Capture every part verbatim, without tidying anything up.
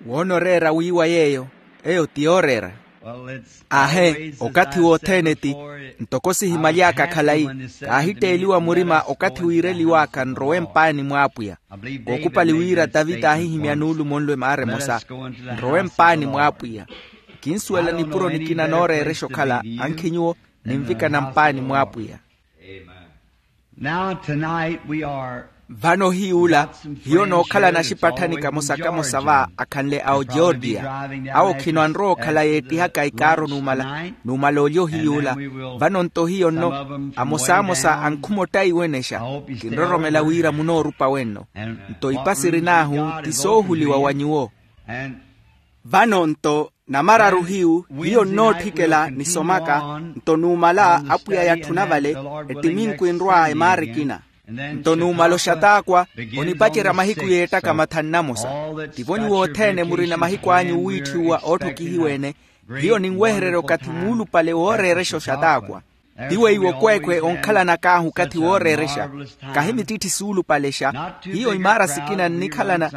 Woona oreera wiiwa yeeyo, eyo ti yooreera. Ahe, okathi wothene ti. Ntoko sihimaly'aka khalayi, kaahitteeliwa murima okathi wiireliw'aka nrowe mpaani mw'apwiya. Kookupali wira tavita aahihimya nuulumo nlo emaara emosa, nrowe mpaani mw'apwiya. Kinsuwela nipuro nikina nooreerexa okhala ankhi nyuwo, ninvikana mpaani mw'apwiya. Now tonight we are. Vano hiy'ula, hiyo nookhalana axipatthani kamosa kamosa va akhanle a ogeorgia. Awo khino anrowa okhala yeettihaka ikaaru numala, numala olyo hiy'ula. Vano nto hiyo nno, amosaamosa ankhuma ottaiwenexa. Kinroromela wira munoorupa wenno. Nto ipa sirin'ahu ti soohuliwa wa nyuwo. Vano nto namararu hiyu, hiyo nnootthikela nisomaka. Nto numala apwiya yatthuna vale, ettiminku enrwa emaara ekina. Nto numala oxataakwa, onipacerya mahiku yeettaka mathanu namosa. Ttivo nyuwo othene murina mahiku anyu owiitthiwa ootthokihiwa-ene. Hiyo ninwehererya okathi muulupale wooreerexa oxataakwa. Ti weiwo kweekwe onkhalanak'ahu okathi wooreerexa. Kahi mittitthisu oolupalexa. Hiyo imaara sikina nnikhalana,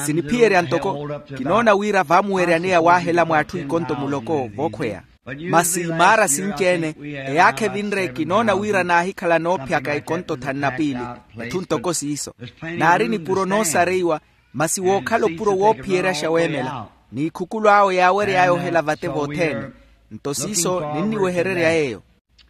siniphiyerya ntoko. Kinoona wira vaamuweryaneya waahela mw'atthu ikonto muloko vookhweya. Masi imaara sinci-ene, eyaakha evinre kinoona wira naahikhala noophyaka ikonto thanu na piili. Etthu ntoko siiso. Naari nipuro noosareiwa. Masi wookhala opuro woophiyeryaxa weemela. N'ikhukulu awe yaawery'aya ohela vate vothene. Nto siiso ninniwehererya yeeyo.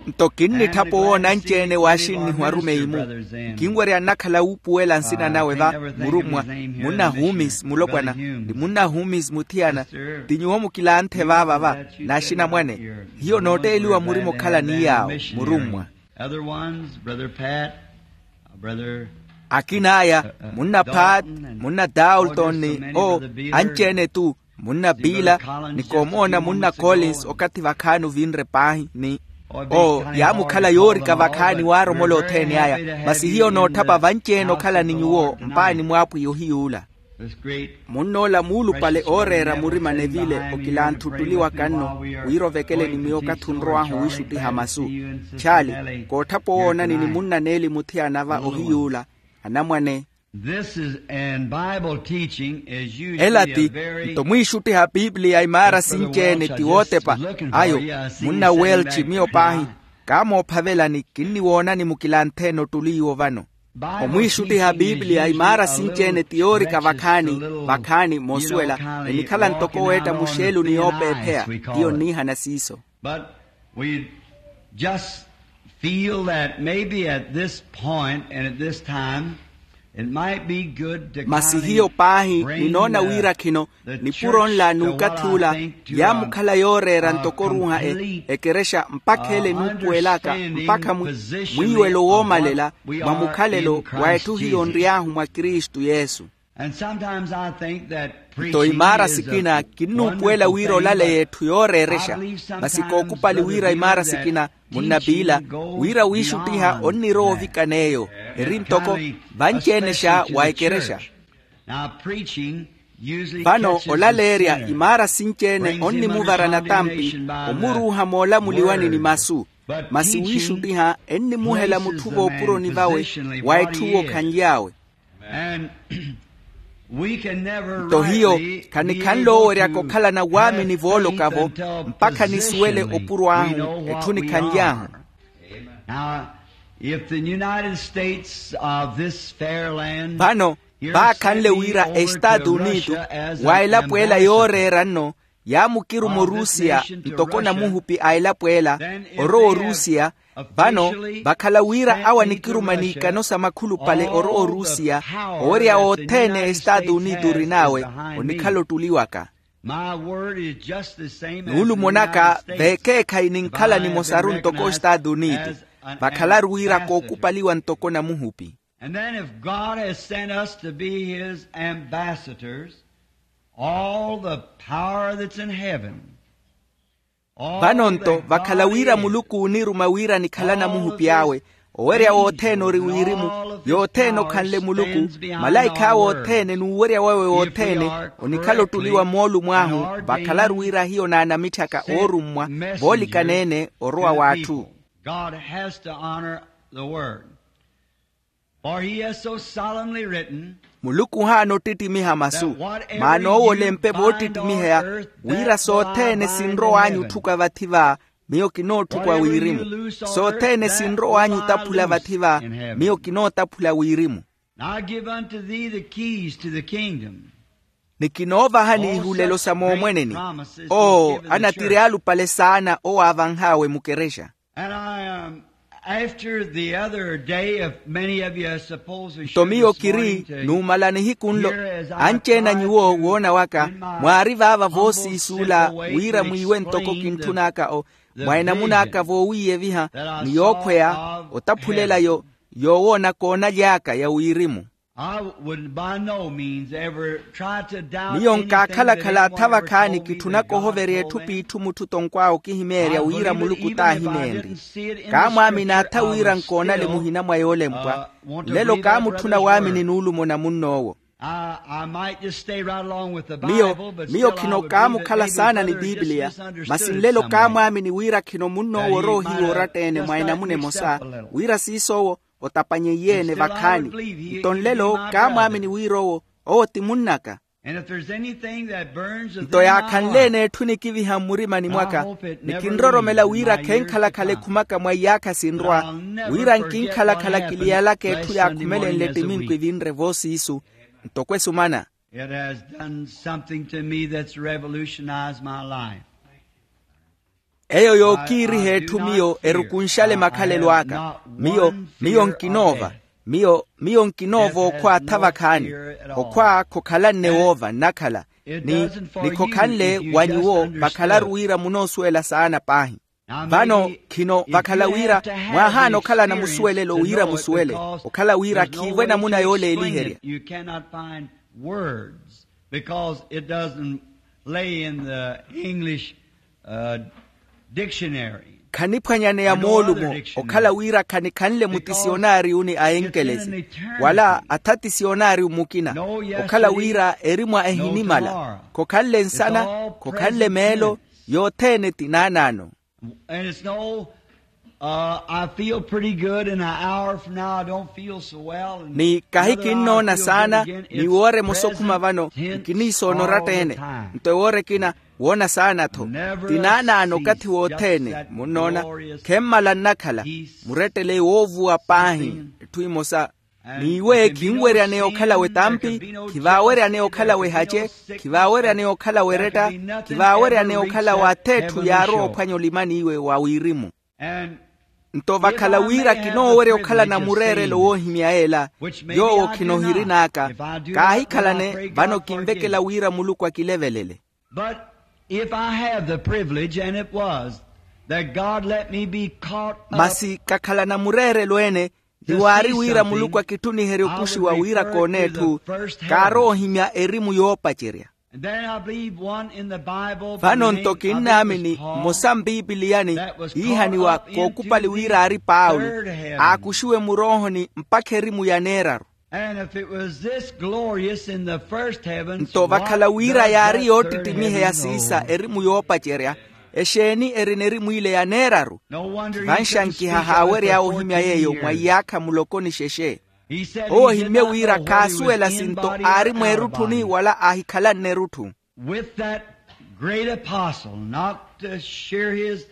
Nto kinnitthapa owoona anci-ene waaxinnihiwa arumeyi-mu. Nkinwerya nnakhala wuupuwela nsina nawe va, murummwa. Munna humis mulopwana, ni munna humis muthiyana. Ti nyuwo mukilanthe vaava va, n'axinamwane. Hiyo nootteeliwa murima okhala ni yaawo, murummwa. Akina aya, munna pat, munna dalton ni o, anci-ene tu, munna bila, ni koomoona munna collins okathi vakhaani ovinre paahi ni o yaamukhala yoorika vakhaani waaromola othene aya. Masi hiyo nootthapa vanci-ene okhala ni nyuwo mpaani mw'apwiya ohiy'ula. Munn'ola muulupale ooreera murima nevile okilanthuttuli waka nno, wira ovekele ni miyo okathi onrow'ahu wiixuttiha masu. Tchaali, kootthapa owoonani ni munna neeli muthiyana va ohiy'ula. Anamwane. Ela ti nto mwiixuttiha a piipiliya imaara sinci-ene ti wootepa. Ayo, munna welchi miyo paahi, kaamoophavelani kinniwoonani mukilantheene ottuli iwo vano. Omwiixuttiha a piipiliya imaara sinci-ene ti yoorika vakhaani, vakhaani moosuwela. Enikhala ntoko weetta muxeelu ni yoopeepheya. Hiyo nniihana siiso. But we just feel that maybe at this point and at this time it might be good to. Masi hiyo paahi ninoona wira khino nipuro nla n'ukathi ula yaamukhala yooreera ntoko oruuha ekerexa mpakha ele nuupuwelaka mpakha mwiiwelo woomalela mwa mukhalelo wa etthu hiyo onry'ahu mwa kristu yesu. Nto imaara sikina kinnuupuwela wira olaleya etthu yooreerexa. Masi kookupali wira imaara sikina munnapiila wira wiixuttiha onnirowa ovikana eyo eri ntoko vanci-ene xa wa ekerexa. Vano olaleerya imaara sinci-ene onnimuvara natampi omuruuha moolamuliwani ni masu. Masi wiixuttiha ennimuhela mutthu voopuroni vawe wa etthu owo khanly'awe. Nto hiyo khanikhanle oweryaka okhalana waamini vooloka-vo mpakha nisuwele opuro ahu etthu nikhanly'ahu. Vano vaakhanle wira estaatu unitu wa elapo ela yooreera nno yaamukiruma orusiya ntoko namuhupi a elapo ela orowa orusiya. Vano vakhala wira awo anikiruma n'ikano sa makhulupale orowa orusiya owerya othene estaatu unitu orin'awe onikhala ottuli waka. Nuulumo naka veekeekhayi ninkhala nimosaru ntoko estaatu unitu vakhalaru wira kookupaliwa ntoko namuhupi. And then if God has sent us to be his ambassadors, all the power that's in heaven. Vano nto vakhala wira muluku ooniruma wira nikhala namuhupi awe owerya wothene ori wirimu yothene okhanle muluku malaikha awe othene n'uwerya wawe wothene onikhala ottuli wa moolumo ahu vakhalaru wira hiyo naanamitthaka oorummwa voolikana-ene orowa w'atthu. God has to honor the word. For he has so solemnly written. Muluku ohaana ottittimiha masu. Maana owo olempe voottittimiheya wira sothene sinrow'anyu otthuka vathi va, miyo kinootthuka wirimu. Sothene sinrow'anyu otaphula vathi va, miyo kinootaphula wirimu. Ni kinoovahani ihulelo sa moomweneni. Oo, anatiri alupale saana owo aavanh'awe mukerexa. Nto miyo kiri, numala nihiku nlo, anci-ene a nyuwo woona waka, mwaari vaava voosiisuula wira mwiiwe ntoko kintthun'aka o, mwa enamuna aka voowiiyeviha, ni yookhweya otaphulela yo yoowoonaka onaly'aka ya wirimu. Miyo nkaakhala-khala atha vakhaani kitthunaka ohoverya etthu p'itthu mutthu tonkw'awe okihimeerya wira muluku t'ahimeenrye. Kaamwaamini atha wira nkoonale muhina mwa yoolempwa. Nlelo kaamutthuna waamini nuulumo na munn'owo. Miyo miyo khino kaamukhala saana ni piipiliya, masi nlelo kaamwaamini wira khino munn'owo oroohiwa oratta-ene mwa enamuna emosa, wira siiso owo otapanyeiye-ene vakhaani. Nto nlelo kaamwaamini wira owo owo ti munn'aka. Nto yaakhanle-ene etthu nikiviha mmurimani mwaka, nikinroromela wira khenkhala-khala ekhumaka mwa iyaakha sinrwa, wira nkinkhala-khala kiliyalaka etthu yaakhumelenle ettiminku evinre voosiisu. Ntoko esumana. It has done something to me that's revolutionized my life. Eyo yookiiriha etthu miyo erukunxale makhalelo aka. Miyo miyo nkinoova. Miyo miyo nkinoova okhwa atha vakhaani. Okhwa khokhalanne woova nnakhala. Ni ni khokhanle wa nyuwo vakhalaru wira munoosuwela saana paahi. Vano khino vakhala wira mwaahaana okhalana musuwelelo wira musuwele, okhala wira khiivo enamuna yooleeliherya. Words, because it doesn't lay in the English, uh, dictionary. Khaniphwanyaneya moolumo okhala wira khanikhanle mutisionariyuni a enkelesi wala atha tisionariyu mukina. Okhala wira erimwa ehinimala, khokhanle nsana, khokhanle meelo, yothene ti naanaano. And it's no, uh, I feel pretty good, and an hour from now I don't feel so well, and ni kahi kinnoona saana, ni woore emosa okhuma vano nkiniisoona oratta-ene. Nto ewoora ekina woona saana-tho. Ti naanaano okathi wothene munnoona. Khemmala nnakhala, murettele woovuwa paahi. Etthu emosa. N'iwe khinweryaneya okhala w'etampi, khivaaweryaneya okhala w'ehace, khivaaweryaneya okhala w'eretta, khivaaweryaneya okhala w'ath'etthu yaarowa ophwanya olimaniwe wa wirimu. Nto vakhala wira kinoowerya okhalana mureerelo woohimya ela, yoowo khinohirin'aka. Kaahikhalane vano kinvekela wira muluku akilevelele. But if I have the privilege, and it was, that God let me be caught up. Masi kakhalana mureerelo ene, ni waari wira muluku akittuniherye okuxiwa wira koona etthu, kaarowa ohimya erimu yoopacerya. And then I believe one in the Bible. Vano nto kinnaamini mmosa mpipiliyani iihaniwa kookupali wira aari paulo, aakuxiwe muroohoni mpakha erimu ya neeraru. And if it was this glorious in the first heaven, nto vakhala wira yaari yoottittimiheya siisa erimu yoopacerya, exeeni erina erimu ile ya neeraru? Vanxankiha haawery'awe ohimya yeeyo mwa iyaakha muloko ni xexe. Owo ohimmye wira khaasuwela sinto aari mweerutthuni wala aahikhalanne erutthu. With that great apostle, not to share his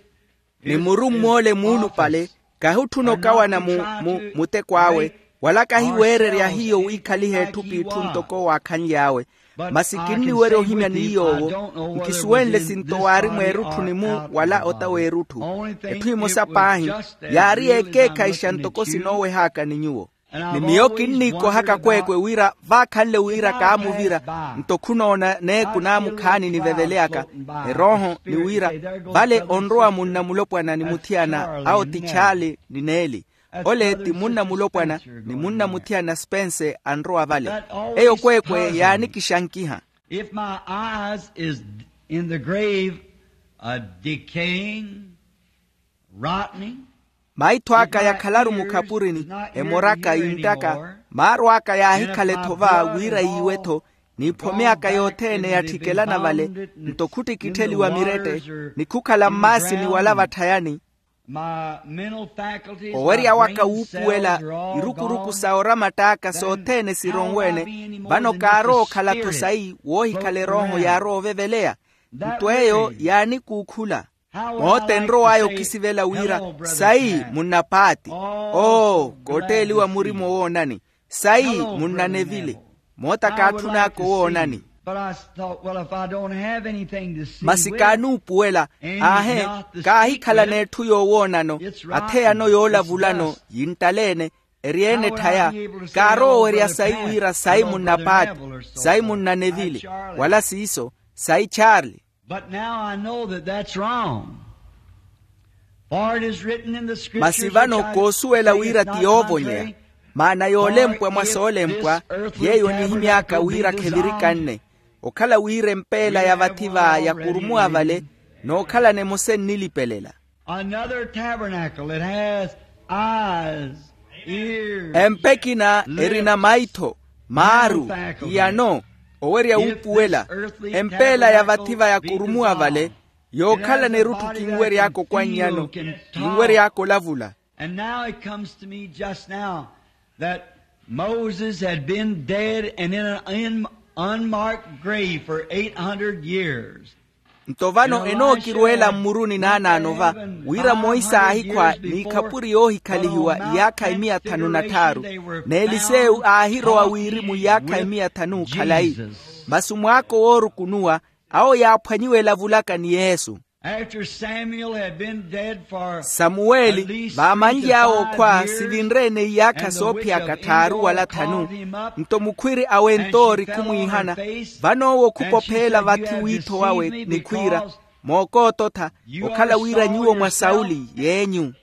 ni murumm'ole muulupale, kahutthuna okawana mu muteko awe, wala kahiweererya hiyo wiikhaliha etthu p'itthu ntoko waakhanly'awe. Masi kinniwerya ohimya ni yoowo. Nkisuwenle sinto waari mweerutthu ni mu wala ota w'erutthu. Etthu emosa paahi yaari yeekeekhayixa ntoko sinooweh'aka ni nyuwo. Ni miyo kinniikohaka kweekwe wira vaakhanle wira kaamuvira, nto khunoona neeku naamukhaani niveveleyaka. Erooho ni wira vale onrowa munna mulopwana ni muthiyana awo ti charle ni neeli. Ole ti munna mulopwana ni munna muthiyana spense anrowa vale. Eyo kweekwe yaanikixankiha. If my eyes is in the grave, a decaying, rotting, maitho aka yakhalaru mukhapurini, emoraka yinttaka, maaru aka yaahikhala ethova wira yiiwe-tho, n'iphome aka yothene yatthikelana vale, nto khuttikittheliwa mirette, ni khukhala mmaasini wala vatthayani. Owerya waka wuupuwela irukuruku sa oramatt'aka sothene sironweene. Vano kaarowa okhala-tho sayi woohikhala erooho yaarowa oveveleya. Nto eyo yaanikuukhula. Moota enrow'aya okisivela wira, sayi munnapaati. Oo, kootteeliwa murima owoonani. Sayi munnanevile. Moota kaatthun'aka owoonani. Masi kaanuupuwela. Aahe, kaahikhala n'etthu yoowoonano. Atheyano yoolavulano yinttaleene. Eri-ene etthaya. Kaarowa owerya sayi wira sayi munnapaati, sayi munnanevile. Wala siiso, sayi charle. But now I know that that's wrong. Masi vano koosuwela wira ti yoovonyeya. Maana yoolempwa mwa soolempwa yeeyo onihimy'aka wira khevirikanne. Okhala wira empeela ya vathi va yakurumuwa vale, n'okhalana emosa ennilipelela. Another tabernacle that has eyes, ears, empa ekina erina maitho, maaru, iyano, owerya wuupuwela. Empeela ya vathi va yakurumuwa vale, yookhalana erutthu kinwery'aka okwannyano, kinwery'aka olavula. And now it comes to me just now that Moses had been dead and in an un- unmarked grave for eight hundred years. Nto vano enookirweela mmuruni naanaano va, wira monse aahikhwa n'ikhapuri yoohikhalihiwa iyaakha imiya thanu na tthaaru. N'elisewu aahirowa wirimu iyaakha imiya thanu khalayi. Masi mwaako woorukunuwa, awo yaaphwanyiwa elavulaka ni yesu. Samuweli vaamanly'awe okhwa sivinre-ene iyaakha soophiyaka tthaaru wala thanu. Nto mukhwiri awentoori khumwiihana, vano owo khupopheela vathi wiitho wawe ni khwiira, mookoototha, okhala wira nyuwo mwa sauli yeenyu.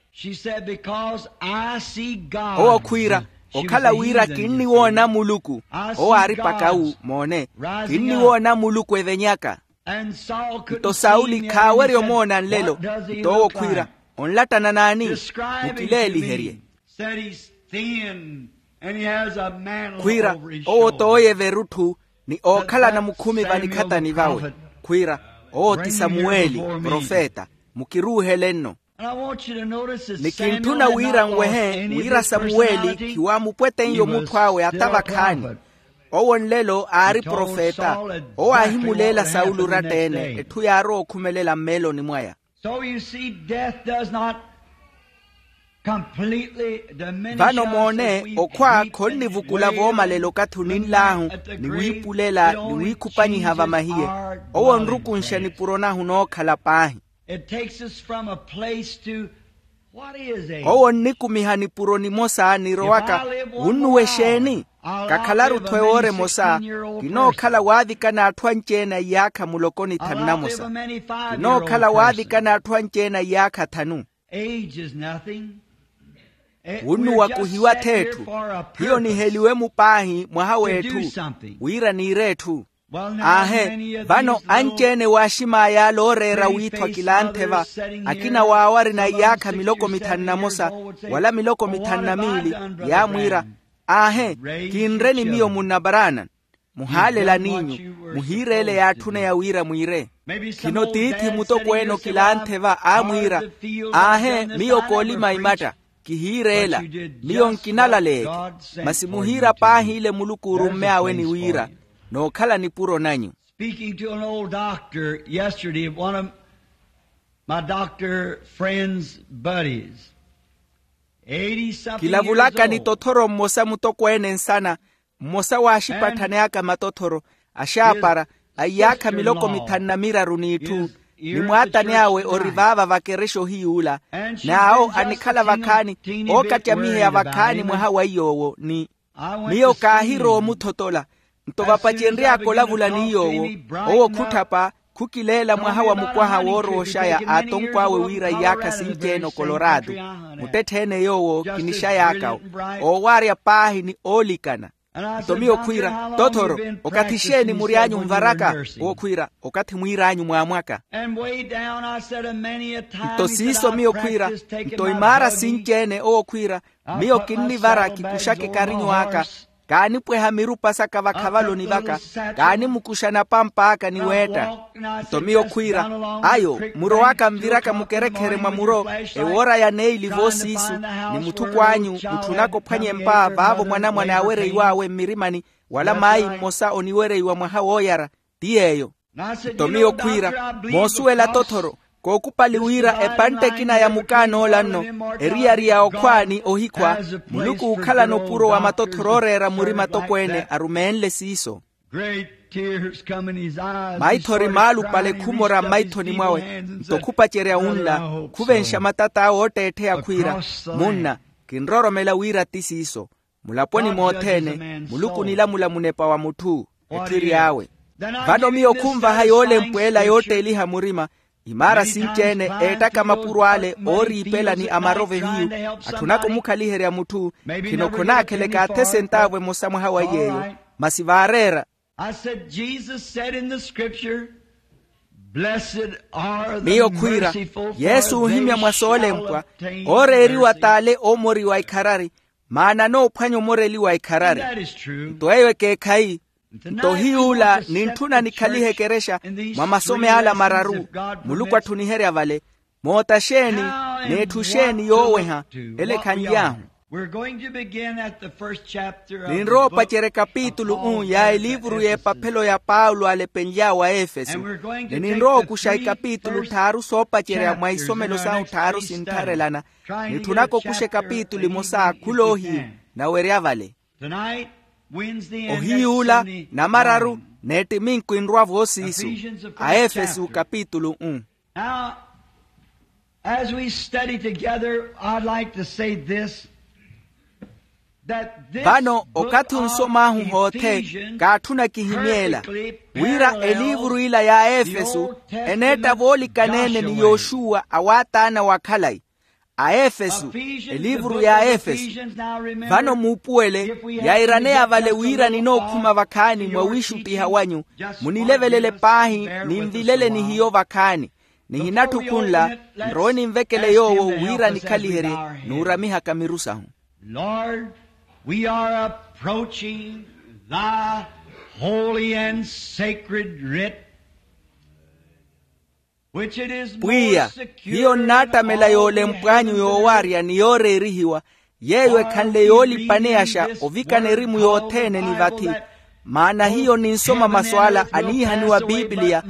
Owo khwiira, okhala wira kinniwoona muluku. Owo aari pakawu moone, kinniwoona muluku evenyaka. Nto sauli khaawerya omoona nlelo. Nto owo khwiira, onlattana n'ani? Mukileeliherye. Khwiira, owo t'oyeva erutthu, ni ookhalana mukhumi vanikhatani vawe. Khwiira, owo ti samuweli profeta. Mukiruuhele-nno. Ni kintthuna wira nwehe wira samuweli khiwaamupweteiye omutthu awe ata vakhaani. Owo nlelo aari profeta. Owo aahimuleela sauli oratta-ene etthu yaarowa okhumelela mmeeloni mwaya. Vano moone, okhwa khonnivukula voomalela okathi oninl'ahu, ni wiipulela ni wiikhupanyiha vamahiye. Owo onrukunxa nipuro nahu nookhala paahi. Owo onnikumiha nipuro nimosa nirowaka, wunnuwa exeeni? Kakhalaru-tho ewoora emosa. Kinookhala waavikana atthu anci-ene a iyaakha muloko ni thanu namosa. Kinookhala waavikana atthu anci-ene a iyaakha thanu. Wunnuwa kuhiwa-tho etthu. Hiyo niheliwe-mu paahi mwaha w'etthu, wira niire etthu. Aahe, vano anci-ene waaxim'aya ale ooreera wiithwa kilanthe va. Akina waawo arina iyaakha miloko mithanu na mosa wala miloko mithanu na miili, yaamwiira, aahe, kinreni miyo munna branham. Muhaalela n'inyu, muhiireele yaatthuneya wira mwiire. Khino tiithi mutokweene okilanthe va aamwiira, aahe, miyo koolima imatta. Kihiireela, miyo nkinalaleeke. Masi muhiira paahi ile muluku orumme awe ni wira, nookhala nipuro nanyu. Speaking to an old doctor yesterday, one of my doctor friend's buddies. Kilavulaka ni tothoro mmosa mutokweene nsana, mmosa w'axipatthaneyaka matothoro, axaapara, a iyaakha miloko mithanu na miraru n'itthu. Ni mwaatani awe ori vaava vakerexa ohiy'ula. N'awo anikhala vakhaani, ookatyamiheya vakhaani mwaha wa iy'owo ni miyo kaahirowa omuthotola. Nto vapacenry'aka olavula ni yoowo, owo khutthapa, khukileela mwaha wa mukwaha woorooxaya aatonkw'awe wira iyaakha sinci-ene okoloraatu. Muttetthe-ene yoowo kinixay'aka-wo, oowarya paahi ni oolikana. Nto miyo khwiira, tothoro, okathi xeeni mury'anyu nvaraka? Owo khwiira, okathi mwiir'anyu mwaamwaka. Nto siiso miyo khwiira, nto imaara sinci-ene owo khwiira, miyo kinnivara kikuxaka ekarinyu aka. Kaanipweha mirupa saka vakhavaloni vaka, kaanimukuxa napamp'aka ni weetta. Nto miyo khwiira, ayo muro aka nviraka mukerekhere mwa muro, ewoora ya neili voosiisu, ni muthukw'anyu mutthunaka ophwanyempa vaavo mwanamwane aawereiw'awe mmirimani, wala mayi mmosa oniwereiwa mwaha wooyara. Ti yeeyo. Nto miyo khwiira, moosuwela tothoro, kookupali wira epantte ekina ya mukaan'ola nno, eriyari ya okhwa ni ohikhwa, muluku ookhalana opuro wa matothoro ooreera murima tokweene arumeenle siiso. Maithori maalupale khumora mmaithoni mwawe. Nto khupacerya wunla, khuvenxa matat'awe ootteettheya khwiira, munna, kinrooromela wira ti siiso. Mulaponi mothene muluku onilamula munepa wa mutthu, etthiri awe. Vano miyo khunvaha yoolempweela yootteeliha murima, imaara sinci-ene eettaka mapuro ale ooriipela ni amarovo ehiyu, atthunaka omukhaliherya mutthu. Khino khonaakheleka athe sentaavu emosa mwaha wa iy'eyo. Masi vaareera. Miyo khwiira, yesu oohimya mwa soolempwa, ooreeriwa t'ale oomoriwa ikharari, maana anoophwanya omoreliwa ikharari. Nto eyo ekeekhayi. Nto ohiy'ula nintthuna nikhalihe ekerexa mwa masom'ala mararu, muluku atthuniherya vale. Moota xeeni, n'etthu xeeni yooweha? Ele khanly'ahu. Ninrowa opacerya ekapitulu u ya eliivuru y'epaphelo ya paulo alepenly'awe a efesu. Ni ninrowa okuxa ekapitulu tthaaru soopacerya mwa isomelo sahu tthaaru sintharelana. Nitthunaka okuxa ekapitulu emosa khul'ohiyu, nawerya vale. Ohiy'ula, namararu, n'ettiminku enrwa voosiisu. A efesu kapitulu u. Now, as we study together, I'd like to say this, that this vano book okathi of onsom'ahu hoothe, Ephesians kaatthuna kihimyeela perfectly wira parallels eliivuru ila ya efesu the Old Testament eneetta voolikaneene ni Joshua. Yoxuwa awaataana wa khalayi. A efesu, eliivuru ya efesu. Vano muupuwele, yairaneya vale wira ninookhuma vakhaani mwa wiixuttiha wanyu, munilevelele paahi, ninvilele ni hiyo vakhaani. Nihinatthi okhunla, nrowe ninvekele yoowo wira nikhaliherye, nuuramihaka miru sahu. Lord, we are approaching thy holy and sacred writ. Pwiya, hiyo nnaattamela yoolempw'anyu yoowarya ni yooreerihiwa, yeeyo ekhanle yoolipaneyaxa ovikana erimu yothene ni vathi. Maana hiyo ninsoma masu ala aniihaniwa pipiliya,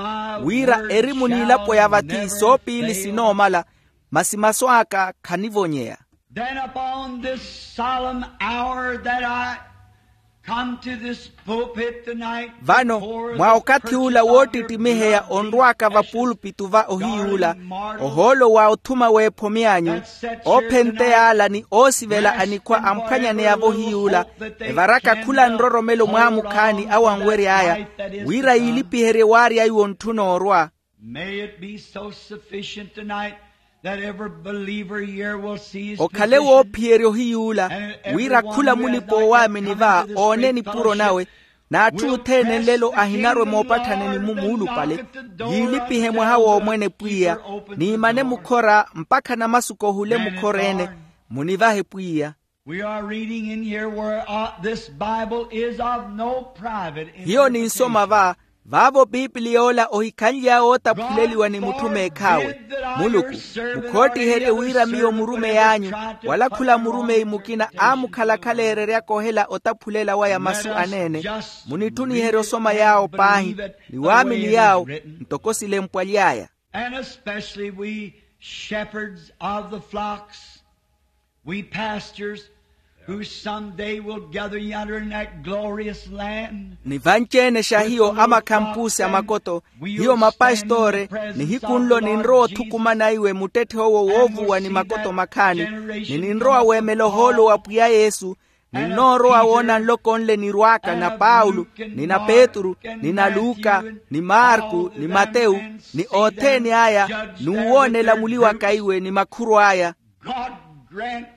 wira erimu n'ilapo ya vathi soopiili sinoomala, masi masu aka khanivonyeya. Then upon this solemn hour that I come to this pulpit tonight, vano, mwa okathi ula woottittimiheya onrw'aka vapuulpitu va ohiy'ula, ohoolo wa othuma w'ephomi anyu, oophenteya ala ni oosivela anikhwa amphwanyaneya-vo ohiy'ula, evaraka khula nroromelo mwaamukhaani awo anwery'aya, wira yiilipiherye waarya iwo ntthuna orwa. May it be so sufficient tonight that every believer here will see his okhale position. Woophiyerya ohiy'ula, wira khula mulipa-oowaamini va oone nipuro nawe, n'atthu othene nlelo ahinarwe moopatthanani-mu muulupale, yiilipihe mwaha w'omwene pwiya, niimane mukhora mpakha namasik'ohule mukhor'ene. Munivahe pwiya. We are reading in here where, uh, this Bible is of no private interpretation. Hiyo ninsoma va, vaavo pipiliya ola ohikhanly'awe ootaphuleliwa ni mutthu meekh'awe. Muluku, mukhoottiherye wira miyo murumeyi anyu, wala khula murumeyi mukina aamukhalakhalererya kohela otaphulela waya masu aneene. Munitthuniherye osoma yaawo paahi, ni waamini yaawo, ntoko silempwaly'aya. And especially we shepherds of the flocks, we pastors, who someday will gather yonder in that glorious land. Ni vanci-ene xa hiyo amakhampusi a makoto, hiyo mapastoore, nihiku nlo ninrowa othukumana iwe muttetthe owo woovuwa ni makoto makhaani, ni ninrowa weemela ohoolo wa pwiya yesu, ninnoorowa woona nloko nle nirw'aka na paulo, ni na petru, ni na luka, ni marku, ni matewu, ni othene aya, n'uwoonela muli waka iwe ni makhurwa aya. God grant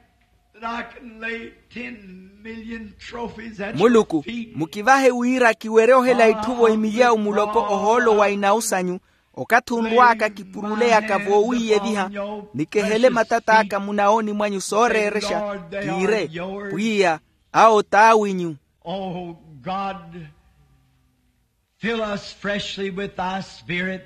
that I can lay ten million trophies at your feet. Muluku, mukivahe wira kiwerye ohela itthu-vo imilyawu muloko ohoolo wa inawu sanyu, okathi onrw'aka kipuruleyaka voowiiyeviha, ni kehele matat'aka munawooni mwanyu sooreerexa, kiire, pwiya, awo t'awinyu. Oh God, fill us freshly with thy spirit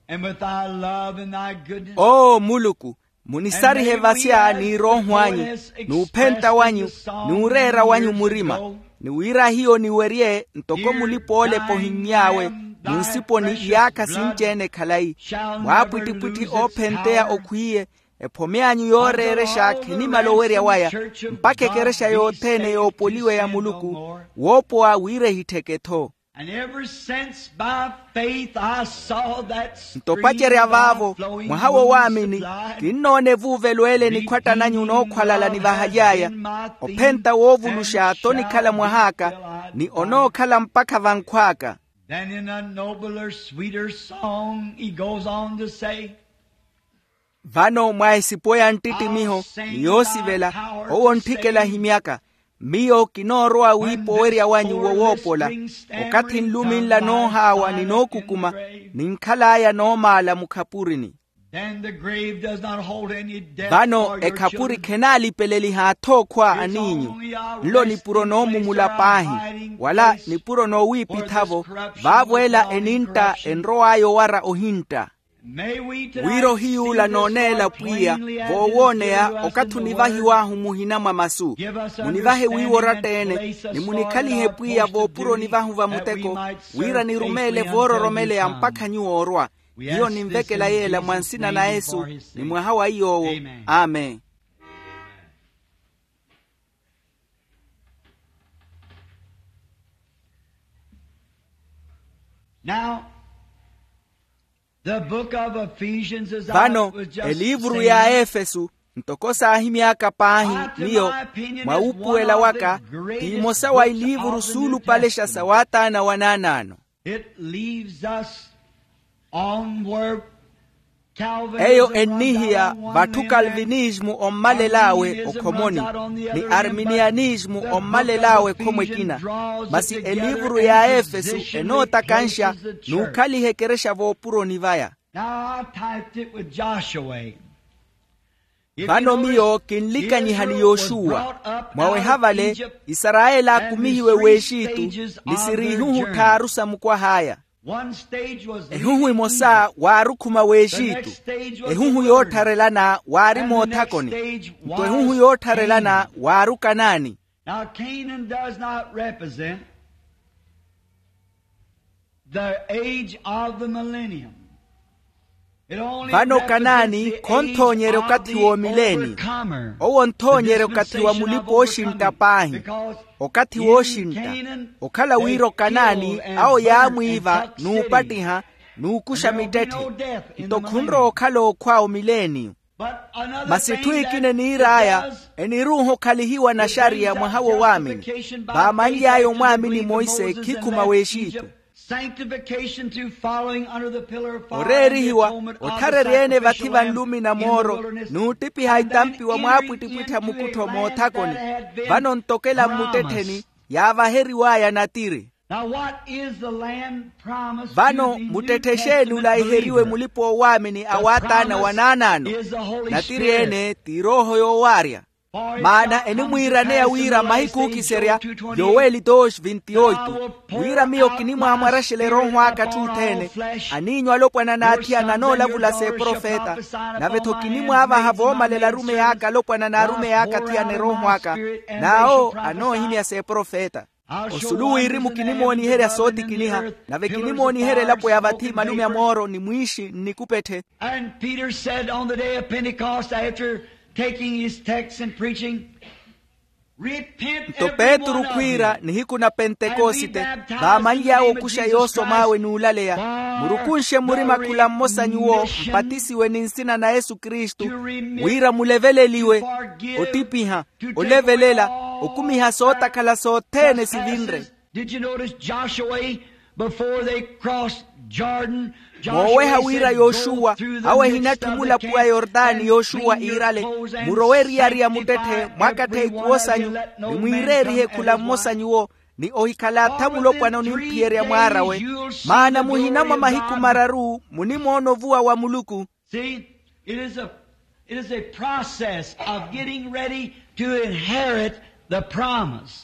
and with thy love and thy goodness. Oo muluku, munisarihe vasya n'irooho anyu, n'uphenta wanyu, n'ureera wanyu murima, ni wira hiyo niwerye ntoko mulipa-olepa ohimmy'awe munsiponi iyaakha sinci-ene khalayi. Mwaapwittipwitthi oophenteya okhwiiye, ephome anyu yooreerexa khinimala owerya waya, mpakha ekerexa yothene yoopoliwa ya muluku woopowa wira ehittheke-tho. And ever since by faith I saw that stream of life flowing, nto opacerya vaavo, mwaha wo waamini, kinnoona evuuvelo ele nikhwatta nanyu nookhwalala nivahaly'aya, ophenta woovuluxa t'onikhala mwah'aka, ni onookhala mpakha vankhw'aka. Then in a nobler, sweeter song, he goes on to say, Vano mwa esipo ya nttittimiho ni yoosivela, owo ontthikela ahimyaka, miyo kinoorowa wiipa owerya wanyu wo woopola, okathi nlumi nla noohaawa ni nookukuma, ninkhal'aya noomaala mukhapurini. Then the grave does not hold any death. Vano for your ekhapuri children. Khenaalipeleliha athookhwa aniinyu. Nlo nipuro noomumula paahi, wala nipuro noowiipitha-vo, vaavo ela enintta enrow'aya owara ohintta. Wira ohiyuula nooneela pwiya voowooneya okathi onivahiw'ahu muhina mwa masu. Munivahe wiiwa oratta-ene, ni munikhalihe pwiya voopuroni vahu va muteko, wira nirumeele voororomeleya mpakha nyuwo orwa. Hiyo ninvekela yeela mwa nsina na yesu, ni mwaha wa iy'owo. Amen. Now, the book of Ephesians, as I was just saying, vano eliivuru ya efesu, ntoko saahimy'aka paahi miyo, mwa wuupuwela waka, ti imosa wa iliivuru suulupalexa sa waataana wanaanaano. It leaves us on where Calvinism runs out on one end, eyo ennihiya vatthu kalvinismu ommalel'awe okhomoni, ni arminianismu ommalel'awe ekhomo ekina. Masi eliivuru ya efesu enootakanxa n'ukhaliha ekerexa voopuroni vaya. Now I typed it with Joshua. Vano miyo kinlikanyiha ni yoxuwa. Mwaweha vale, isarayeli aakumihiwe w'exitu, ni siri ihuhu tthaaru sa mukwah'aya. Ehuhu imosa waari okhuma w'exitu, ehuhu yoottharelana waari moothakoni, nto ehuhu yoottharelana waari okanaani. Now Canaan does not represent the age of the millennium. Vano kanaani khonthoonyerya okathi w'omileeni. Owo onthoonyerya okathi wa mulipa ooxintta paahi. Okathi wooxintta okhala wira okanaani awo yaamwiiva n'upattiha n'ukuxa mittetthe. Nto khunrowa okhala ookhwa omileeni. Masi etthu ekina eniir'aya eniruuha okhalihiwa naxariya mwaha wo waamini. Vaamanly'aya omwaamini monse khikhuma w'exitu. Sanctification through following under the pillar of fire. Oreerihiwa otharerya-ene vathi vanlumi na mooro n'uttipiha itampi wa mwaapwittipwittha mukuttho moothakoni. Vano ntokela mmuttettheni yaavaheriw'aya natiri. Now what is the land promised? Vano muttetthe exeeni ulaiheriwe mulipa oowaamini a waataana wanaanaano? Natiri ene ti erooho yoowaarya. Maana enimwiiraneya wira mahiku ookiserya, yoweli dois vinte oito, wira miyo kinimwaamwaraxela erooho aka atthuttheene, aniinyu alopwana n'athiyana anoolavula s'eprofeta. Nave-tho kinimwaavaha voomalela arumeyi aka alopwana n'arumeyi aka athiyana erooho aka, n'awo anoohimya s'eprofeta. Osulu wirimu kinimooniherya sootikiniha, nave kinimooniherya elapo ya vathi malume a mooro ni mwiixi nnikupethe. And Peter said on the day of Pentecost, after taking his text and preaching, "Repent, every one of you, and be baptized in the name of Jesus Christ for the remission of sins." Nto petru khwiira nihiku na pentekosite, vaamanly'awe okuxa yoosom'awe n'ulaleya, murukunxe murima khula mmosa nyuwo mpatisiwe ni nsina na yesu kristu, wira muleveleliwe, otipiha, olevelela, okumiha sootakhala sothene sivinre. Did you notice Joshua, before they crossed Jordan, Joshua said, "Go through the midst of the camp and leave your clothes on." Mooweha wira yoxuwa awo ehinatthi mulapu wa yortani yoxuwa iirale, murowe eriyari ya muttetthe mwakattheiku woosanyu, ni mwiireerihe khula mmosa nyuwo, ni ohikhala atha mulopwana onimphiyerya mwaar'awe. Maana muhina mwa mahiku mararu munimoona ovuwa wa muluku. See, it is a, it is a process of getting ready to inherit the promise.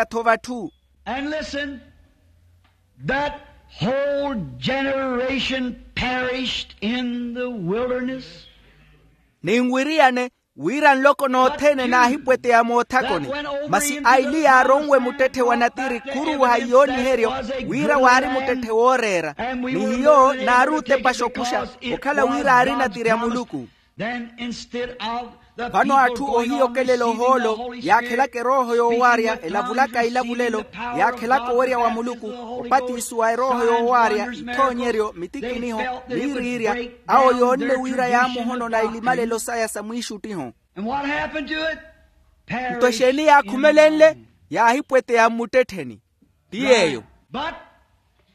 ohiphwanyaka-tho vatthu. And listen, that whole generation perished in the wilderness. Ninwiriyane wira nloko nothene naahipweteya moothakoni. Masi aili yaaronwe muttetthe wa natiri khuruuha iyooniheryo wira waari muttetthe wooreera. Ni hiyo naari otepa xokuxa okhala wira aari natiri a muluku. Vano atthu ohiyokelela ohoolo yaakhelaka erooho yoowaarya elavulaka ilavulelo yaakhelaka owerya wa muluku, opatiso wa erooho yoowaarya ithoonyeryo mitikiniho, miiriirya awo yoonne wira yaamuhonona ilimalelo saya sa mwiixuttiho. Nto exeeni yaakhumelenle? Yaahipweteya mmuttettheni. Ti yeeyo. But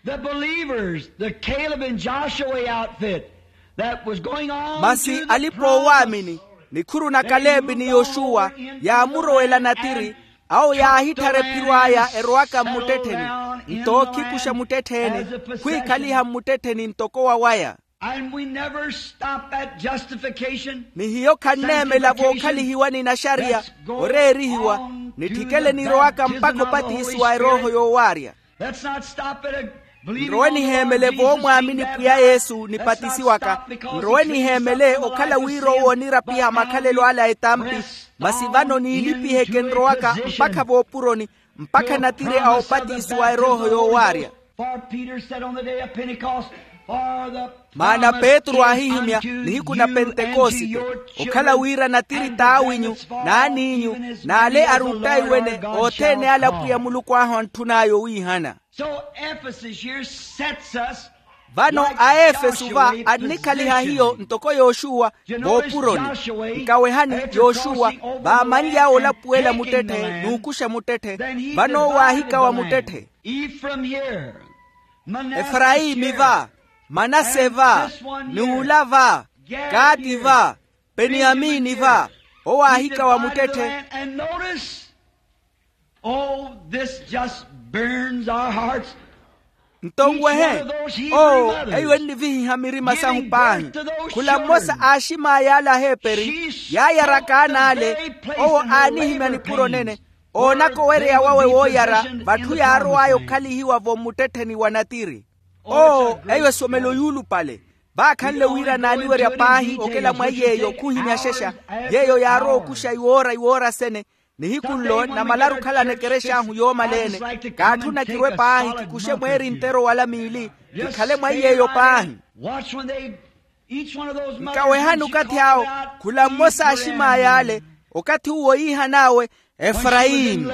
the believers, the Caleb and Joshua outfit that was going on masi alipa owaamini nikhuru na kaleepi ni yoxuwa yaamurowela natiri. Awo yaahitthara ephiro aya erowaka mmuttettheni nto okhikuxa muttettheene khwiikhaliha mmuttettheni ntoko wawaya. And we never stop at justification. Ni hiyo khanneemela vookhalihiwa ni naxariya oreerihiwa nitthikele nirowaka mpakha opatisiwa erooho yoowaarya. Let's not stop at a believing on the Lord Jesus Christ. Nrowe niheemele voomwaamini pwiya yesu nipatisiwaka. Nrowe niheemele okhala wira owo onirapiha makhalelo ale a etampi. Masi vano niilipiheke nrowaka mpakha voopuroni mpakha natiri a opatisiwa erooho yoowaarya. For Peter said on the day of Pentecost, Maana petru aahihimya nihiku na pentekosite, okhala wira natiri t'awinyu n'aniinyu n'ale aruttaiwene othene ale apwiya muluku ahu antthun'aya owiihana. Vano aefesu va annikhaliha hiyo ntoko yoxuwa voopuroni. Nkawehani yoxuwa vaamanly'awe olapuwela muttetthe n'ukuxa muttetthe. Vano owo aahikawa muttetthe. Efrayimi va, manase va, n'ula va, kaati va, peniyamini va, owo aahikawa muttetthe. Nto nwehe, oo, eyo ennivihiha mirima sahu paahi. Khula mmosa aaxim'aya ale aheperi yaayaraka an'ale. Owo aanihimya nipuro nene, oonaka owereya wawe wooyara vatthu yaarow'aya okhalihiwa-vo mmuttettheni wa natiri. Oo, eyo esomelo yuulupale. Vaakhanle wira naaniwerya paahi okela mwa iy'eyo khuhimya xexa. Yeeyo yaarowa okuxa iwoora iwoora sene. Nihiku nlo namalaru okhalana ekerex'ahu yoomaleene. Kaatthuna kirwe paahi kikuxe mweeri ntero wala miili, kikhale mwa iy'eyo paahi. Nkawehani okathi awo, khula mmosa aaxim'aya ale, okathi uwo yiihan'awe efrayimi.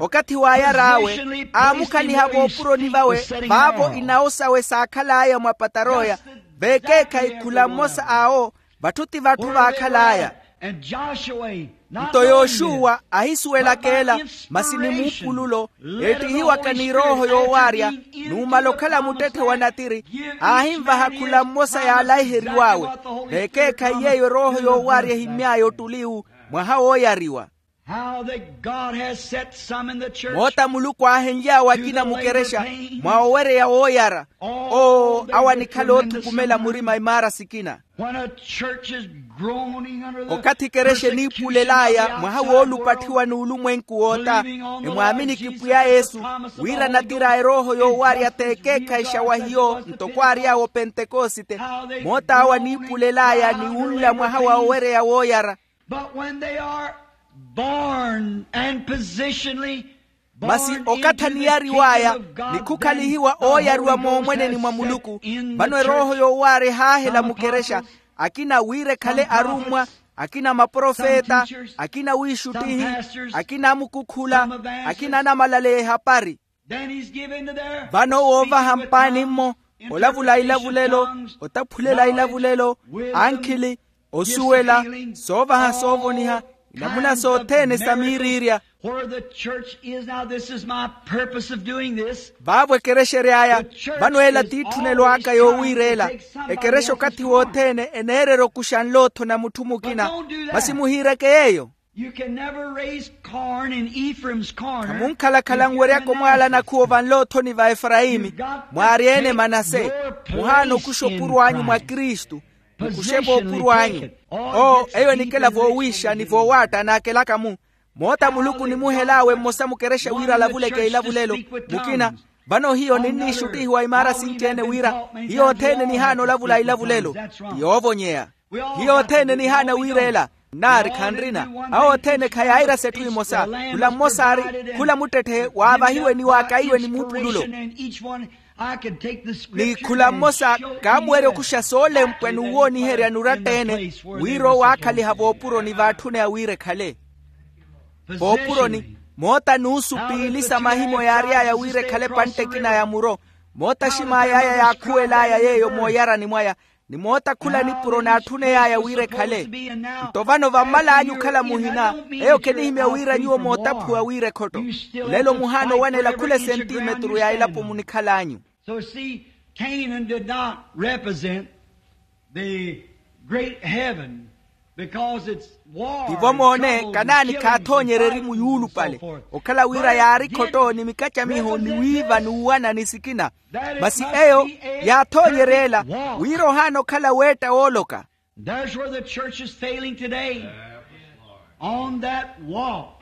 Okathi waayar'awe aamukhaliha voopuroni vawe, vaavo inawo sawe saakhal'aya mwa pataroya. Veekeekhayi khula mmosa awo, vatthu ti vatthu vaakhal'aya. Nto yoxuwa ahisuwelaka ela, masi ni muupululo, eettihiwaka ni erooho yoowaarya, numala okhala muttetthe wa natiri, aahinvaha khula mmosa yaalaiheriw'awe. Veekeekhayi yeeyo erooho yoowaarya ehimmy'aya ottuliwu mwaha wooyariwa. Moota muluku aahenly'awe akina mukerexa mwa owereya wooyara. Oo, awo anikhala oothukumela murima imaara sikina. Okathi ekerexa eniipulel'aya mwaha woolupatthiwa n'ulumwenku woota, emwaaminiki pwiya yesu, wira natiri a erooho yoowaarya t'ekeekhayi xa wa hiyo ntoko aary'awe opentekosite. Moota awo aniipulel'aya ni wunla mwaha wa owereya wooyara. But when they are born and positionally, masi okathi aniyariw'aya ni khukhalihiwa ooyariwa moomweneni mwa muluku. Vano erooho yoowaarya ehaahela mukerexa, akina wira ekhale arummwa, akina maprofeta, akina wiixuttihi, akina amukukhula, akina anamalaleya ehapari. Vano woovaha mpaani-mmo, olavula ilavulelo, otaphulela ilavulelo, ankhili, osuwela, soovaha soovoniha, inamuna sothene sa miiriirya. Vaavo ekerexa ery'aya. Vano ela t'itthunelo aka yoowiira ela. Ekerexa okathi wothene eneererya okuxa nlootho na mutthu mukina. Masi muhiireke yeeyo. Khamunkhalakhala nweryaka omwaala nakhuwo vanloothoni va efrayimi, mwaarya-ene manase. Muhaana okuxa opuro anyu mwa kristu. Mukuxe voopuro anyu. Oo, eyo enikela voowiixa ni voowaatta naakelaka-mu. Moota muluku onimuhel'awe mmosa mukerexa wira alavuleke ilavulelo, mukina. Vano hiyo ninniixuttihiwa imaara sinci-ene wira hiyo othene nihaana olavula ilavulelo. Ti yoovonyeya. Hiyo othene nihaana wiirela. Nnaari khanrina. Awo othene khayairasa etthu emosa. Khula mmosa aari, khula muttetthe waavahiwe ni waakaiwe ni muupululo. Ni khula mmosa kaamuwerya okuxa soolempwa n'uwooniherya n'uratta-ene, wira owo aakhaliha voopuroni vaatthune awiira ekhale. Voopuroni, moota n'usu piili sa mahimo yaary'aya wira ekhale epantte ekina ya muro. Moota axim'ay'aya yaakhuwel'aya yeeyo mooyarani mwaya, ni moota khula nipuro naatthuneyaaya wira ekhale. Nto vano vammal'anyu okhala muhina, eyo khenihimya wira nyuwo mootaphuwa wira ekhotto. Lelo muhaana owanela khula esentimeturu ya elapo munikhal'anyu. So see, Canaan did not represent the great heaven, because its war and troubles and killings and fighting and so forth. Tivo moone kanaani khaathoonyerya erimu yuulupale, okhala wira yaari khotto ni mikacamiho ni wiiva n'uwana ni sikina. Masi eyo yaathoonyerya ela wira ohaana okhala weetta wooloka. There's where the church is failing today. On that wall.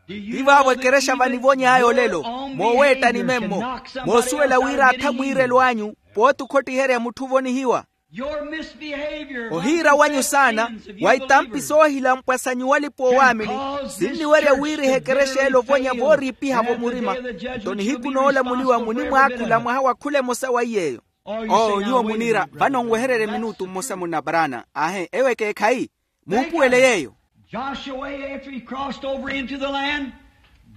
Tivo avo ekerexa vanivony'aya olelo, mooweettani memmo, moosuwela wira atha mwiirelo anyu pooti okhottiherya mutthu ovonihiwa. Ohiira wanyu saana wa itampi soohilampwa sa nyuwo alipa oowaamini, sinniwerya wiiriha ekerexa ela ovonya vooriipiha-vo murima. Nto nihiku noolamuliwa munimwaakhula mwaha wa khula emosa wa iy'eyo. Oo nyuwo muniira vano nwehererye minutu mmosa munna paraana. Aahe eyo ekeekhayi. Muupuwele yeeyo. Joshua, after he crossed over into the land,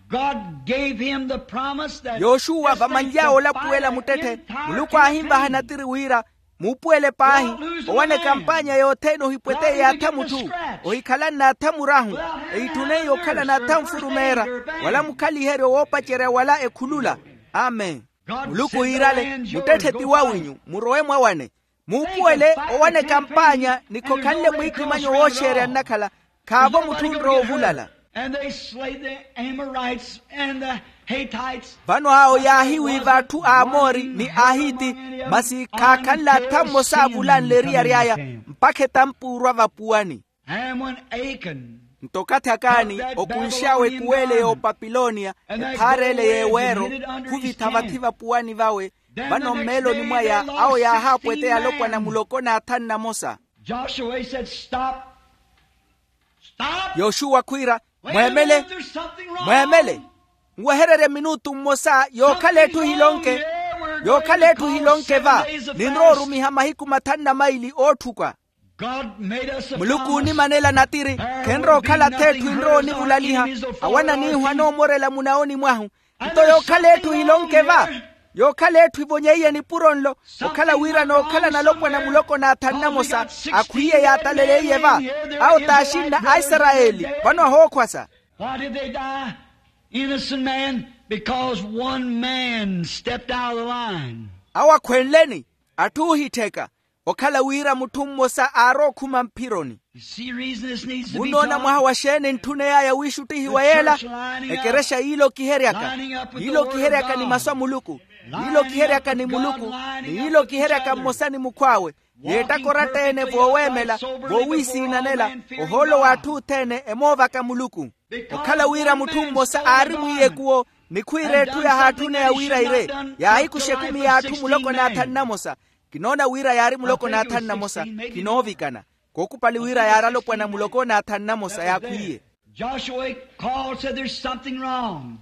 God gave him the promise that yoxuwa vamanly'awe olapuwela muttetthe, muluku aahinvaha natiri wira, muupuwele paahi, owaneka mpaanya yothene ohipweteye yaatha mutthu, ohikhala n'aatha murahu, ehitthuneiye okhala n'aatha nfurumeera, wala mukhaliheryo woopacerya wala ekhulula. Amen. Muluku iirale, muttetthe ti wawinyu, murowe mwawane. Muupuwele owaneka mpaanya ni khokhanle mwiikimanyo wooxeerya nnakhala, khaavo mutthu onrowa ovulala. And they slay the Amorites and the Hittites. Vano awo yaahiwiiva atthu a amoori ni ahiti, masi khaakhanle attha mmosa avulanle eriyari aya, mpakha etampuurwa vapuwani. Nto okathi akaani okunx'awe ekuweele y'opapilonia, ephaar'ele y'eweero, khuvitha vathi vapuwani vawe. Vano mmeeloni mwaya awo yaahaapweteya alopwana muloko n'athanu namosa. Joshua said, stop. Yoxuwa khwiira, mweemele, mweemele, nwehererye minutu mmosa yookhala etthu ehilonke. Yookhala etthu ehilonke va, ninrowa orumiha mahiku mathanu na maili ootthuka. Muluku oonimanela natiri, khenrowa okhala ath'etthu enrowa onivulaliha. Awo ananiihu anoomorela munaoni mwahu. Nto yookhala etthu ehilonke va, yookhala etthu evonyeiye nipuro nlo, okhala wira nookhala nalopwana muloko n'athanu namosa, akhwiiye yaataleleiye va. Awo t'axinna a isarayeli, vano ahookhwasa. Why did they die? Innocent man, because one man stepped out of the line. Awo akhwenleni, atthu oohittheka, okhala wira mutthu mmosa aarowa okhuma mphironi. Munnoona mwaha wa xeeni ntthuney'aya wiixuttihiwa yeela? Ekerexa yiilokiheryaka, yiilokiheryaka ni masu a muluku, yiilokiheryaka ni muluku, ni yiilokiheryaka mmosa ni mukhw'awe, yeettaka oratta-ene vooweemela, voowiisiinanela, ohoolo w'atthu othene emoovaka muluku. Okhala wira mutthu mmosa aari mwiiyekuwo, ni khwiira etthu yahaatthuneya wira ire, yaahikuxa ekumi y'atthu muloko n'athanu namosa. Kinoona wira yaari muloko n'athanu namosa, kinoovikana. Kookupali wira yaari alopwana muloko n'athanu namosa yaakhwiiye. Joshua called, said, there's something wrong.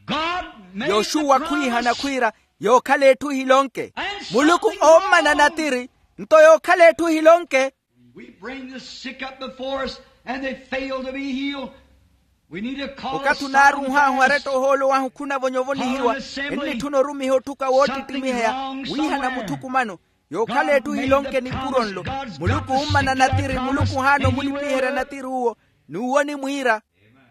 God made the promise. Yoxuwa khwiihana khwiira, yookhala etthu ehilonke. Muluku oommana natiri, nto yookhala etthu ehilonke. We bring the sick up before us and they fail to be healed. Okathi onaarunh'ahu aretta ohoolo wahu khunavonya ovonihiwa, ennitthuna orumiha otthuka woottittimiheya, wiihana muthukumano. Yookhala etthu ehilonke nipuro nlo, muluku uummana natiri, muluku ohaana omulipiherya natiri uwo. N'uwo onimwiira,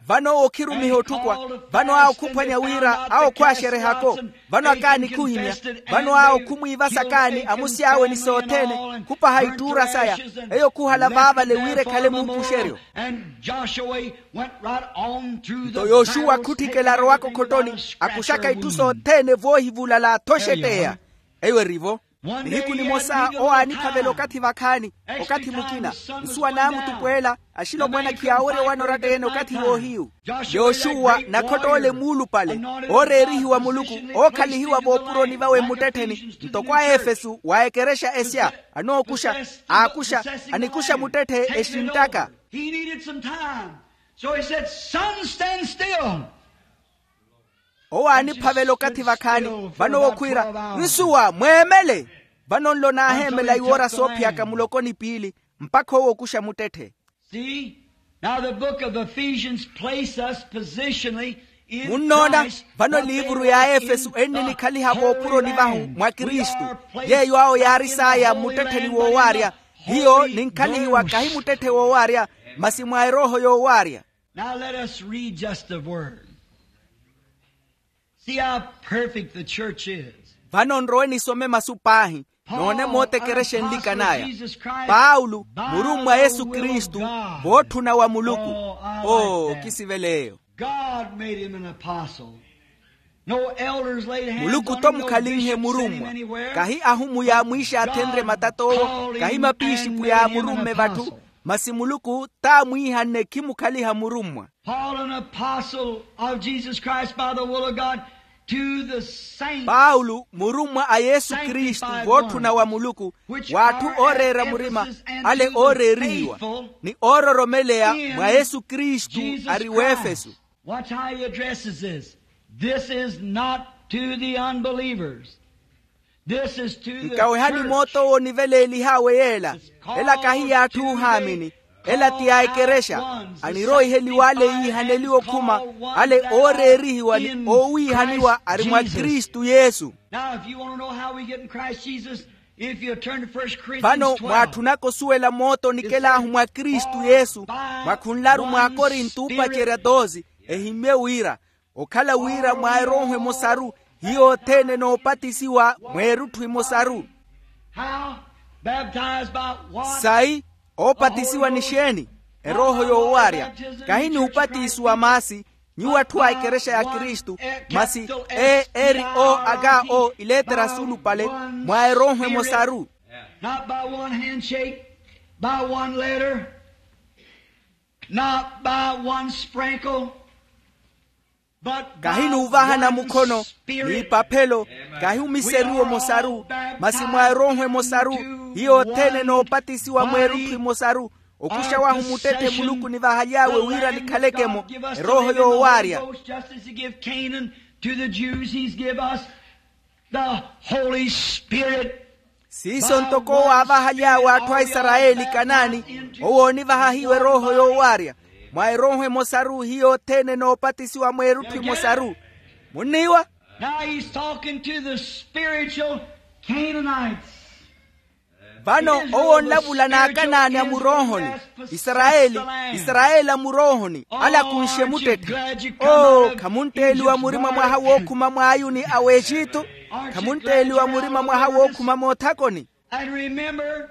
vano owo okhirumiha otthukwa. Vano awo khuphwanya wira awo khwaaxerehako. Vano akaani khuhimya. Vano awo khumwiivasa akaani amusi awe ni sothene, khupaha ittuura saya. Eyo khuhala vaavale wira ekhale muupuxeryo. Nto yoxuwa akhutthikela arowaka okhottoni, akuxaka itthu sothene voohivulala athoxetteya. Eyo eri-vo. Nihiku nimosa owo aaniphavela okathi vakhaani, okathi mukina, nsuwa naamutupweela, axilopwana khiyaawerya owana oratta-ene okathi woohiyu. Yoxuwa nakhott'ole muulupale, ooreerihiwa muluku, ookhalihiwa voopuroni vawe mmuttettheni, ntoko a efesu wa ekerexa esya, anookuxa, aakuxa, anikuxa muttetthe exinttaka. He needed some time. So he said, son, stand still. Owo aaniphavela okathi vakhaani, vano owo khwiira, nsuwa mweemele. Vano nlo naaheemela iwoora soophiyaka muloko ni piili, mpakha owo okuxa muttetthe. Munnoona, vano eliivuru ya efesu enninikhaliha voopuroni vahu mwa kristu. Yeeyo awo yaari saaya mmuttettheni woowaarya. Hiyo ninkhalihiwa kahi muttetthe woowaarya, masi mwa erooho yoowaarya. Now let us read just a word. See how perfect the church is. Vano nrowe nisome masu paahi, noone moota ekerexa enlikan'aya. Paulo, murummwa a yesu kristu, vootthuna wa muluku. Oo kisivela eyo. God made him an apostle. Muluku-to mukhalinhe murummwa. Kahi ahumu yaamwiixaathenrye matat'owo, kahi mapiixipu yaamurumme vatthu, masi muluku t'amwiihanne khimukhaliha murummwa. Paul, an apostle of Jesus Christ by the will of God, to the saints, paulo murummwa a yesu kristu vootthuna wa muluku, w'atthu ooreera murima, ale ooreerihiwa, ni oororomeleya mwa yesu kristu ari w'efesu. Watch how he addresses this. This is not to the unbelievers. Nkawehani moot'owo oniveleelih'awe yeela. Ela kahi y'atthu oohaamini. Ela ti ya ekerexa. Aniroiheliwa ale yiihaneliwa okhuma, ale ooreerihiwa ni oowiihaniwa ari mwa kristu yesu. Vano mwaatthunaka osuwela moota onikel'ahu mwa kristu yesu, mwakhunlaru mw'akorinto oopacerya toosi. Ehimmye wira okhala wira mwa erooho emosaru, hiyo othene enoopatisiwa mweerutthu emosaru. Sayi oopatisiwa ni xeeni? Erooho yoowaarya. Kahi ni upatisiwa maasi. Nyuwo atthu a ekerexa ya kristu, masi e eri o aka o ileetera suulupale mwa erooho emosaru. Not by one handshake, by one letter, not by one sprinkle. Kahi n'uvahana mukhono n'ipaphelo, kahi omiseriwa omosaru, masi mwa erooho emosaru. Hiyo othene enoopatisiwa mweerutthu emosaru. Okuxa wahu muttetthe muluku nivahaly'awe wira nikhaleke-mo erooho yoowaarya. Siiso ntoko owo aavahaly'awe atthu a isarayeli kanaani, owo oonivaha hiyo erooho yoowaarya. Mwa erooho emosaru hiyo othene enoopatisiwa mweerutthu emosaru. Munniiwa? Now he's talking to the spiritual Canaanites. Vano owo onlavula n'akanaani a muroohoni. Isarayeli, isarayeli a muroohoni alakunxe muttetthe. Oo khamuntteeliwa murima mwaha wookhuma mwaayuni a w'exitu? Khamuntteeliwa murima mwaha wookhuma moothakoni? And remember,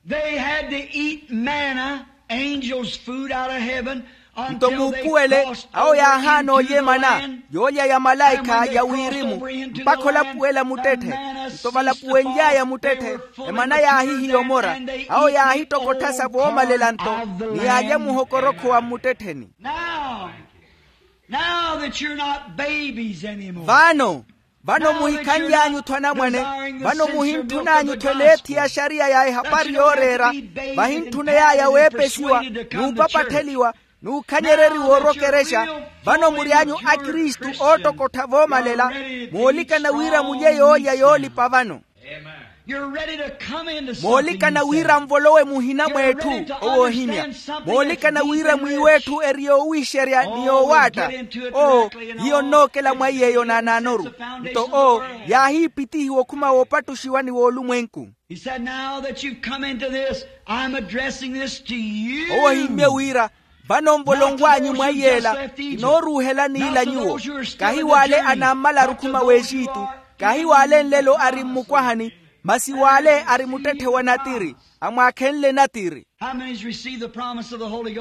they had to eat manna, angels' food out of heaven. Nto muupuwele, awo yaahaana olya emana yoolya ya malaikha ya wirimu, mpakha olapuwela muttetthe. Nto valapuwenly'aya muttetthe, emana yaahihiya omora. Awo yaahittokottha sa voomalela nto, ni yaalya muhokorokho wa mmuttettheni. Now that you're not babies anymore. Vano, vano muhikhanly'anyu-tho anamwane. Vano muhintthun'anyu-tho eleethi ya xariya ya ehapari yooreera. Vahintthuney'aya weepesiwa, n'upapattheliwa, n'ukhanyereriwa orwa okerexa. Vano mury'anyu akristu oottokottha voomalela. Moolikana wira mulye yoolya yoolipa vano. Moolikana wira nvolowe muhina mw'etthu. Owo ohimya. Moolikana wira mwiiwe etthu eri yoowiixerya ni yoowaatta. Oo, hiyo nnookela mwa iy'eyo naanaanoru. Nto oo, yaahiipitihiwa okhuma woopattuxiwa ni woolumwenku. He said, now that you've come into this, I'm addressing this to you. Owo ohimmye wira, vano nvolonw'anyu mwa iyeela, kinooruuhela n'ila nyuwo. Kahi w'ale anaammalaru okhuma w'exitu, kahi w'ale nlelo ari mmukwahani, masi w'ale ari muttetthe wa natiri, amwaakhenle natiri.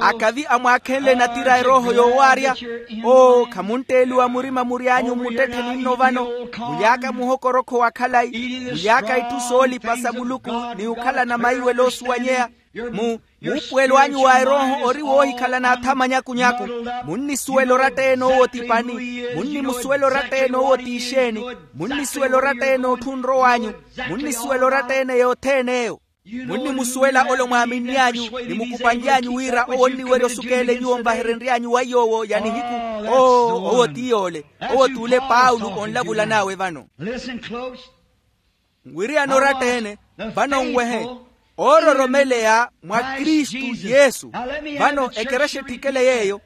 Akavi amwaakhenle natiri a erooho yoowaarya? Oo khamuntteeliwa murima mury'anyu mmuttetthe ninno vano, mulyaaka muhokorokho wa khalayi, mulyaaka itthu soolipa sa muluku, ni okhalana maiwelo oosuwanyeya. Muupuwelo anyu wa erooho ori woohikhala n'athama nyaku-nyaku. Munnisuwela oratta-ene owo ti pani. Munnimusuwela oratta-ene owo ti ixeeni. Munnisuwela oratta-ene otthu onrow'anyu. Munnisuwela oratta-ene yothene eyo. Munnimusuwela ole omwaaminny'anyu ni mukupanly'anyu wira owo onniwerya osukeele nyuwo nvaherenry'anyu wa yoowo ya nihiku. Oo owo ti yoole. Owo t'ule paulo onlavulan'awe vano. Nwiriyane oratta-ene. Vano nwehe oororomeleya mwa kristu yesu. Vano ekerexa etthikele yeeyo.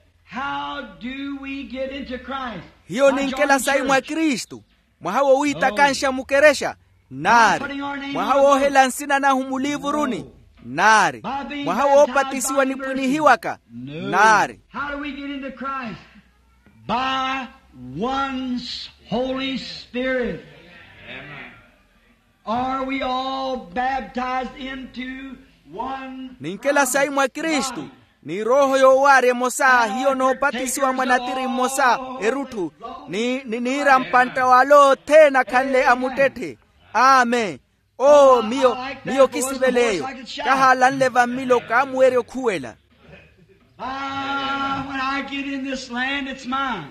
Hiyo ninkela sayi mwa kristu. Mwaha wowiitakanxa mukerexa naari. Mwaha woohela nsina nahu muliivuruni naari. Mwaha woopatisiwa nipwinihiwaka naari. By one holy spirit. Are we all baptized into one? Ninkela sayi mwa kristu. Ni erooho yoowaarya emosa hiyo noopatisiwa mwa natiri mmosa erutthu. Ni niira mpantta w'ale othene akhanle amuttetthe. Amen. Oo miyo, miyo kisivela eyo. Kahaalanle vammilo kaamuwerya okhuwela. When I get in this land it's mine.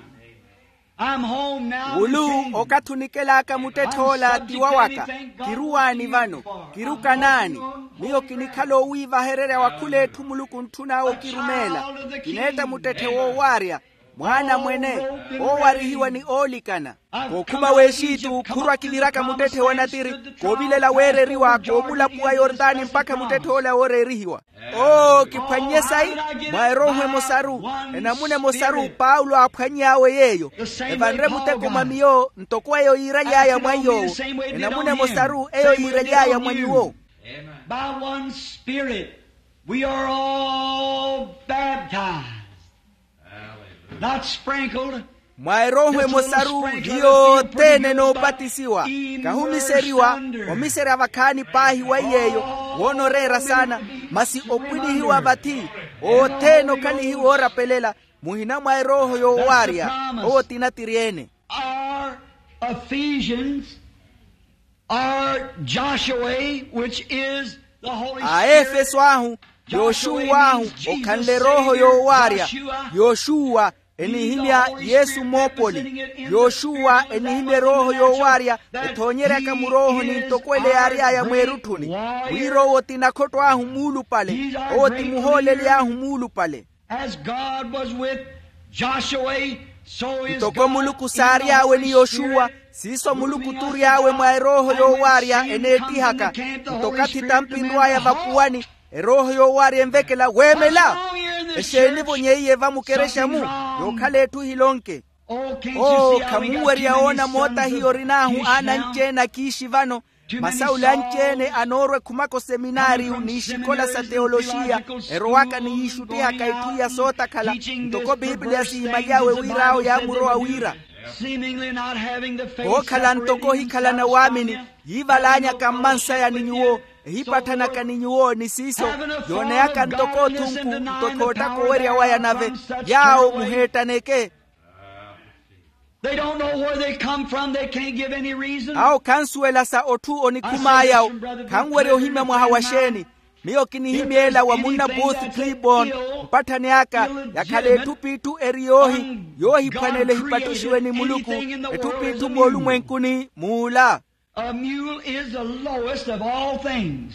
Wulu okathi onikel'aka muttetthe ola ti wawaka. Kiruwaani vano. Kirukanaani. Miyo kinikhala owiivahererya wa khul'etthu muluku ontthun'awe okirumeela. Kineetta muttetthe woowaarya. Mwaana mwene, oowarihiwa ni oolikana. Kookhuma w'exitu khurwa kiviraka muttetthe wa natiri, koovilela weereriwa koomulapuwa yortani mpakha muttetthe-ola wooreerihiwa. Oo kiphwannye sayi. Mwa erooho emosaru, enamuna emosaru paulo aaphwanny'awe yeeyo. Evanre muteko mwa miyo ntoko eyo yiiraly'aya mwa nyuwo. Enamuna emosaru eyo yiiraly'aya mwa nyuwo. By one spirit we are all baptized, not sprinkled. Mwa erooho emosaru hiyo othene noopatisiwa, kahumiseriwa omiserya vakhaani paahi wa iyeeyo. Woona oreera saana, masi opwinihiwa vathi othene okhalihiwa oorapelela muhina mwa erooho yoowaarya. Owo ti natiri-ene. Our Ephesians are Joshua, which is the Holy Spirit. Aefeso ahu, yoxuwa ahu, okhanle erooho yoowaarya. Yoxuwa enihimya yesu moopoli. Yoxuwa enihimya erooho yoowaarya, ethoonyeryaka muroohoni ntoko ele yaary'aya mweerutthuni, wira owo ti nakhotto ahu muulupale. Owo ti muhooleli ahu muulupale. As God was with Joshua, so is God. Ntoko muluku saary'awe ni yoxuwa, siiso muluku tury'awe mwa erooho yoowaarya eneettihaka. Nto okathi tampinrw'aya vapuwani, erooho yoowaarya envekela weemela. Exeeni-vo nyeiye vamukerexa-mu? Yookhala etthu ehilonke. Oo khamunwerya woona moota hiyo orin'ahu aana anci-ene akiixi vano, masi awo ole anci-ene anoorwa ekhumaka oseminaariyu n'ixikola sa teyoloxiya, erowaka ni yiixuttihaka itthu iya sootakhala. Ntoko pipiliya siimaly'awe wira awo yaamurowa wira, kookhala ntoko ohikhalana waamini, yiivalaanyaka mmansaya ni nyuwo, ehipatthanaka ni nyuwo ni siiso, yooneyaka ntoko othunku, nto khoottaka owerya waya nave. Yaawo muheettaneke. They don't know where they come from. They can't give any reason. Awo khansuwela sa otthu onikhum'aya-wo. Khanwerya ohimya mwaha wa xeeni. Miyo kinihimya ela wa munna booth clibon, mpatthani aka yakhala etthu p'itthu eri yoohi, yoohiphwanela ehipattuxiwe ni muluku, etthu p'itthu moolumwenkuni muula. A mule is the lowest of all things.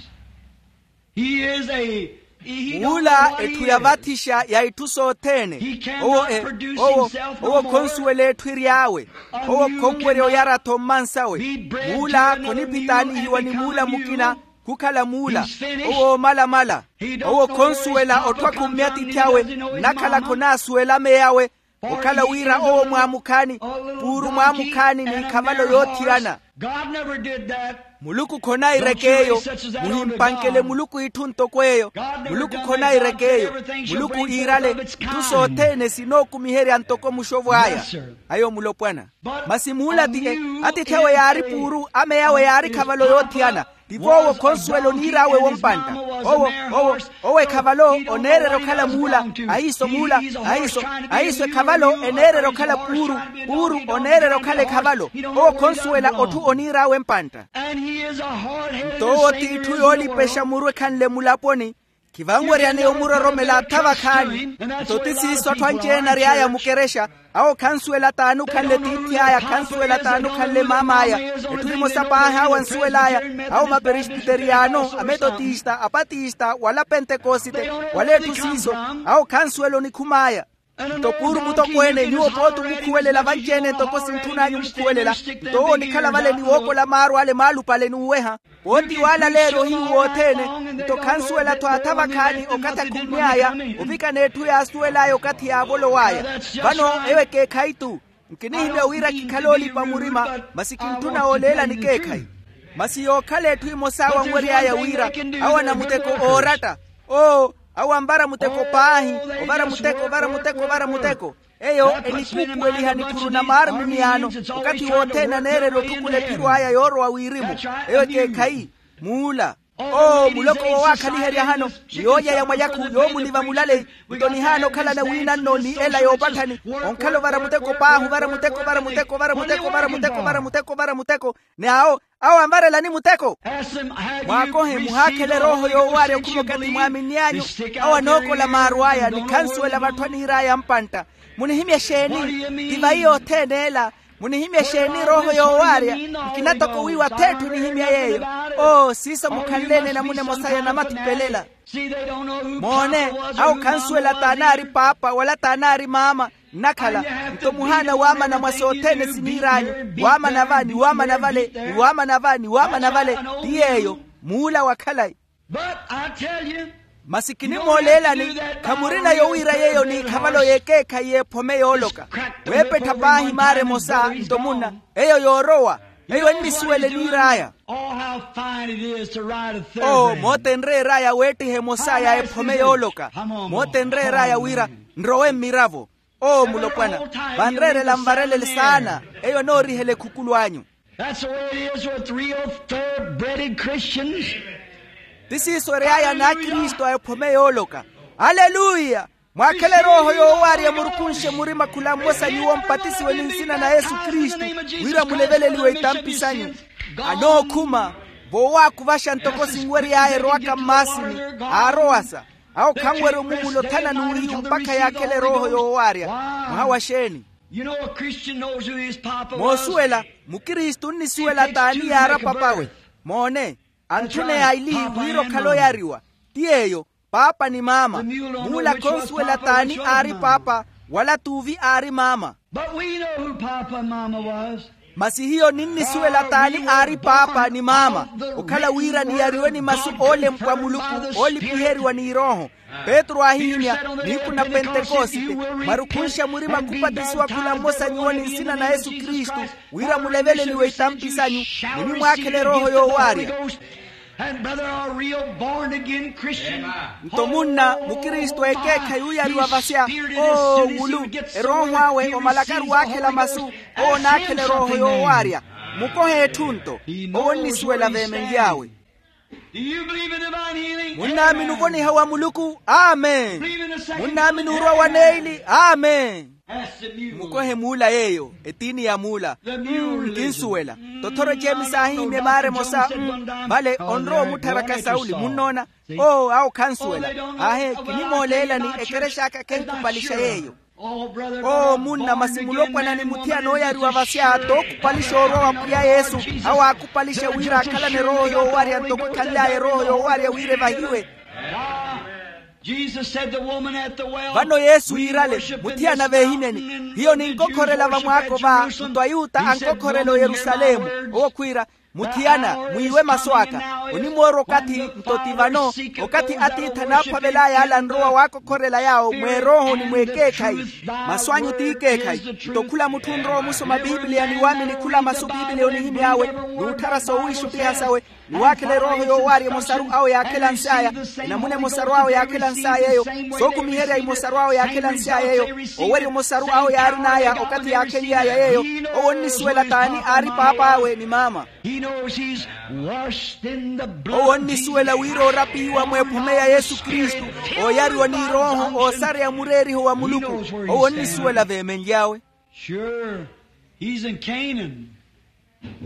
He is a, he don't know what he is. Muula etthu ya vathixa ya itthu sothene. Owo e, owo, owo khonsuwela etthu ery'awe. Owo khonwerya oyara-tho mmansawe. Muula khoniphitaanihiwa ni muula mukina, khukhala muula. Owo oomalamala. Owo khonsuwela otthu akhumme atiithi awe, nnakhala khonaasuwela ameyawe. Okhala wira owo mwaamukhaani, puuru mwaamukhaani n'ikhavalo yoothiyana. Muluku khonaireke eyo. Muhimpankele muluku itthu ntoko eyo. Muluku khonaireke eyo. Muluku iirale itthu sothene sinookumiherya ntoko muxovo aya. Ayo mulopwana. Masi muula ti e, atiithi awe yaari puuru, ameyawe yaari khavalo yoothiyana. Tivo owo khonsuwela oniir'awe wompantta. Owo, owo, owo ekhavalo oneererya okhala muula. Ahiiso muula. Ahiiso, ahiiso ekhavalo eneererya okhala puuru. Puuru oneererya okhala ekhavalo. Owo khonsuwela otthu oniir'awe mpantta. Nto owo t'itthu yoolipexa muru ekhanle mulaponi. Khivanweryaneya omuroromela atha vakhaani. Nto ti siiso atthu anci-ene ary'aya mukerexa. Awo khansuwela t'ani okhanle tiithi aya, khansuwela t'ani okhanle maam'aya. Etthu emosa paahi awo ansuwel'aya, awo maperesbiteriyano, ametotista, apatista wala pentekosite, wala etthu siiso. Awo khansuwela onikhum'aya. Nto puuru mutokweene nyuwo pooti omukhuwelela vanci-ene ntoko sintthun'anyu omukhuwelela. Nto owo onikhala vale ni wookola maaru ale maalupale n'uweha. Pooti waalaleerya ohiyu wothene. Nto khansuwela-tho atha vakhaani okathi akhummy'aya ovikana etthu yaasuwel'aya okathi yaavolow'aya. Vano eyo ekeekhayi-tu. Nkinihimya wira kikhale oolipa murima, masi kintthuna ooleela nikeekhayi. Masi yookhala etthu emosa awo anwery'aya wira awo anamuteko ooratta. Oo, awo anvara muteko paahi, ovara muteko, ovara muteko, ovara muteko. Eyo enikuupuweliha nikhuru na maarmimiyano. Okathi wothene aneererya otthukula ephiro aya yoorowa wirimu. Eyo ekeekhayi. Muula. Oo muloko woowakhaliherya hano, ni yoolya ya mwayakhu yoomuliva mulaleyi. Nto nihaana okhalana wiinanno ni ela yoopatthani. Onkhala ovara muteko paahi, ovara muteko, ovara muteko, ovara muteko, ovara muteko, ovara muteko, ovara muteko. Ni awo awo anvarelani muteko. Mwaakohe muhaakhele erooho yoowaarya okhuma okathi mwaaminn'anyu. Awo anookola maaru aya ni khansuwela vatthu aniir'aya mpantta. Munihimya exeeni? Ti vayi yothene ela. Munihimya exeeni erooho yoowaarya? Nkina toko wiiwa ath'etthu enihimya yeeyo. Oo siiso mukhanle-ene enamuna emosa ya namathipelela. Moone, awo khansuwela t'anaari paapa wala t'anaari maama. Nnakhala nto muhaana waamana mwa sothene siniir'anyu, waamana va ni waamana vale ni waamana va ni waamana vale. Ti yeeyo muula wa khalayi. Masi kinimooleelani, khamurina yowiira yeeyo n'ikhavalo y'ekeekhayi y'ephome yooloka, weepettha paahi maara emosa nto munna, eyo yoorowa. Eyo ennisuwela eniir'aya. Oo, moota enreer'aya weettiha emosa ya ephome yooloka. Moota enreer'aya wira nrowe mmiravo. Oo mulopwana, vanreerela nvarelele saana. Eyo anoorihela ekhukulu anyu. That's the way it is with real thoroughbred Christians. Ti siiso ery'aya n'akristu a ephome yooloka. Aleluya. Mwaakhele erooho yoowaarya murukunxe murima khula mmosa nyuwo mpatisiwe ni nsina na yesu kristu, wira muleveleliwe itampi sanyu. Anookhuma voowakuvaxa ntoko sinwery'aya erowaka mmaasini. Aarowasa awo khanwerya omumulo thana n'uhiyu mpakha yaakhele erooho yoowaarya. Mwaha wa xeeni? Moosuwela, mukristu onnisuwela t'ani yaara papawe. Moone, anthune yaili wira okhala oyariwa. Ti yeeyo, paapa ni maama. Muula khonsuwela t'ani aari paapa, wala t'uvi aari maama. Masi hiyo ninnisuwela t'ani aari paapa ni maama, okhala wira niyariwe ni masu oolempwa muluku, oolipiheriwa n'irooho. Petru aahihimya nihiku na pentekosite, mwarukhunxa murima khupatisiwa khula mmosa nyuwo ni nsina na yesu kristu, wira muleveleliwe itampi sanyu, munimwaakhela erooho yoowaarya. Nto munna mukristu ekeekhayi uyariwa vasya, oo wulu, erooho awe omalakaru waakhela masu, owo onaakhela erooho yoowaarya. Mukohe etthu nto, owo onnisuwela veemenly'awe. Munnaamini ovoniha wa muluku? Amen. Munnaamini orwa wa neili? Amen. Mukohe muula yeeyo, etiini ya muula. Nkinsuwela. Tothoro eceemi saahihimya emaara emosa. Vale onrowa omutthara ka sauli munnoona. Oo awo khansuwela. Aahe kinimooleelani. Ekerexa aka khenkhupalixa yeeyo. Oo munna masi mulopwana ni muthiyana ooyariwa vasya t'okhupalixa orwa wa pwiya yesu. Awo aakhupalixa wira akhalane erooho yoowarya ntoko ekhanly'aya erooho yoowarya wira evahiwe. Vano yesu iirale muthiyana veehineni hiyo ninkokhorela vamwaako va nto ayuta ankokhorela oyerusalemu. Owo khwiira muthiyana mwiiwe masu aka. Onimoorwa okathi nto ti vano okathi atiithi anaaphwavel'aya ale anrowa waakokhorela yaawo mweerooho ni mweekeekhayi. Masu anyu t'ikeekhayi. Nto khula mutthu onrowa omusoma pipiliya ni waamini khula masu pipiliya onihimy'awe n'utthara soowiixuttiha sawe ni waakhela erooho yoowaarya emosaru awo yaakhelansy'aya. Enamuna emosaru awo yaakhelansy'ay'eyo sookumiherya emosaru awo yaakhelansy'ay'eyo owerya emosaru awo yaarin'aya okathi yaakhenly'aya yeeyo. Owo onnisuwela t'ani aari paap'awe ni maama. Owo onnisuwela wira oorapihiwa mweephome ya yesu kristu ooyariwa n'irooho oosareya mureeriho wa muluku. Owo onnisuwela veemenly'awe. Sure. He's in Canaan.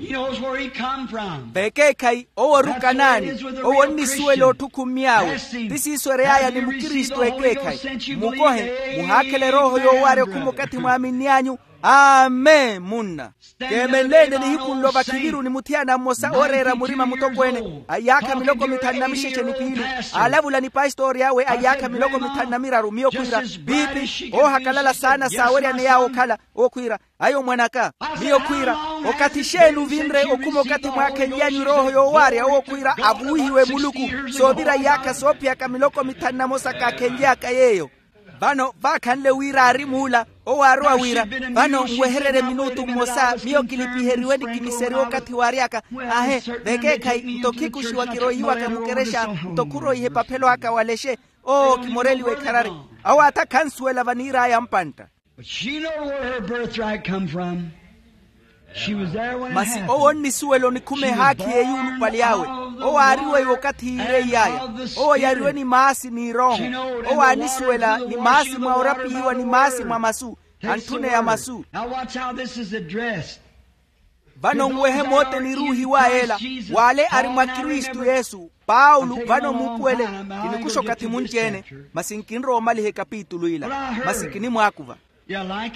He knows where he come from. Vekeekhayi owo oruka naani. Owo onnisuwela otthukhumy'awe. Ti siiso erey'aya ni mukristu ekeekhayi. Mukohe muhaakhela erooho yoowaarya okhuma okathi mwaaminny'anyu. Amen munna. Keemenleene nihiku nlo vakhiviru ni muthiyana mmosa ooreera murima mutokweene a iyaakha miloko mithanu na mixexe ni piili. Aalavula ni pastori awe a iyaakha miloko mithanu na miraru miyo khwiira piipi oohakalala saana saaweryane yaawo okhala. Owo khwiira ayo mwan'aka. Miyo khwiira okathi xeeni ovinre okhuma okathi mwaakhenly'anyu erooho yoowaarya owo khwiira avuwihiwe muluku. Soovira iyaakha soophiyaka miloko mithanu na mosa kaakhenly'aka yeeyo. Vano vaakhanle wira aari muula owo aarowa wira vano nwehererye minutu mmosa miyo kilipiheriwe ni kiniseriwe okathi waary'aka. Ahe vekeekhayi nto khikuxiwa kiroihiwaka mukerexa nto khuroiha epaphelo aka walexe. Oo kimoreliwe ekharari. Awo atha khansuwela vaniir'aya mpantta. Masi owo onnisuwela onikhuma ehaakhi y'eyuulupali awe. Owo aariwe iwo okathi yiireiy'aya. Owo yariwe ni maasi n'irooho. Owo aanisuwela ni maasi mwa orapihiwa ni maasi mwa masu. Antthuneya masu. Vano nwehe mooteni iruuhiw'aya ela w'ale ari mwa kristu yesu. Paulo vano muupuwele. Kinikuxa okathi munci-ene masi nkinrowa omaliha ekapitulu ila. Masi kinimwaakuva.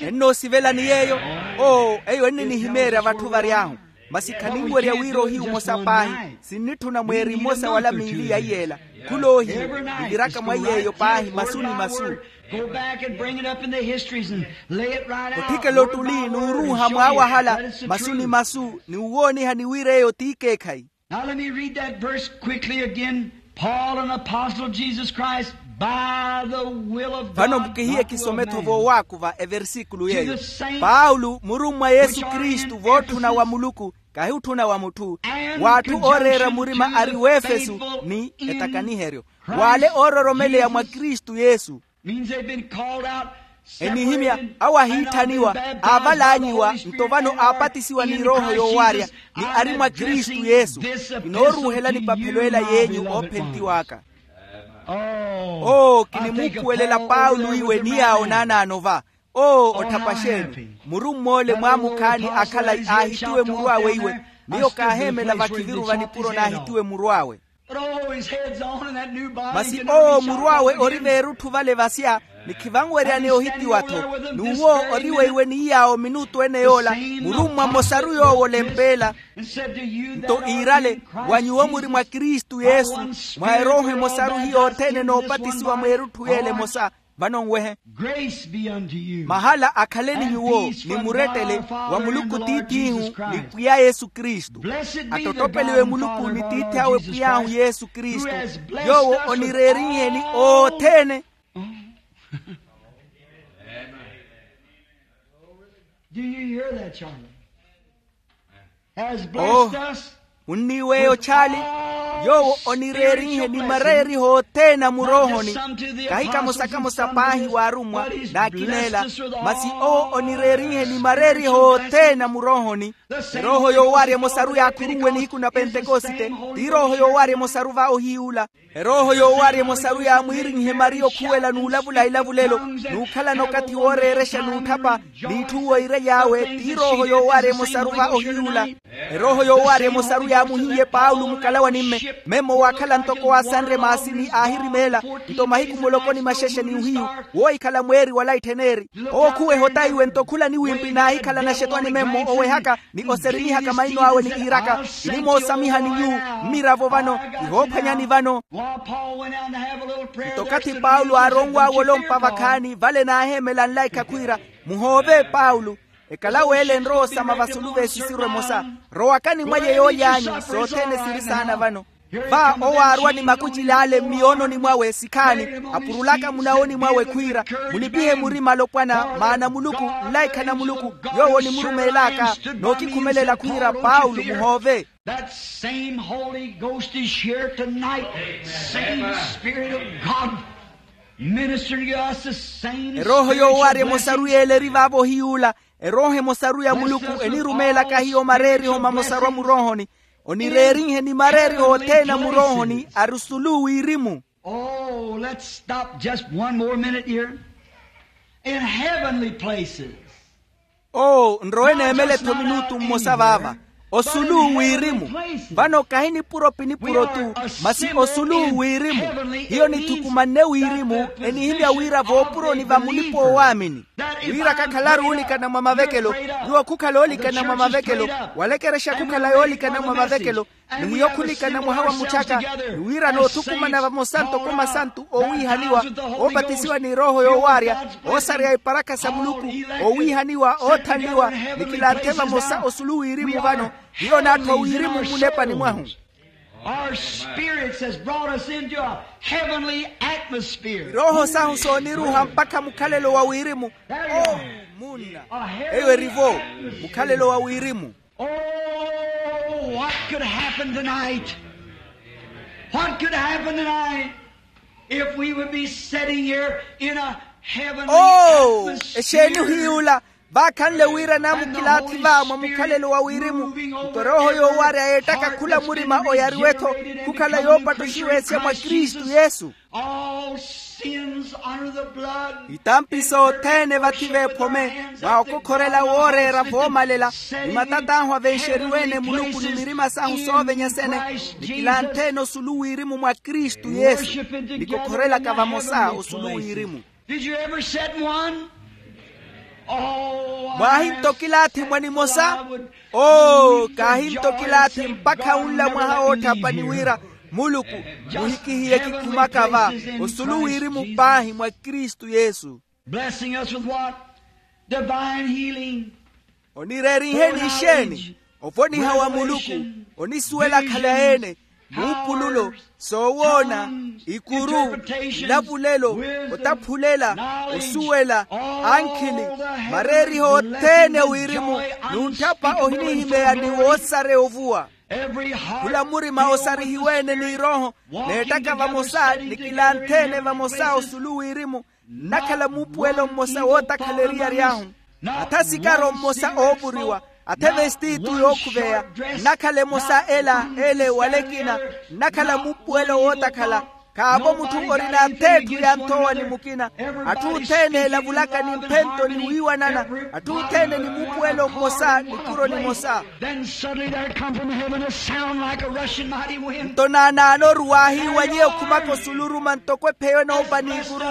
Ennoosivelani yeeyo? Oo eyo enninihimeerya vatthu vary'ahu. Masi khaninwerya wira ohiyu omosa paahi. Sinnitthuna mweeri mmosa wala miili ya iyeela. Khul'ohiyu niviraka mwa iyeeyo paahi masu ni masu. Go back and bring it up in the histories and lay it right out. Otthikela ottuli n'uruuha mwaawahala masu ni masu ni uwooniha ni wira eyo t'ikeekhayi. Now let me read that verse quickly again. Paul, an apostle of Jesus Christ, by the will of God. Vano mukihiye kisometho voowakuva eversikulu yeeyo. Paulo murummwa yesu kristu vootthuna wa muluku, kahi otthuna wa mutthu, w'atthu ooreera murima ari w'efesu, ni etakaniheryo w'ale oororomeleya mwa kristu yesu. Enihimya awo ahiitthaniwa, aavalaanyiwa nto vano aapatisiwa ni erooho yoowaarya, ni ari mwa kristu yesu. Kinooruuhela nipaphelo ela yeenyu oophenttiw'aka. Oo kinimuupuwelela paulo iwe ni yaawo naanaano va. Oo otthapa xeeni? Murumm'ole mwaamukhaani akhala aahitiwe muru awe iwe. Miyo kaaheemela vakhiviru va nipuro naahitiwe muru awe. Masi owo muru awe ori veerutthu vale vasya, ni khivanweryane ohitiwa-tho. N'uwo ori weiwe ni yaawo minutu ene yoola, murummwa mmosaru yoowo olempeela. Nto iirale, wa nyuwo muri mwa kristu yesu, mwa erooho emosaru hiyo othene noopatisiwa mweerutthu yeela emosa. Vano nwehe. Mahala akhale ni nyuwo ni murettele wa muluku tiith'ihu, ni pwiya yesu kristu. Attottopeliwe muluku ni tiithi awe pwiy'ahu yesu kristu, yoowo onireerinheni othene. Do you hear that, charlie? Oh, munniiweeyo chaali. Yoowo onireerinhe ni mareeriho othene a muroohoni. Kahi kamosa kamosa paahi waarummwa, n'akineela. Masi owo onireerinhe ni mareeriho othene a muroohoni. Erooho yoowaarya emosaru yaakhurunwe nihiku na pentekosite. Ti erooho yoowaarya emosaru va ohiy'ula. Erooho yoowaarya emosaru yaamwiirinhe mari okhuwela n'ulavula ilavulelo, n'ukhalana okathi wooreerexa n'utthapa. N'itthu woirely'awe ti erooho yoowaarya emosaru va ohiy'ula. Erooho yoowaarya emosaru yaamuhiye paulo mukalawa ni mme. Memmo waakhala ntoko waasanre maasi ni aahirimeela. Nto mahiku muloko ni maxexe ni ohiyu, woohikhala mweeri wala itthen'eri. Owo khuweha otaiwe nto khula niwimpi naahikhala naxetwani memmo owehaka, ni oserimihaka maino awe ni iiraka, kinimoosamiha ni nyuwo. Mmiravo vano, kihoophwanyani vano. Nto okathi paulo aaronw'awe olompa vakhaani vale naaheemela nlaikha khwiira, muhoove paulo. Ekalaweele nrowa osama vasulu v'esisiru emosa. Rowakani mwaye yooly'anyu sothene siri saana vano. Va owo aarwa ni makucili ale mmiyoononi mwawe sikhaani, apurulaka munawoni mwawe khwiira, munipihe murima alopwana maana muluku, nlaikha na muluku, yoowo onimurumeelaka. Nookikhumelela khwiira paulo muhoove. That same holy ghost is here tonight. Same spirit of god. Minister to us the same erooho yoowaarya emosaru yeeleri vaavo ohiy'ula. Erooho emosaru ya muluku enirumeelaka hiyo mareeriho mamosaru a muroohoni. Onireerinhe ni mareeriho othene a muroohoni ari osulu wirimu. Oh, let's stop just one more minute here. In heavenly places. Oo nrowe neemele-tho minutu mmosa vaava. Osulu wirimu. Vano kahi nipuro pinipuro-tu, masi osulu wirimu. Hiyo nithukumanne wirimu. Enihimya wira voopuroni va mulipa-oowaamini, wira kakhalaru oolikana mwa mavekelo. Nyuwo khukhala oolikana mwa mavekelo, walekerexa khukhala yoolikana mwa mavekelo. Ni mwiyo khulikana mwaha wa muchaka, ni wira noothukumana vamosa ntoko masantu owiihaniwa, oopatisiwa ni erooho yoowaarya, oosareya iparakha sa muluku, owiihaniwa oothanliwa, ni kilanthe vamosa osulu wirimu vano. Hiyo n'atthu a wirimu munepani mwahu. Our spirits has brought us into a heavenly atmosphere. Erooho sahu sooniruuha mpakha mukhalelo wa wirimu. Oh, munna. Eyo eri-vo mukhalelo wa wirimu. Oh, what could happen tonight? What could happen tonight if we would be sitting here in a heavenly atmosphere? Oo exeeni ohiy'ula, vaakhanle wira naamukilaathi va mwa mukhalelo wa wirimu, nto erooho yoowaarya yeettaka khula murima oyariwe-tho khukhala yoopattuxiwa esya mwa kristu yesu. All sins under the blood. Itampi sothene vathi veephome, mwa okokhorela wooreera voomalela, ni matat'ahu avenxeriwe-ene muluku ni mirima sahu soovenya sene, ni kilanthe-ene osulu wirimu mwa kristu yesu. Nikokhorelaka vamosa osulu wirimu. Did you ever set one? Mwaahinto kilaathi mwa nimosa? Oo kaahinto kilaathi mpakha unla mwaha woottha pani wira Muluku, muhikihiye kikhumaka va osulu wirimu paahi mwa kristu yesu. Blessing us with what? Divine healing. Onireerinheni ixeeni? Ovoniha wa muluku, onisuwela khalayi-ene, muupululo, soowoona, ikuru, nlavulelo, otaphulela, osuwela, ankhili, mareeriho othene wirimu, n'utthapa ohinihimeya ni woosareya ovuwa. Khula murima osarihiwe-ene n'irooho, n'ettaka vamosa ni kilanthene vamosa osulu wirimu, nnakhala muupuwelo mmosa wootakhala eriyari ahu, atha sikaro mmosa oovuriwa, atha evestitu yookhuveya, nnakhala emosa ela ele wala ekina, nnakhala muupuwelo wootakhala. Khaavo mutthu orina atheetthu ya nthowa ni mukina. Atthu othene elavulaka ni mphento ni wiiwanana, atthu othene ni muupuwelo mmosa ni kuro nimosa. Then suddenly there come from heaven a sound like a rushing mighty wind. Nto naanaano oruwaahiiwa nyeyo okhumaka osuluruma ntoko epheyo enoopa n'ikuru.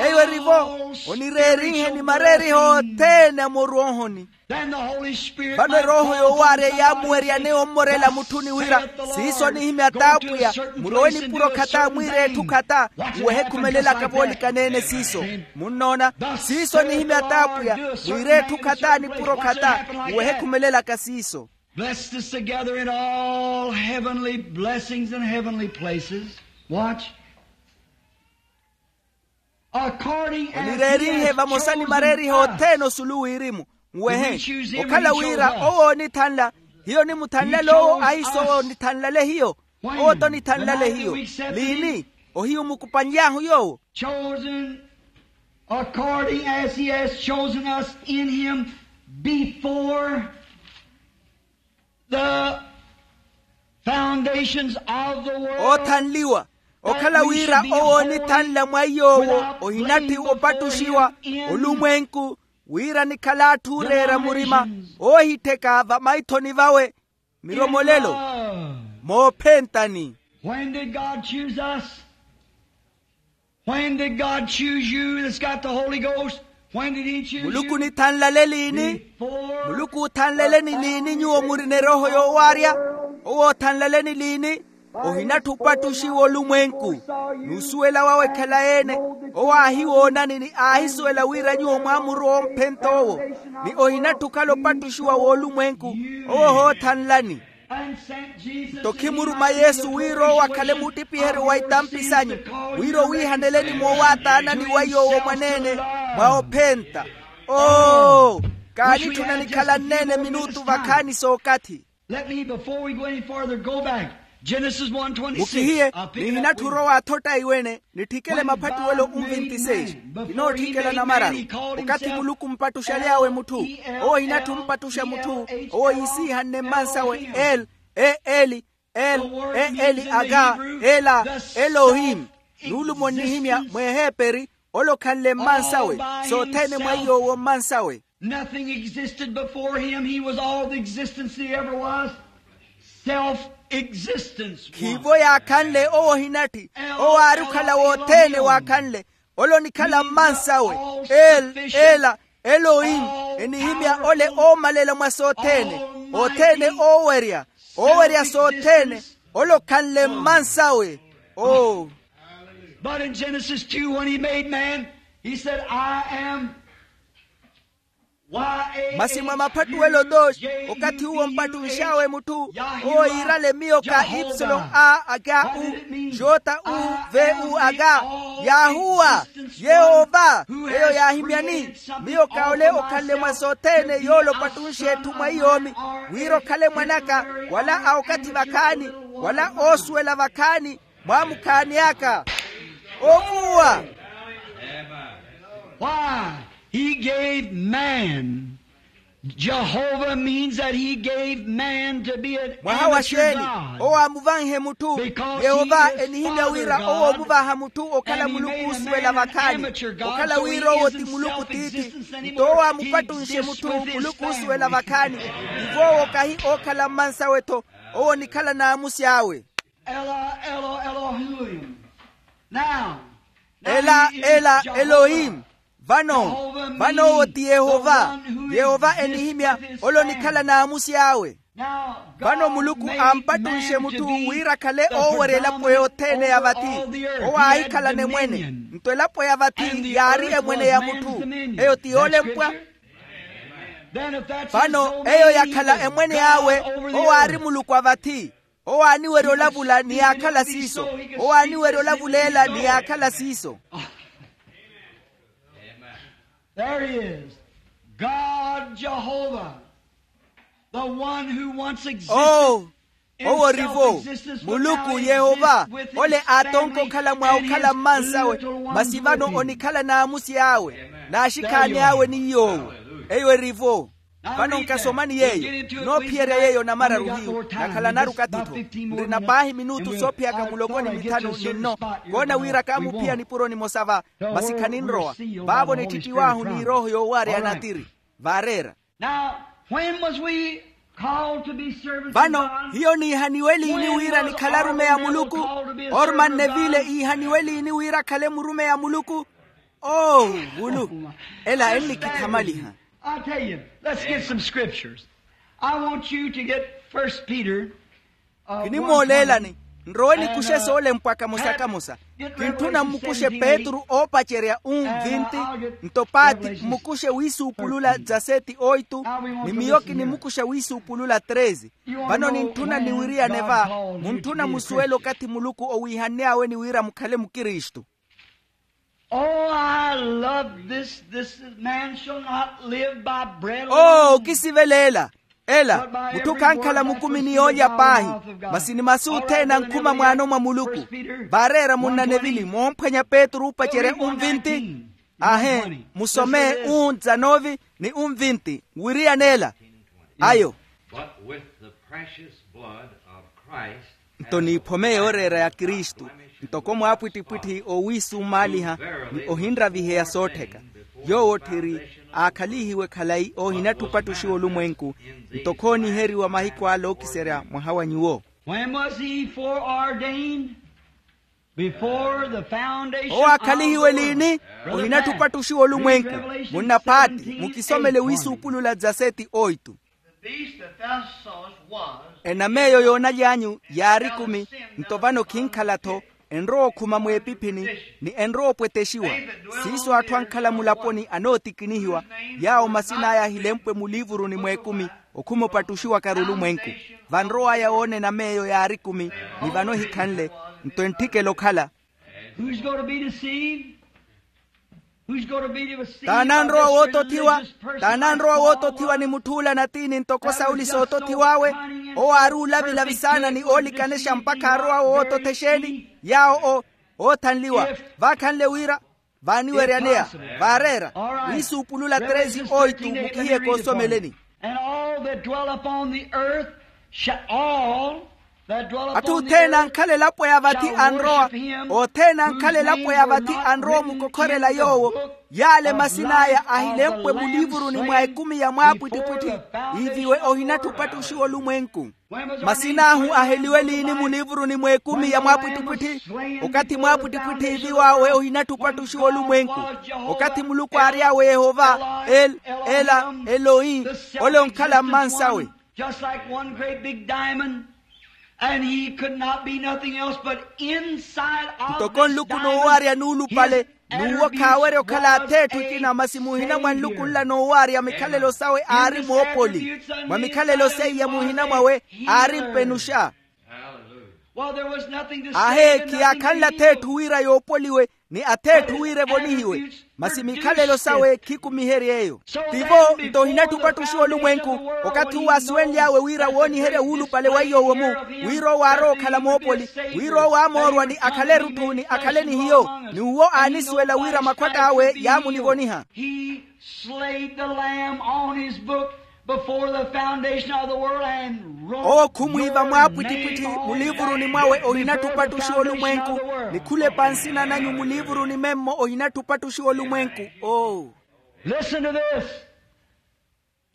Eyo erivo, onireerinhe ni mareeriho othene a morwoohoni. Then the Holy Spirit vano erooho yoowaarya yaamuwerya neyo ommorela mutthuni wira, siiso onihimya t'apwiya, murowe nipuro khata mwiira etthu khata. Uwehe ekhumelelaka voolikaneene siiso. Munnoona, siiso onihimya t'apwiya, mwiira etthu khata nipuro khata. Uwehe ekhumelelaka siiso. Bless this together in all heavenly blessings and heavenly places. Watch. Onireerihe vamosa ni mareeriho othene osulu wirimu. Nwehe, okhala wira owo onithanla, hiyo onimuthanlale owo ahiiso owo onithanlale hiyo. Owo t'onithanlale hiyo. Liini? Ohiyo omukupany'ahu yoowo. Chosen according as he has chosen us in him before the foundations of the world. Oothanliwa, okhala wira owo onithanla mwa iy'owo ohinatthi opattuxiwa olumwenku, wira nikhala atthu ooreera murima, oohittheka vamaithoni vawe miromolelo moophentani. When did God choose us? When did God choose you that's got the Holy Ghost? When did he choose you? Muluku onithanlale liini? Muluku oothanlaleni liini nyuwo murina erooho yoowaarya? Owo oothanlaleni liini? Ohinatthi opattuxiwa olumwenku n'usuwela wawe khalayi-ene. Owo aahiwoonani ni aahisuwela wira nyuwo mwaamurowa omphent'owo, ni ohinatthi okhala opattuxiwa w'olumwenku. Owo ohoothanlani. Nto khimuruma yesu wira owo akhale muuttipiheryo wa itampi sanyu, wira owiihaneleni moowaataanani wa iy'owo mwaneene mwa ophenta. Oo, kaanitthuna nikhalanneene minutu vakhaani sookathi. Let me before we go any farther go back. Genesis one twenty-six. Mukihiye, nihinatthi orowa athotta iwene. Nitthikele maphattuwelo unvinti seis. Kinootthikela namararu. Okathi muluku ompattuxaly'awe mutthu, owo ohinatthi ompattuxa mutthu owo iisiihanne mmansawe. El, e eli, el, e eli aga, ela, elohim. Nuulumo onnihimya mweeheperi, ole okhanle mmansawe. Sothene mwa iy'owo mmansawe. Nothing existed before him. He was all the existence there ever was. Self existence. Khiivo yaakhanle owo ohinatthi. Owo aari okhala wothene waakhanle. Ole onikhala mmansawe. El, ela, elohim. Enihimya ole oomalela mwa sothene. Othene oowerya, oowerya sothene. Ole okhanle mmansawe. Oo. But in Genesis two, when he made man, he said, I am. Masi mwa maphattuwelo dos, okathi uwo ompattunx'awe mutthu, owo iirale miyo ka ipsilon a aga u, jota u, ve u aga. Yahuwa, yehova. Eyo yaahimyani, miyo ka ole okhanle mwa sothene yoole opattunxe etthu mwa iyoomi, wira okhale mwan'aka, wala a okathi vakhaani, wala oosuwela vakhaani, mwaamukhaani aka. Ovuwa. Why? He gave man. Jehovah means that he gave man to be an amateur god. Mwaha wa xeeni? Owo aamuvanhe mutthu. Yehova enihimya wira owo omuvaha mutthu okhala muluku oosuwela vakhaani. Okhala wira owo ti muluku tiithi. Nto owo aamupattunxe mutthu muluku oosuwela vakhaani. Ivo owo kahi ookhala mmansawe-tho. Owo onikhala naamusi awe. Ela, Elo, Elohim. Now, ela, ela, elohim. Vano, vano owo ti yehova. Yehova enihimya, ole onikhala naamusi awe. Vano muluku ampattunxe mutthu wira akhale oowerya elapo yothene ya vathi. Owo aahikhalana emwene. Nto elapo ya vathi yaari emwene ya mutthu. Eyo ti yoolempwa. Vano eyo yakhala emwene awe. Owo aari muluku a vathi. Owo aaniwerya olavula ni yaakhala siiso. Owo aaniwerya olavulela ni yaakhala siiso. There he is. God Jehovah, the one who once existed. Oh, owo rivo. Muluku yehova, ole aatonka okhala mwa okhala mmansawe. Masi vano onikhala n'amusi awe, n'axikhaani awe ni yoowo. Eyo erivo. Vano nkasomani yeeyo. Noophiyerya yeeyo namararu hiyu nakhalanaru okathi-tho. Nrina paahi minutu soophiyaka muloko ni mithanu ni nno. Koona wira kaamuphiya nipuro nimosa va. Masi khaninrowa. Vaavo nitthittiw'ahu ni erooho yoowaarya ya natiri. Vaareera. Now, when was we called to be servants of God? Vano hiyo niihaniwe liini wira nikhala arumeyi a muluku? Orman neville iihaniwe liini wira akhale murumeyi a muluku? Oh, vulu. Ela ennikithamaliha. I'll tell you, let's get some scriptures. I want you to get First Peter. Kinimooleelani. Nrowe nikuxe soolempwa kamosa kamosa. Kintthuna mmukuxe petru oopacerya um vinti. Nto paati mmukuxe wiisuupulula dza seti oitu. Ni miyo kinimukuxa wiisuupulula treze. Vano nintthuna niwiriyane va. Muntthuna musuwele okathi muluku owiihann'awe ni wira mukhale mukristu. Oh, I love this. This is, man shall not live by bread alone. Oo okisivela ela. Ela mutthu khankhala mukumi ni yoolya paahi. Masi ni masu othene ankhuma mwaano mwa muluku. Vaareera munna nevili moomphwanya petru oopacerya um vinti. Ahe. Musome um dzanovi ni um vinti. Nwiriyane ela. Ayo. But with the precious blood of Christ. Nto niiphome yooreera ya kristu, ntoko mwaapwittipwitthi oowiisumaaliha ni ohinraviheya soottheka. Yoowo otthiri aakhalihiwe khalayi oohinatthi opattuxiwa olumwenku. Nto khooniheriwa mahiku ale ookiserya mwaha wa nyuwo. When was he foreordained? Before the foundation of the world. Owo aakhalihiwe liini? Ohinatthu opattuxiwa olumwenku. Munna phaati mukisomele wiisuupulula dza seti oitu. The beast that thou sawest was. Enama eyo yoonaly'anyu yaari ekumi. Nto vano khinkhala-tho. Enrowa okhuma mweepiphini ni enrowa opwetexiwa. Siiso atthu ankhala mulaponi anootikinihiwa, yaawo masin'aya ahilempwe muliivuruni mweekumi. Okhuma opattuxiwaka-ru olumwenku. Vanrow'aya woona enama eyo yaari ekumi. Ni vano ehikhanle. Nto entthikela okhala. Who's going to be deceived? T'ananrowa wootothiwa? T'ananrowa wootothiwa ni mutth'ula natiini ntoko sawuli sootothiw'awe? Owo aari uulavilavi saana ni oolikanexa mpakha arowa wootothexeni yaawo. Oothanliwa. Vaakhanle wira vaaniweryaneya. Vaareera. Wiisuupulula tresi oitu mukihiye koosomeleni. And all that dwell upon the earth shall, all that dwell upon the earth shall worship him. Atthu othene ankhala elapo ya vathi anrowa. Othene ankhala elapo ya vathi anrowa omukokhorela yoowo. Yaale masin'aya ahilempwe muliivuruni mwa ekumi ya mwaapwittipwitthi. Iiviwe ohinatthu opattuxiwa olumwenku. Masin'ahu aheliwe liini muliivuruni mwa ekumi ya mwaapwittipwitthi? Okathi mwaapwittipwitthi iiviw'awe ohinatthu opattuxiwa olumwenku. Okathi muluku aary'awe yehova. El, ela, eloi. Ole onkhala mmansawe. Just like one great big diamond, and he could not be nothing else but inside of this diamond. Ntoko nluku noowarya nuulupale. N'uwo khaawerya okhala atheetthu ekina masi muhina mwa nluku nla noowarya mikhalelo sawe aari moopoli. Mwa mikhalelo seiya muhina mwawe aari mpenuxa. Ahe khiyaakhanle atheetthu wira yoopoliwe ni atheetthu wira evonihiwe. Masi mikhalelo sawe khikumihery'eyo. Tivo nto ohinatthu opattuxiwa olumwenku. Okathi uwo aasuwenly'awe wira wooniherya wuulupale wa iy'owo-mu, wira owo aarowa okhala moopoli, wira owo aamoorwa ni akhale erutthu ni akhale ni hiyo. N'uwo aanisuwela wira makhwatt'awe yaamunivoniha. He slayed the lamb on his book before the foundation of the world and wrote. Owo khumwiiva mwaapwittipwitthi muliivuruni mwawe ohinatthu opattuxiwa olumwenku. Ni khulepa nsina nanyu muliivuruni memmo ohinatthu opattuxiwa olumwenku. Oo. Listen to this.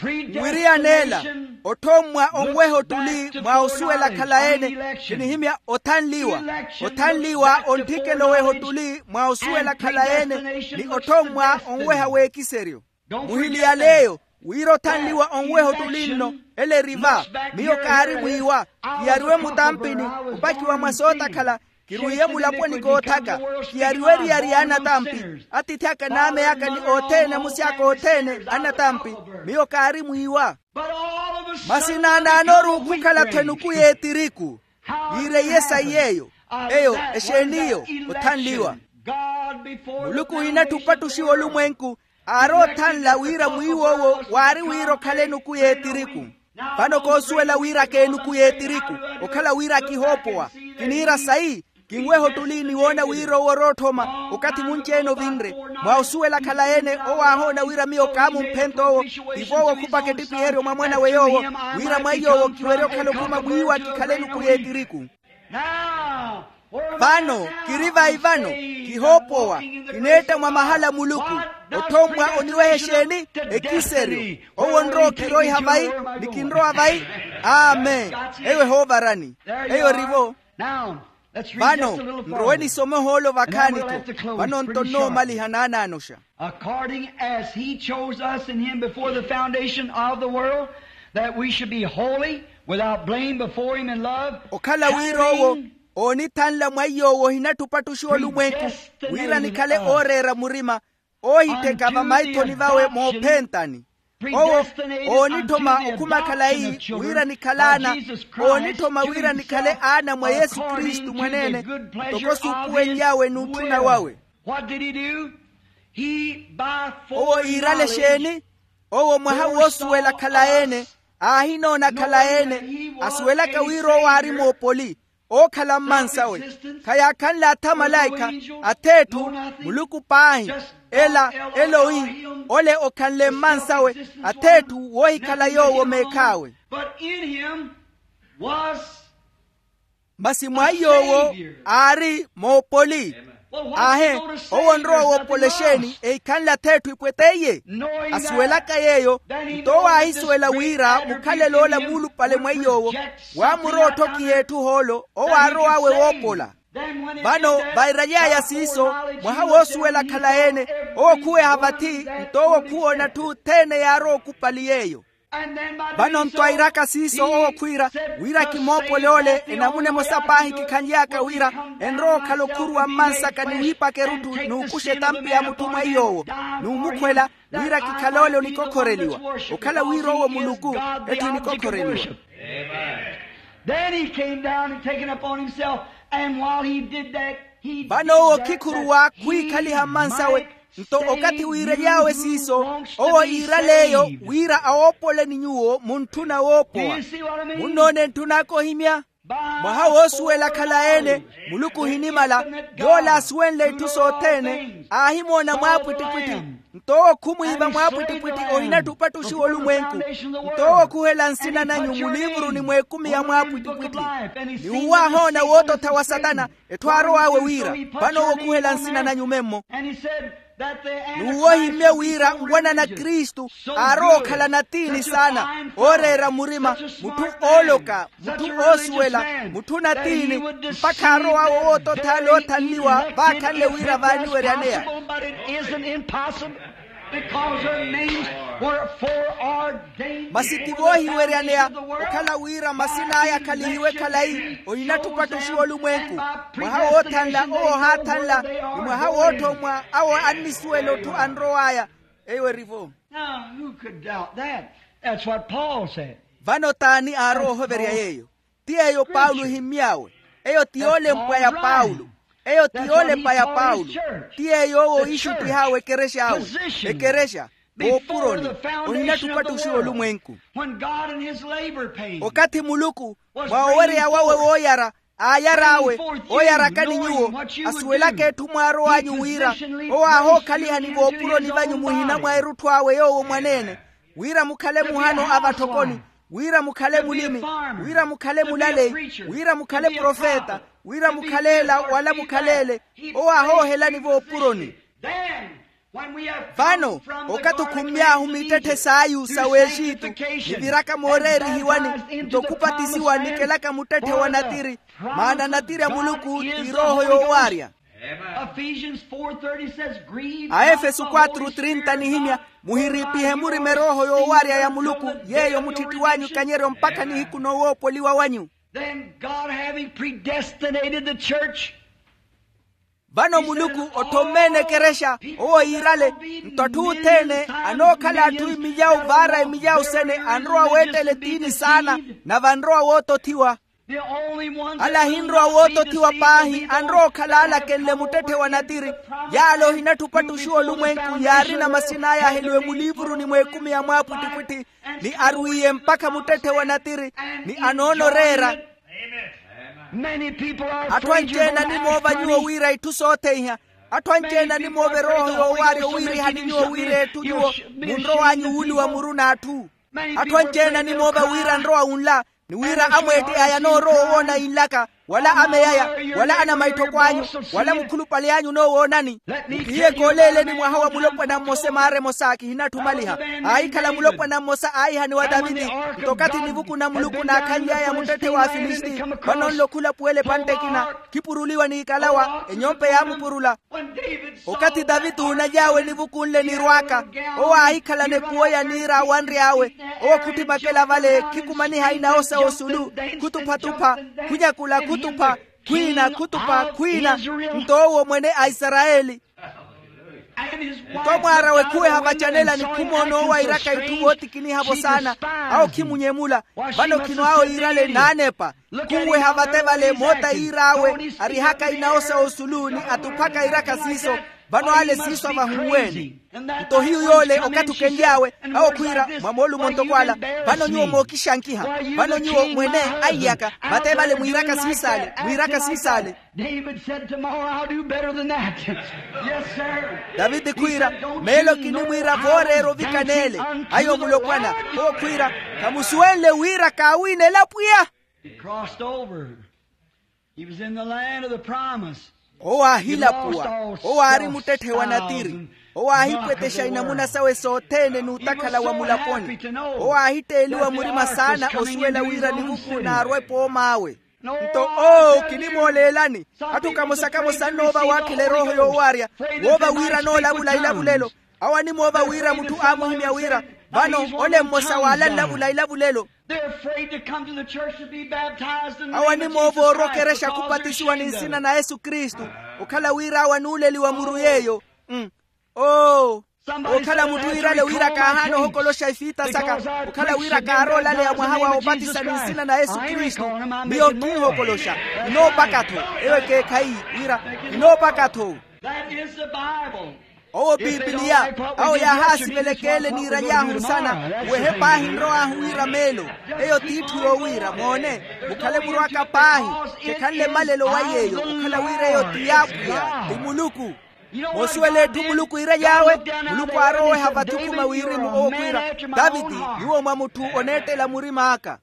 Nwiriyaneela. Othommwa onweha ottuli mwa osuwela khalayi-ene. Kinihimya othanliwa. Othanliwa ontthikela oweha ottuli mwa osuwela khalayi-ene. Ni othommwa onweha w'ekiseryo. Muhiliyale eyo wira othanliwa onweha ottuli nno. Ele eri va. Miyo kaari mwiiwa. Kiyariwe mutampini, opakiwa mwa sootakhala. Kirwiiye mulaponi koothaka. Kiyariwe eriyari y'anatampi. Atiithi aka naameyaka ni othene amusi aka othene anatampi. Miyo kaari mwiiwa. Masi naanaanoru okhukhala-tho enuku y'etiriku. Yiireiye sayi eyo. Eyo exeeni eyo? Othanliwa. Muluku ohinatthu opattuxiwa olumwenku. Aaroothanla wira mwiiw'owo waari wira okhale enuku y'etiriku. Vano koosuwela wira k'enuku y'etiriku. Okhala wira kihoopowa. Kiniira sayi. Kinweha ottuli ni woona wira owo orootthoma. Okathi munci-ene ovinre mwa osuwela khalayi-ene owo aahoona wira miyo kaamumphenta owo. Tivo owo okhupaka ettipiheryo mwa mwan'awe yoowo, wira mwa iy'owo kiwerye okhala okhuma mwiiwa kikhale enuku y'etiriku. Vano kiri vayi vano, kihoopowa, kineetta mwa mahala a muluku. Otthommwa oniweha exeeni? Ekiseryo. Owo onrowa okhiroiha vayi? Ni kinrowa vayi? Amen. Eyo ehoovarani. Eyo erivo. Vano nrowe nisome ohoolo vakhaani-tho. Vano nto nnoomaliha naanaanoxa. According as he chose us in him before the foundation of the world, that we should be holy, without blame before him in love. Okhala wira owo oonithanla mwa iy'owo ohinatthu opattuxiwa olumwenku, wira nikhale ooreera murima, oohitteka vamaithoni vawe moophentani. Owo oonitthoma okhuma khalayi wira nikhale aana. Oonitthoma wira nikhale aana mwa yesu kristu mwaneene, ntoko suupuwenly'awe n'utthuna wawe. Owo iirale exeeni? Owo mwaha woosuwela khalayi-ene, aahinoona khalayi-ene, asuwelaka wira owo aari moopoli, ookhala mmansawe. Khayaakhanle atha malaikha, ath'etthu, muluku paahi. Ela, ela oi, ole okhanle mmansawe, ath'etthu woohikhala yoowo meekhaawe. Masi mwa iy'owo aari moopoli. Aahe, owo onrowa woopola exeeni ehikhanle ath'etthu ipweteiye? Asuwelaka yeeyo, nto owo aahisuwela wira mukhalelo ola muulupale mwa iy'owo, waamurowa otthokiha etthu ohoolo owo aarow'awe woopola. Vano vairaly'aya siiso, mwaha woosuwela khalayi-ene, owo khuweha vathi, nto owo khuwoona atthu othene yaarowa okupali yeeyo. Vano nto airaka siiso owo khwiira, wira kimoopole ole enamuna emosa paahi kikhanly'aka wira enrowa okhala okhuruwa mmansaka ni wiipaka erutthu n'ukuxa etampi ya mutthu mwa iy'owo, n'umukhwela, wira kikhale ole onikokhoreliwa. Okhala wira owo muluku, etthu enikokhoreliwa. Then he came down and taken upon himself, and while he did that, he vano owo khikhuruwa khwiikhaliha mmansawe. Nto okathi wiirely'awe siiso, owo iiral'eyo wira awoopole ni nyuwo muntthuna woopowa. Munnoona entthun'aka ohimya? Mwaha woosuwela khalayi-ene, muluku ohinimala, yoole aasuwenle itthu sothene, aahimoona mwaapwittipwitthi. Nto owo khumwiiva mwaapwittipwitthi ohinatthu opattuxiwa olumwenku. Nto owo khuhela nsina nanyu muliivuruni mw'ekumi ya mwaapwittipwitthi. Ni uwo aahoona woototha wa satana, etthu aarow'awe wira, vano owo khuhela nsina nanyu memmo. N'uwo ohimmye wira nwanana kristu aarowa okhala natiini saana, ooreera murima, mutthu ooloka, mutthu oosuwela, mutthu natiini, mpakha aarow'awe owoototha ale oothanliwa vaakhanle wira vaaniweryaneya. Masi ti voohiweryaneya okhala wira masin'aya akhalihiwe khalayi ohinatthu opattuxiwa olumwenku. Mwaha woothanla owo ohaathanla, ni mwaha wootthommwa awo annisuwela otthu anrow'aya. Eyo erivo. Now who could doubt that? That's what Paul said. Vano t'ani aarowa ohoverya yeeyo? Ti yeeyo paulo ohimmy'awe. Eyo ti yoolempwa ya paulo. Eyo ti yoolepa ya paulo. Ti yeeyo owo oixuttih'awe ekerex'awe. Ekerexa, voopuroni, ohinatthu opattuxiwa olumwenku. Okathi muluku mwa owereya wawe wooyara aayar'awe, ooyarakani nyuwo, asuwelaka etthu mwaarow'anyu wira owo aahookhaliha ni voopuroni vanyu muhina mwa erutthu awe yoowo mwaneene, wira mukhale muhano a vatthokoni, wira mukhale mulimi, wira mukhale mulaleyi, wira mukhale profeta, wira mukhale ela wala mukhale ele, owo aahoohelani voopuroni. Vano okathi okhummy'ahu mittetthe s'ayu sa w'exitu, niviraka mooreerihiwani, nto khupatisiwa nikelaka muttetthe wa natiri, maana natiri a muluku ti erooho yoowaarya. Aefeso quatro trinta nihimya, muhiriipihe murima erooho yoowarya ya muluku, yeeyo mutthitthi w'anyu ikanyeryo mpakha nihiku noowoopoliwa wanyu. Then God having predestinated the church, vano muluku otthomme-ene ekerexa, owo yiirale, nto atthu othene anookhala atthu emilyawu vaara emilyawu sene anrowa weettela etiini saana, nave anrowa wootothiwa. Ala ahinrowa wootothiwa paahi anrowa okhala aalakenle muttetthe wa natiri. Yaala ohinatthupa ttuxu olumwenku yaarina masin'aya aheliwe muliivuruni mw'ekumi ya mwaapwittipwitthi, ni arwiiye mpakha muttetthe wa natiri, ni anoona oreera. Atthu anci-ene animoova nyuwo wira itthu sootheiha. Atthu anci-ene animoova erooho yoowaarya owiirihani nyuwo wira etthu nyuwo munrow'anyu wuuluwa muru n'atthu. Atthu anci-ene animoova wira nrowa wunla, ni wira amweette aya anoorowa owoona yinlaka, wala ameya aya, wala anamaitthoko anyu, wala mukhulupale anyu onoowoonani. Mukihiye kooleeleni mwaha wa mulopwana mmosa emaara emosa kihinatthumaliha. Aahikhala mulopwana mmosa aahihaniwa taviti, nto okathi nivuku na muluku naakhanly'aya muttetthe w'afilisiti, vano nlo khulapuwela epantte ekina, khipuruliwa n'ikalawa enyompe yaamupurula. Okathi taviti oonaly'awe nivuku nle nirw'aka, owo aahikhalana ekuwo ya niira awanry'awe. Owo khuttimakela vale khikumaniha inawo sa osulu, khutupha-tupha, khunyakula khutupha, khwiina khutupha khwiina. Nto owo mwene a isarayeli. Nto mwaar'awe khuweha vacanelani khumoona owo airaka itthu vootikiniha-vo saana. Awo khimunyemula. Vano khino awo yiirale naanepa. Khuweha vate vale moota yiir'awe arihaka inawo sa osulu ni atuphaka iraka siiso. Vano ale siiso avahuwe-ene. Nto hiyu yoole okathi okenly'awe, awo khwiira mwa moolumo ntoko ala. Vano nyuwo mookixankiha. Vano nyuwo mwene aiyaka vate vale mwiiraka siisaale mwiiraka siisaale. David said, tomorrow I'll do better than that. Yes sir. Daviti khwiira, meelo kinimwiira vooreera ovikaneele. Ayo mulopwana. Owo khwiira, khamusuwenle wira kaawiinela pwiya. He crossed over. He was in the land of the promise. Owo aahilapuwa. Owo aari muttetthe wa natiri. Owo aahipwetexa inamuna sawe sothene n'utakhala wa mulaponi. Owo aahitteeliwa murima saana osuwela wira nivuku naarwa epoom'awe. Nto oo kinimooleelani, atthu kamosa-kamosa annoova waakhela erooho yoowaarya. Woova wira anoolavula ilavulelo. Awo animoova wira mutthu aamuhimya wira, vano ole mmosa waala nlavula ilavulelo. Awo animoova oorwa okerexa khupatisiwa ni nsina na yesu kristu, okhala wira awo anuuleliwa muru yeeyo. Oo, okhala mutthu iirale wira kaahaana ohokoloxa ifiita saka, okhala wira kaaroolaleya mwaha wa opatisa ni nsina na yesu kristu. Miyo nkiihokoloxa. Inoopaka-tho. Eyo ekeekhayi wira inoopaka-tho. Owo pipiliya. Awo yaahaasivelekeele niiraly'ahu nsana, wehe paahi nrow'ahu wira meelo. Eyo t'itthu yoowiira moone, mukhale murw'aka paahi. Khekhanle malelo wa yeeyo okhala wira eyo ti y'apwiya, ti muluku. Moosuwela etthu muluku iiraly'awe. Muluku aaroweha vathukuma wirimu owo khwiira, taviti, nyuwo mwa mutthu oneettela murim'aka.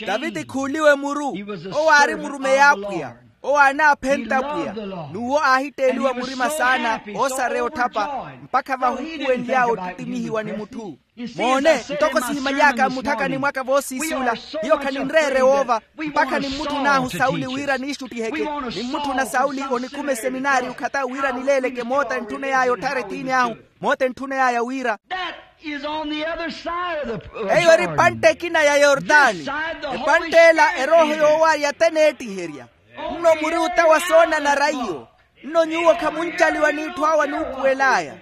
Taviti khuuliwe muru. Owo aari murumeyi a apwiya. Owo aanaaphenta apwiya. N'uwo aahitteeliwa murima saana oosareya otthapa, mpakha vahuupuwenly'awe ottittimihiwa ni mutthu. Moone, ntoko sihimaly'aka mmutthakani mwaka voosiisuula, hiyo khaninreere woova. Mpakha nimmutthun'ahu sauli wira niixuttiheke. Nimmutthuna sauli onikhume seminaari okhata wira nileeleke moota entthuney'aya otthara etiini ahu. Moota entthuney'aya wira. Eyo eri epantte ekina ya yortani. Epantte ela erooho yoowaarya t'eneettiherya. Nno muri ota wa soonanara iyo. Nno nyuwo khamuncaliwa n'itthu awo anuupuwel'aya.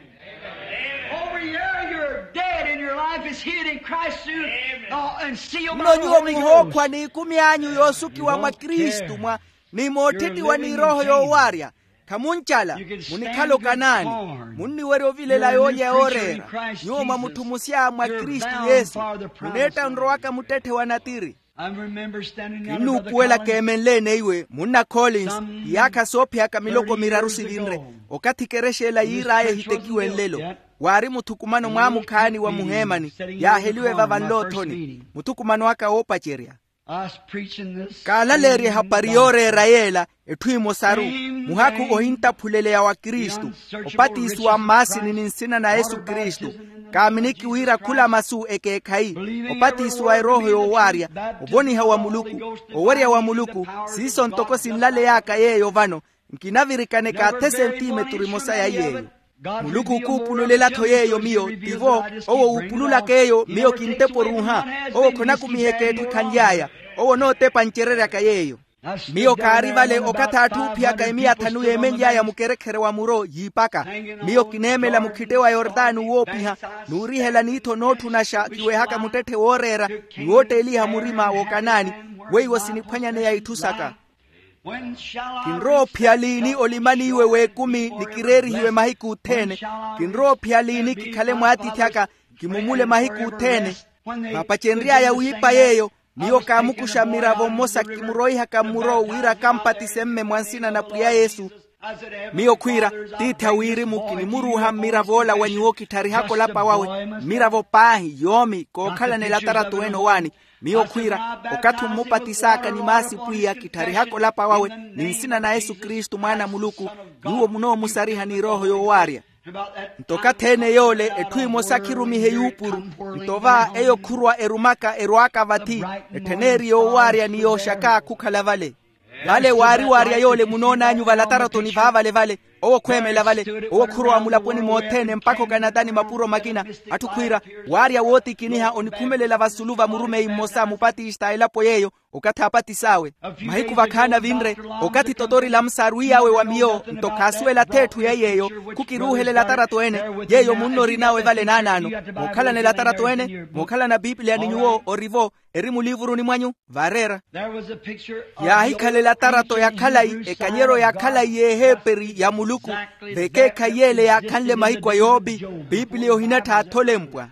Nno nyuwo muhookhwa n'ikumi anyu yoosukiwa mwa kristu mwa, ni mootthettiwa n'irooho yoowaarya. Khamuncala. Munikhala okanaani. Munniwerya ovilela yoolya yooreera. Nyuwo mwa mutthu musya mwa kristu yesu, muneetta nrowaka muttetthe wa natiri. Kinnuupuwela keemenle-ene iwe munna collins, iyaakha soophiyaka miloko miraru sivinre, okathi ekerexa ela yiir'aya ehitekiwe nlelo. Waari muthukumano mwaamukhaani wa muheemani, yaaheliwe vava nloothoni. Muthukumano aka woopacerya. Kaalaleerya ehapari yooreera yeela. Etthu emosaru, muhakhu ohintaphuleleya wa kristu, opatisiwa mmaasini ni nsina na yesu kristu. Kaaminiki wira khula masu ekeekhayi, opatisiwa erooho yoowaarya, ovoniha wa muluku, owerya wa muluku. Siiso ntoko sinlaley'aka yeeyo vano, Nkinavirikane kaathi esentimeturu emosa ya yeeyo. Muluku okuupululela-tho yeeyo miyo tivo. Owo wuupululaka eyo miyo kintepo oruuha. Owo khonakumiheke etthu ekhanly'aya. Owo onootepa ncereryaka yeeyo. Miyo kaari vale okathi atthu oophiyaka emiya thanu yeemenly'aya mukerekhere wa muro yiipaka. Miyo kineemela mukhite wa yortani woopiha, n'urihela niitho nootthunaxa kiwehaka muttetthe wooreera, ni wootteeliha murima w'okanaani. Weiwo siniphwanyaneya itthu saka. Kinrowa ophiya liini olimani iwe w'ekumi ni kireerihiwe mahiku othene? Kinrowa ophiya liini kikhale mwaatiithi aka, kimumule mahiku othene? Vaapacenry'aya wiipa yeeyo, miyo kaamukuxa mmiravo mmosa kimuroihaka mmuro wira akampatise mme mwa nsina na pwiya yesu. Miyo khwiira, tiithi a wirimu kinimuruuha mmiravo ola wa nyuwo kitharihaka olapa wawe. Mmiravo paahi yoomi kookhalana elatarato ene owaani. Miyo khwiira, okathi ommupatisaka ni maasi pwiya kitharihaka olapa wawe, ni nsina na yesu kristu mwaana a muluku. Nyuwo munoomusariha ni erooho yoowaarya. Nto okathi ene yoole etthu emosa khirumihe yuupuru. Nto va eyo khurwa erumaka erwaaka vathi, etthen'eri yoowaarya ni yooxaka khukhala vale. Vale waari waarya yoole munoon'anyu valataratoni vaavale vale. Owo khweemela vale. Owo khurowa mulaponi mothene mpakha okanatani mapuro makina. Atthu khwiira, waarya wootikiniha onikhumelela vasulu va murumeyi mmosa mupatista a elapo yeeyo, okathi aapatis'awe. Mahiku vakhaani avinre, okathi totori lamsa arwiy'awe wa miyo nto khaasuwela ath'etthu ya yeeyo. Khukiruuhela elatarato ene. Yeeyo munno orin'awe vale naanaano. Mookhalana elatarato ene, mookhalana piipiliya ni nyuwo orivo, eri muliivuruni mwanyu. Vaareera. Yaahikhala elatarato ya khalayi, ekanyeryo ya khalayi y'eheeperi ya muluku, v'ekeekhayi y'ele yaakhanle mahiku a yoopi. Piipiliya ohinattha atholempwa.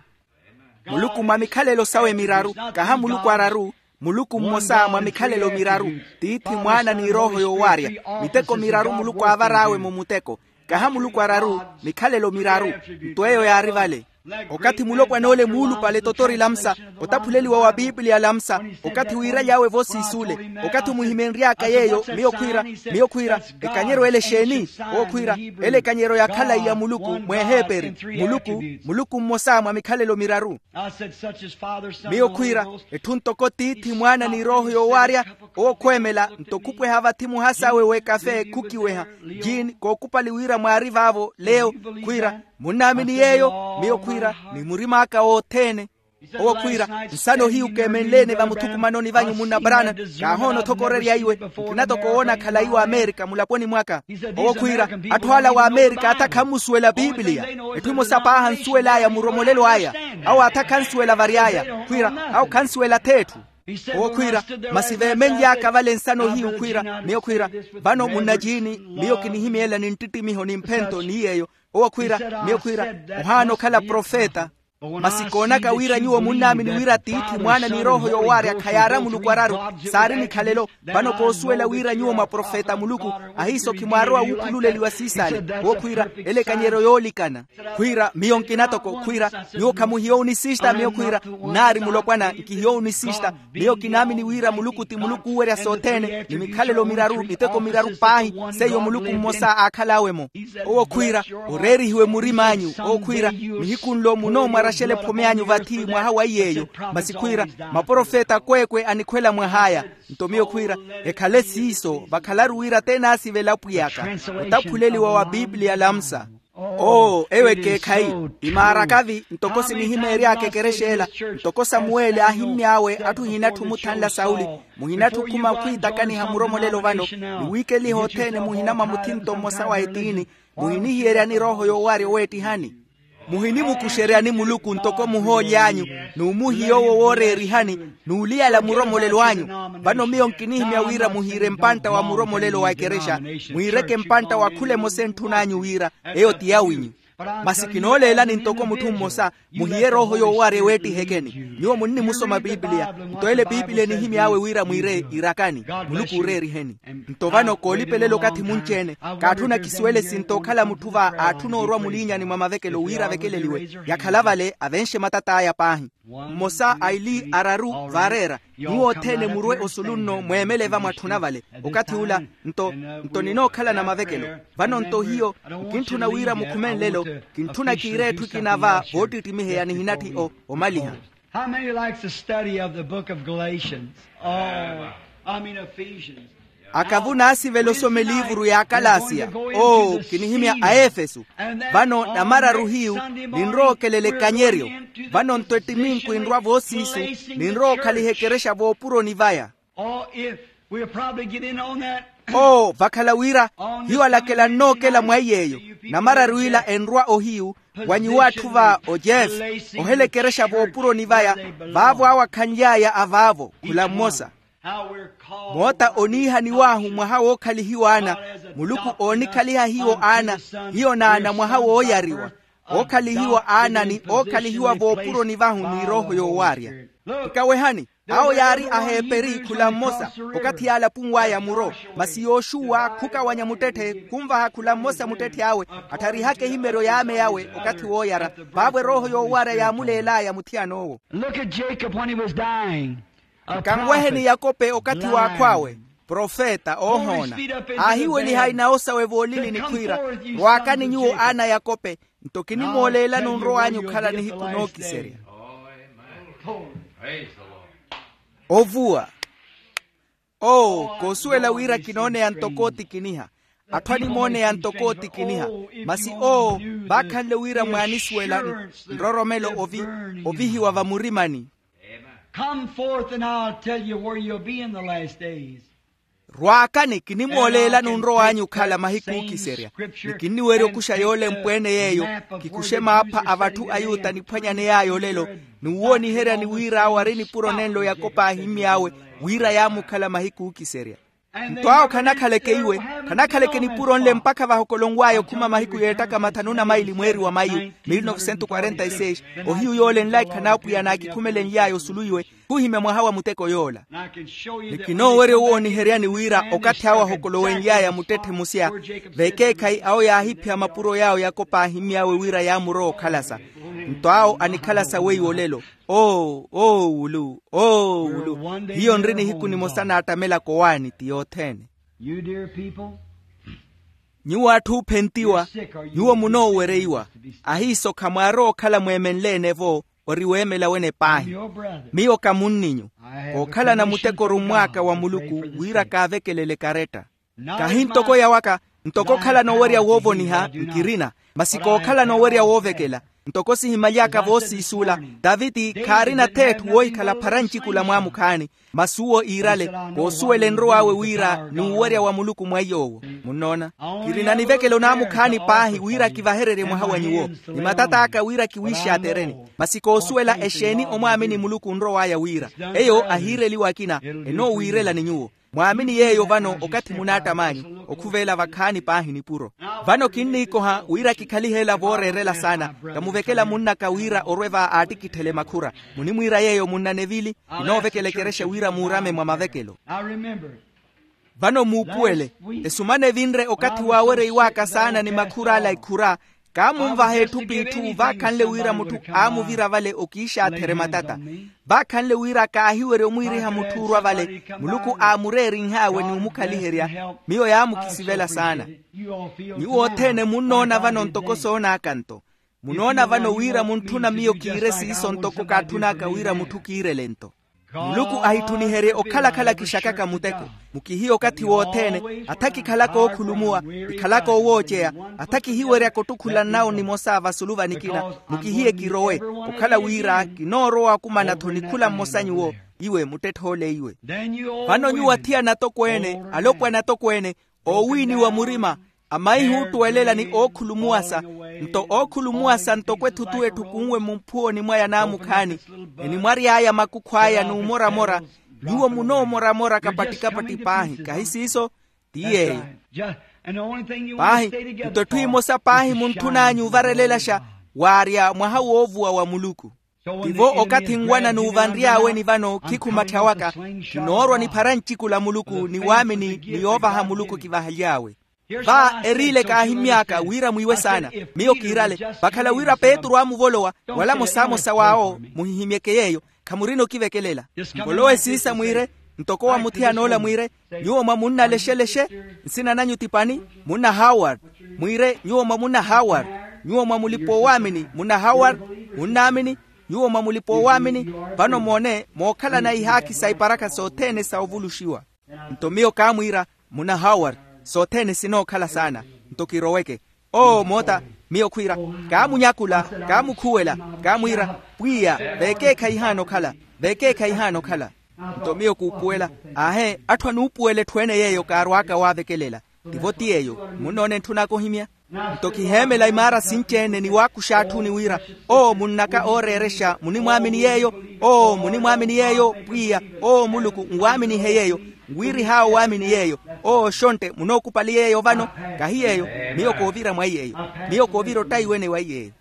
Muluku mwa mikhalelo sawe miraru, kaha muluku araru. Muluku mmosa mwa mikhalelo miraru. Tiithi, mwaana ni erooho yoowaarya. Miteko miraru muluku aavar'awe mu muteko. Kaha muluku araru, mikhalelo miraru. Nto eyo yaari vale. Okathi mulopwan'ole muulupale totori lamsa, otaphuleliwa wa piipiliya lamsa, okathi wiiraly'awe vo siisuule. Okathi omuhimenry'aka yeeyo miyo khwiira, miyo khwiira, ekanyeryo ele exeeni? Owo khwiira, ele ekanyeryo ya khalayi ya muluku mw'eheeperi. Muluku, muluku mmosa mwa mikhalelo miraru. Miyo khwiira, etthu ntoko tiithi, mwaana ni erooho yoowaarya. Owo khweemela nto khupweha vathi muhas'awe w'ekafe khukiweha. Jean kookupali wira mwaari vaavo leo. Khwiira, munnaamini yeeyo? Miyo khwiira, ni murim'aka wothene. Owo khwiira, nsano hiyu keemenle-ene vamuthukumanoni vanyu munna brana. Kaahoona othokorerya iwe. Nkina toko woona khalayi w'amerika mulaponi mwaka. Owo khwiira, atthu ala w'amerika athi akhanmusuwela piipiliya. Etthu emosa paahi ansuwel'aya muromolelo aya. Awo athi akhansuwela vary'aya. Khwiira, awo khansuwela ath'etthu. Owo khwiira, masi veemenly'aka vale nsano hiyu khwiira, miyo khwiira, vano munnajiini, miyo kinihimyeela ni nttittimiho ni mphento ni yeeyo. Owo khwiira, miyo khwiira, ohaana okhala profeta. Masi koonaka wira nyuwo munnaamini wira tiithi mwaana ni erooho yoowaarya khayaara muluku araru, saari nikhalelo. Vano koosuwela wira nyuwo maprofeta a muluku, ahiiso khimwaarowa wuukhululeliwa siisale. Owo khwiira, ele ekanyeryo yoolikana. Khwiira, miyo nkina toko khwiira, nyuwo khamuhiya onisista miyo khwiira, nnaari mulopwana nkihiya onisista. Miyo kinaamini wira muluku ti muluku oowerya sothene ni mikhalelo miraru miteko miraru paahi. Seiyo muluku mmosa aakhal'awe-mo. Owo khwiira, oreerihiwe murim'anyu. Owo khwiira, nihiku nlo munoomwaraxela ephome anyu vathi mwaha wa iy'eyo. Masi khwiira, maprofeta akweekwe anikhwela mwah'aya. Nto miyo khwiira, ekhale siiso vakhalaru wira t'enaasivela apwiy'aka. Otaphuleliwa wa piipiliya lamsa. Oo eyo ekeekhayi. Imaaraka-vi ntoko sinihimeery'aka ekerexa ela. Ntoko samuweli aahimmy'awe atthu ohinatthu omuthanla sauli, muhinatthu okhuma okhwiitakaniha muromolelo vano, ni wiikeliha othene muhina mwa muthinto mmosa wa etiini. Muhinihiyeryani erooho yoowarya oweettihani. Muhinimukuxeryani muluku ntoko muhooly'anyu, n'umuhiya owo wooreerihani, n'uliyala muromolelo anyu. Vano miyo nkinihimya wira muhiire mpantta wa muromolelo wa ekerexa, mwiireke mpantta wa khula emosa entthun'anyu wira eyo ti yawinyu. Masi kinooleelani ntoko mutthu mmosa, muhiye erooho yoowarya eweettihekeni. Nyuwo munnimusoma piipiliya. Nto ele piipiliya enihimy'awe wira mwiire irakani, muluku ooreeriheni. Nto vano koolipelela okathi munci-ene. Kaatthuna kisuwele sinto okhala mutthu va aatthuna orwa muliinyani mwa mavekelo wira avekeleliwe. Yakhala vale avenxe matat'aya paahi. Mmosa aili araru vaareera. Nyuwo othene murwe osulu nno mweemele va mwatthuna vale. Okathi ula nto, nto ninookhalana mavekelo. Vano nto hiyo nkintthuna wira mukhume nlelo. Kintthuna kiire etthu ekina va voottittimiheya nihinatthi o omaliha. How many likes to study of the book of Galatians? Oh, I mean Ephesians. Akavu naasivela osoma eliivuru y'akalasiya. Oo, kinihimya aefesu. Vano namararu hiyu, ninrowa okelela ekanyeryo. Vano nto ettiminku enrwa voosiisu, ninrowa okhaliha ekerexa voopuroni vaya. Oo, vakhala wira hiyo alakela nnookela mwa iy'eyo. Namararu ila enrwa ohiyu, wa nyuwo atthu va ojefe, ohela ekerexa voopuroni vaya. Vaavo awo akhanly'aya avaavo khula mmosa. Moota oniihaniw'ahu mwaha wookhalihiwa ana. Muluku oonikhaliha hiyo ana, hiyo naana mwaha wooyariwa. Ookhalihiwa aana ni ookhalihiwa voopuroni vahu ni erooho yoowarya. Nkawehani, awo yaari aheeperi khula mmosa. Okathi yaalapunw'aya muro, masi yoxuwa khukawanya muttetthe khunvaha khula mmosa muttetthe awe, attharihaka ehimeryo y'ame awe okathi wooyara. Vaavo erooho yoowarya yaamuleel'aya muthiyan'owo. Look at Jacob when he was dying. Nkanweheni yakope okathi w'akhw'awe, profeta oohoona. Aahiweliha inawo sawe voolili ni khwiira, rwaakani nyuwo aana a yakope, nto kinimooleelani onrow'anyu okhala nihiku nookiserya. Ovuwa. Oo, koosuwela wira kinooneya ntoko otikiniha. Atthu animooneya ntoko otikiniha. Masi oo, vaakhanle wira mwaanisuwela nroromelo ovihiwa vamurimani. Come forth and I'll tell you where you'll be in the last days. Rwaakani kinimooleelani onrow'anyu okhala mahiku ookiserya. Ni kinniwerya okuxa yoolempwa-ene yeeyo, kikuxe maapha a vatthu ayuta niphwanyaney'aya olelo, ni wuwooniheryani wira awo ari nipuro nenlo yakope aahimmy'awe, wira yaamukhala mahiku ookiserya. Nto awo khanakhaleke iwe, khanakhaleke nipuro nle mpakha vahokolonw'aya okhuma mahiku yeettaka mathanu na maili mweeri wa mayu, mil novecentos quarenta y seis. Ohiyu yoole nlaikha n'apwiya naakikhumelenly'aya osulu iwe, khuhimya mwaha wa muteko yoola. Ni kinoowerya owooniheryani wira okathi awo ahokolowenly'aya muttetthe musya, vekeekhayi awo yaahiphiya mapuro yaawo yakope aahimmy'awe wira yaamurowa okhalasa. Nto awo anikhalasa weiwo olelo. Oo, oo wulu, oo wulu. Hiyo nri nihiku nimosa naattamela kowaani ti yothene. Nyuwo atthu oophentiwa, nyuwo munoowereiwa. Ahiiso khamwaarowa okhala mweemenle-ene-vo, ori weemela wene paahi. Miyo ka munninyu. Kookhalana muteko orummw'aka wa muluku, wira kaavekelele ekaretta. Kahi ntoko yawaka, ntoko okhalana owerya woovoniha nkirina, masi kookhalana owerya woovekela. Ntoko sihimaly'aka voosiisuula, taviti khaarina-tho etthu woohikhala phara ncikula mwaamukhaani. Masi uwo iirale, koosuwela enrow'awe wira n'uwerya wa muluku mwa iy'owo. Munnoona, kirina nivekelo naamukhaani paahi wira kivahererye mwaha wa nyuwo, ni matat'aka wira kiwiixaatereni. Masi koosuwela exeeni omwaamini muluku onrow'aya wira. Eyo ahiireliwa akina, enoowiirelani nyuwo. Mwaamini yeeyo vano okathi munaattam'anyu, okhuveela vakhaani paahi nipuro. Vano kinniikoha wira kikhalihe ela vooreerela saana. Kamuvekela munn'aka wira orwe va aattikitthele makhura. Munimwiira yeeyo munna nevili. Kinoovekela ekerexa wira muurame mwa mavekelo. Vano muupuwele, esumana evinre okathi waawereiw'aka saana ni makhur'ala ikhura. Kaamunvaha etthu p'itthu vaakhanle wira mutthu aamuvira vale okiixaatherye matata. Vaakhanle wira kaahiwerya omwiiriha mutthu orwa vale, muluku aamureerinh'awe ni omukhaliherya. Miyo yaamukisivela saana. Nyuwo othene munnoona vano ntoko soon'aka nto. Munoona vano wira muntthuna miyo kiire siiso ntoko kaatthun'aka wira mutthu kiirele nto. Muluku ahitthuniherye okhala-khala kixakaka muteko. Mukihiye okathi wothene. Atha kikhalaka ookhulumuwa, kikhalaka owooceya. Atha kihiweryaka ottukhulan'awo nimosa vasulu va nikina. Mukihiye kirowe, okhala wira kinoorowa okumana-tho ni khula mmosa nyuwo. Iwe muttetthe ole iwe. Vano nyuwo athiyana atokweene, alopwana atokweene, oowiiniwa murima, amaihi oottuwelela ni ookhulumuwasa. Nto ookhulumuwasa ntoko ethutu etthu kunwe mumphuwoni mwaya naamukhaani, enimwary'aya makukhu aya n'umoramora. Nyuwo munoomoramora kapatti-kapatti paahi kahi siiso? Ti yeeyo. Paahi, nto etthu emosa paahi muntthun'anyu ovarelelaxa, waarya mwaha woovuwa wa muluku. Tivo okathi nwana n'uvanry'awe ni vano khikhumatthyawaka. Kinoorwa niphara ncikula muluku ni waamini ni yoovaha muluku kivahaly'awe. Va eriile kaahimmy'aka wira mwiiwe saana. Miyo kiirale. Vakhala wira petru aamuvolowa, wala mosamosa w'awo muhihimyeke yeeyo. Khamurina okivekelela. Mvolowe siisa mwiire, ntoko wa muthiyan'ola mwiire, nyuwo mwa munna lexelexe. Nsina nanyu ti pani? Munna haward. Mwiire nyuwo mwa munna haward. Nyuwo mwa mulipa-oowaamini munna haward. Munnaamini. Nyuwo mwa mulipa-oowaamini. Vano moone mookhalana ihaakhi sa iparakha sothene sa ovuluxiwa. Nto miyo kaamwiira, Muna howard, sothene sinookhala saana. Nto kiroweke. Oo moota, miyo khwiira, kaamunyakula, kaamukhuwela, kaamwiira, pwiya, veekeekhayi ihaana okhala, veekeekhayi ihaana okhala. Nto miyo kuupuwela, aahe, atthu anuupuwela etthu ene yeeyo kaarwaaka waavekelela. Tivo ti yeeyo. Munnoona entthun'aka ohimya? Nto kiheemela imaara sinci-ene ni waakuxa atthuni wira, oo munn'aka ooreerexa munimwaamini yeeyo. Oo munnimwaamini yeeyo pwiya. Oo muluku nwaaminihe yeeyo. Nwiirih'awe owaamini yeeyo. Oo oxontte munookupali yeeyo vano. Kahi yeeyo. Miyo koovira mwa iyeeyo. Miyo koovira ottaiwene wa iyeeyo.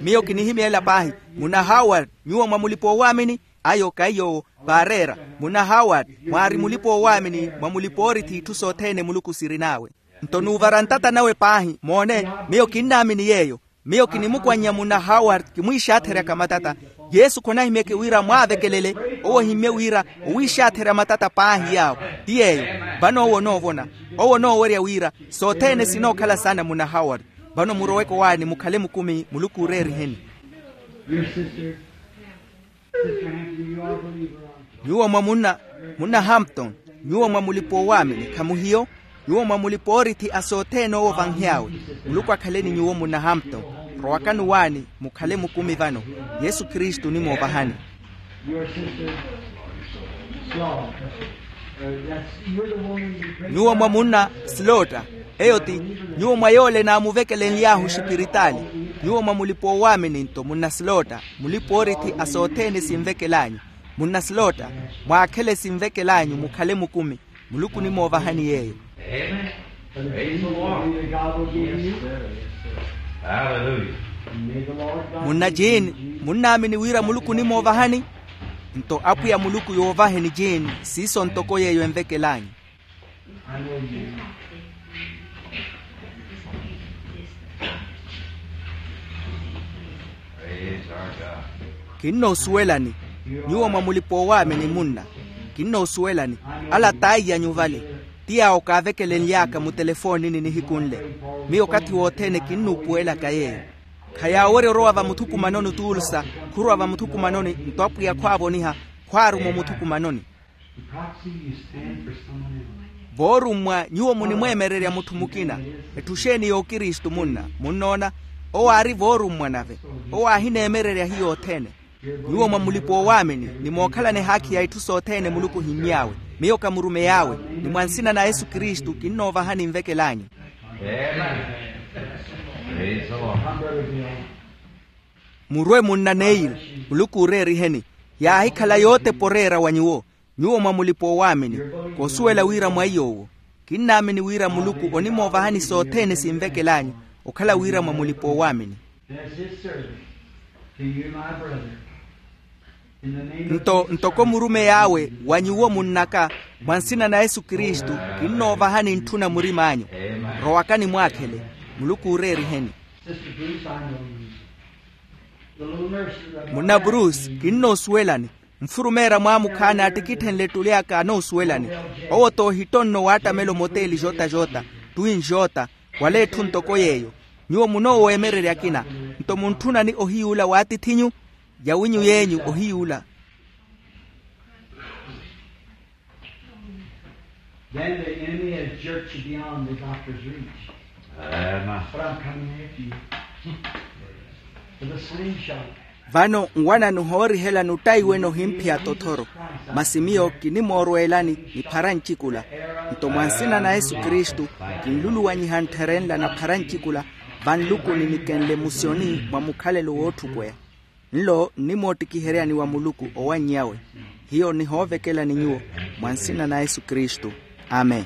Miyo kinihimyeela paahi. Munna howard, nyuwo mwa mulipa oowaamini? Ayo kaiy'owo. Vaareera. Munna howard, mwaari mulipa oowaamini mwa mulipa oorithi itthu sothene muluku sirin'awe. Nto nuuvara ntata nawe paahi moone. Miyo kinnaamini yeeyo. Miyo kinimukwannya munna howard kimwiixaatheryaka matata. Yesu khonahimyeke wira mwaavekelele. Owo ohimmye wira owiixaatherya matata paahi yaawo. Ti yeeyo. Vano owo onoovona. Owo onoowerya wira sothene sinookhala saana munna howard. Vano muroweke owaani mukhale mukumi muluku ooreeriheni. Nyuwo mwa munna, munna hampton, nyuwo mwa mulipa oowaamini khamuhiyo? Nyuwo mwa mulipa oorithi a sothene owo ovanhy'awe. Muluku akhaleni nyuwo munna hampton. Rowakani owaani mukhale mukumi vano. Yesu kristu onimoovahani. Nyuwo mwa munna slotta. Eyo ti, nyuwo mwa yoole naamuvekelenly'ahu xipiritaali. Nyuwo mwa mulipa oowaamini nto munna slotta, mulipa oorithi a sothene sinvekel'anyu. Munna slotta, mwaakhele sinvekel'anyu mukhale mukumi. Muluku onimoovahani yeeyo. Munna jean, munnaamini wira muluku onimoovahani? Nto apwiya muluku yoovaheni jean. Siiso ntoko yeeyo envekel'anyu. Kinnoosuwelani. Nyuwo mwa mulipa oowaamini munna, kinnoosuwelani. Ala t'aiy'anyu vale, ti yaawo kaavekelenly'aka mutelefoonini nihiku nle. Miyo okathi wothene kinnuupuwelaka yeeyo. Khayaawerya orowa vamuthukumanoni otuulsa, khurwa vamuthukumanoni nto apwiya khwaavoniha, khwaaruma omuthukumanoni. Voorummwa nyuwo munimweemererya mutthu mukina. Etthu xeeni y'okristu munna munnoona? Owo aari voorummwa nave. Owo aahineemererya hiyo othene. Nyuwo mwa mulipa oowaamini, nimookhalana ehaakhi ya itthu sothene muluku ohimmy'awe. Miyo ka murumeyi awe, ni mwa nsina na yesu kristu kinnoovahani nvekel'anyu. Murwe munna neil, muluku ooreeriheni. Yaahikhala yootepa oreera wa nyuwo. Nyuwo mwa mulipa oowaamini, koosuwela wira mwa iy'owo. Kinnaamini wira muluku onimoovahani sothene sinvekel'anyu, okhala wira mwa mulipa oowaamini. Nto ntoko murumeyi awe wa nyuwo munn'aka, mwa nsina na yesu kristu, kinnoovahani ntthuna murim'anyu. Rowakani mwaakhele. Muluku ooreeriheni. Munna bruce, kinnoosuwelani. Nfurumeerya mwaamukhaani aattikitthenle ettuli aka anoosuwelani. Owo t'ohittonno waattamela omoteeli jota jota, twin jota, wala etthu ntoko yeeyo. Nyuwo munooweemererya akina. Nto muntthunani ohiyuula w'atith'inyu? Yawinyu y'enyu ohiyuula. Then the enemy has jerked you beyond the doctor's reach. But I'm coming after you. With a slingshot. Vano nwanani ohoorihelani ottaiwene ohimphiya tothoro. Masi miyo kinimoorweelani niphara ncikula. Nto mwa nsina na yesu kristu, kinluluwanyiha nttherenla naphara ncikula, vanluku ninikenle musioni mwa mukhalelo wootthukuweya. Nlo nnimoottikiheryani wa muluku owannyawe. Hiyo nihoovekelani nyuwo, mwa nsina na yesu kristu. Amen.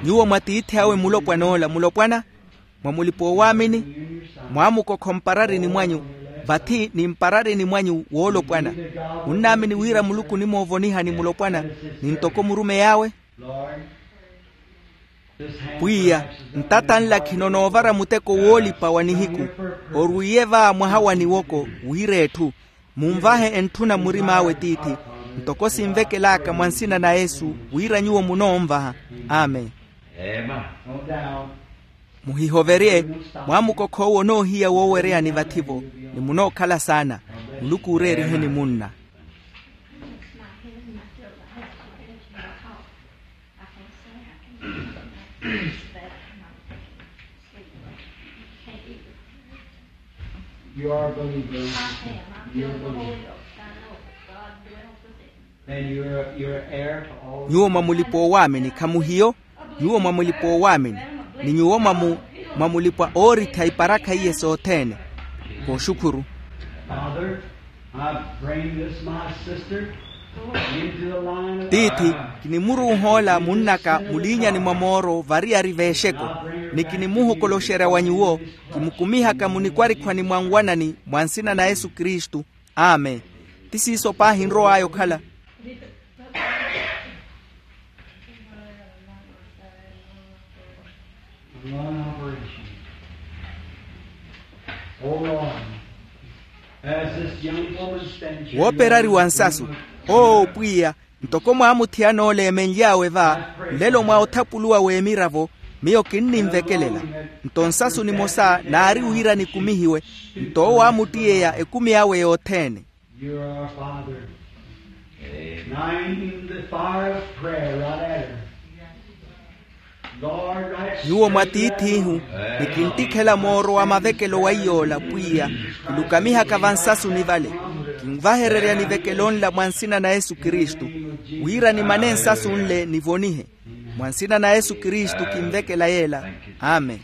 Nyuwo mwa tiithi awe mulopwan'ola mulopwana, mwa mulipa oowaamini, mwaamukokho mpararini mwanyu, vathi ni mpararini mwanyu woolopwana. Munnaamini wira muluku onimoovonihani mulopwana, ni ntoko murumeyi awe? Pwiya, ntata nla khino noovara muteko woolipa wa nihiku. Orwiiye va mwaha wa niwoko, wira etthu. Munvahe entthuna murim'awe tiithi, ntoko sinvekel'aka mwa nsina na yesu wira nyuwo munoonvaha. Amen. Muhihoverye. Mwaamukokho owo onoohiya woowereyani vathi-vo, ni munookhala saana. Muluku ooreeriheni munna. You are a believer. You're a believer. Then you're, you're an heir to all. Nyuwo mwa mulipa owaamini khamuhiyo. Nyuwo mwa mulipa owaamini, ni nyuwo mwa mu- mwa mulipa oorittha iparakha iye sothene. Kooxukhuru. Father, I bring this my sister into the line of. Tiithi, kinimuruuh'ola munn'aka muliinyani mwa mooro variyari v'exeko, ni kinimuhokoloxerya wa nyuwo, kimukumihaka munikwarihwani mwa nwanani mwa nsina na yesu kristu. Amen. Ti siiso paahi nrow'aya okhala. Wooperariwa nsasu. Oo pwiya, ntoko mwaamuthiyana ole emenly'awe va, nlelo mwa othapuluwa w'emiravo, miyo kinnimvekelela. Nto nsasu nimosa naari wira nikumihiwe. Nto owo aamuttiyeya ekumi awe yothene. You're our Father. Amen. Nine, the fire of prayer right at her. Lord, right. Nyuwo mwa tiith'ihu, ni kinttikhela mooro wa mavekelo wa iy'ola pwiya, kilukamihaka vansasuni vale. Kinvahererya nivekelo nla mwa nsina na yesu kristu, wira nimane nsasu nle nivonihe. Mwa nsina na yesu kristu kinvekela yeela. Amen.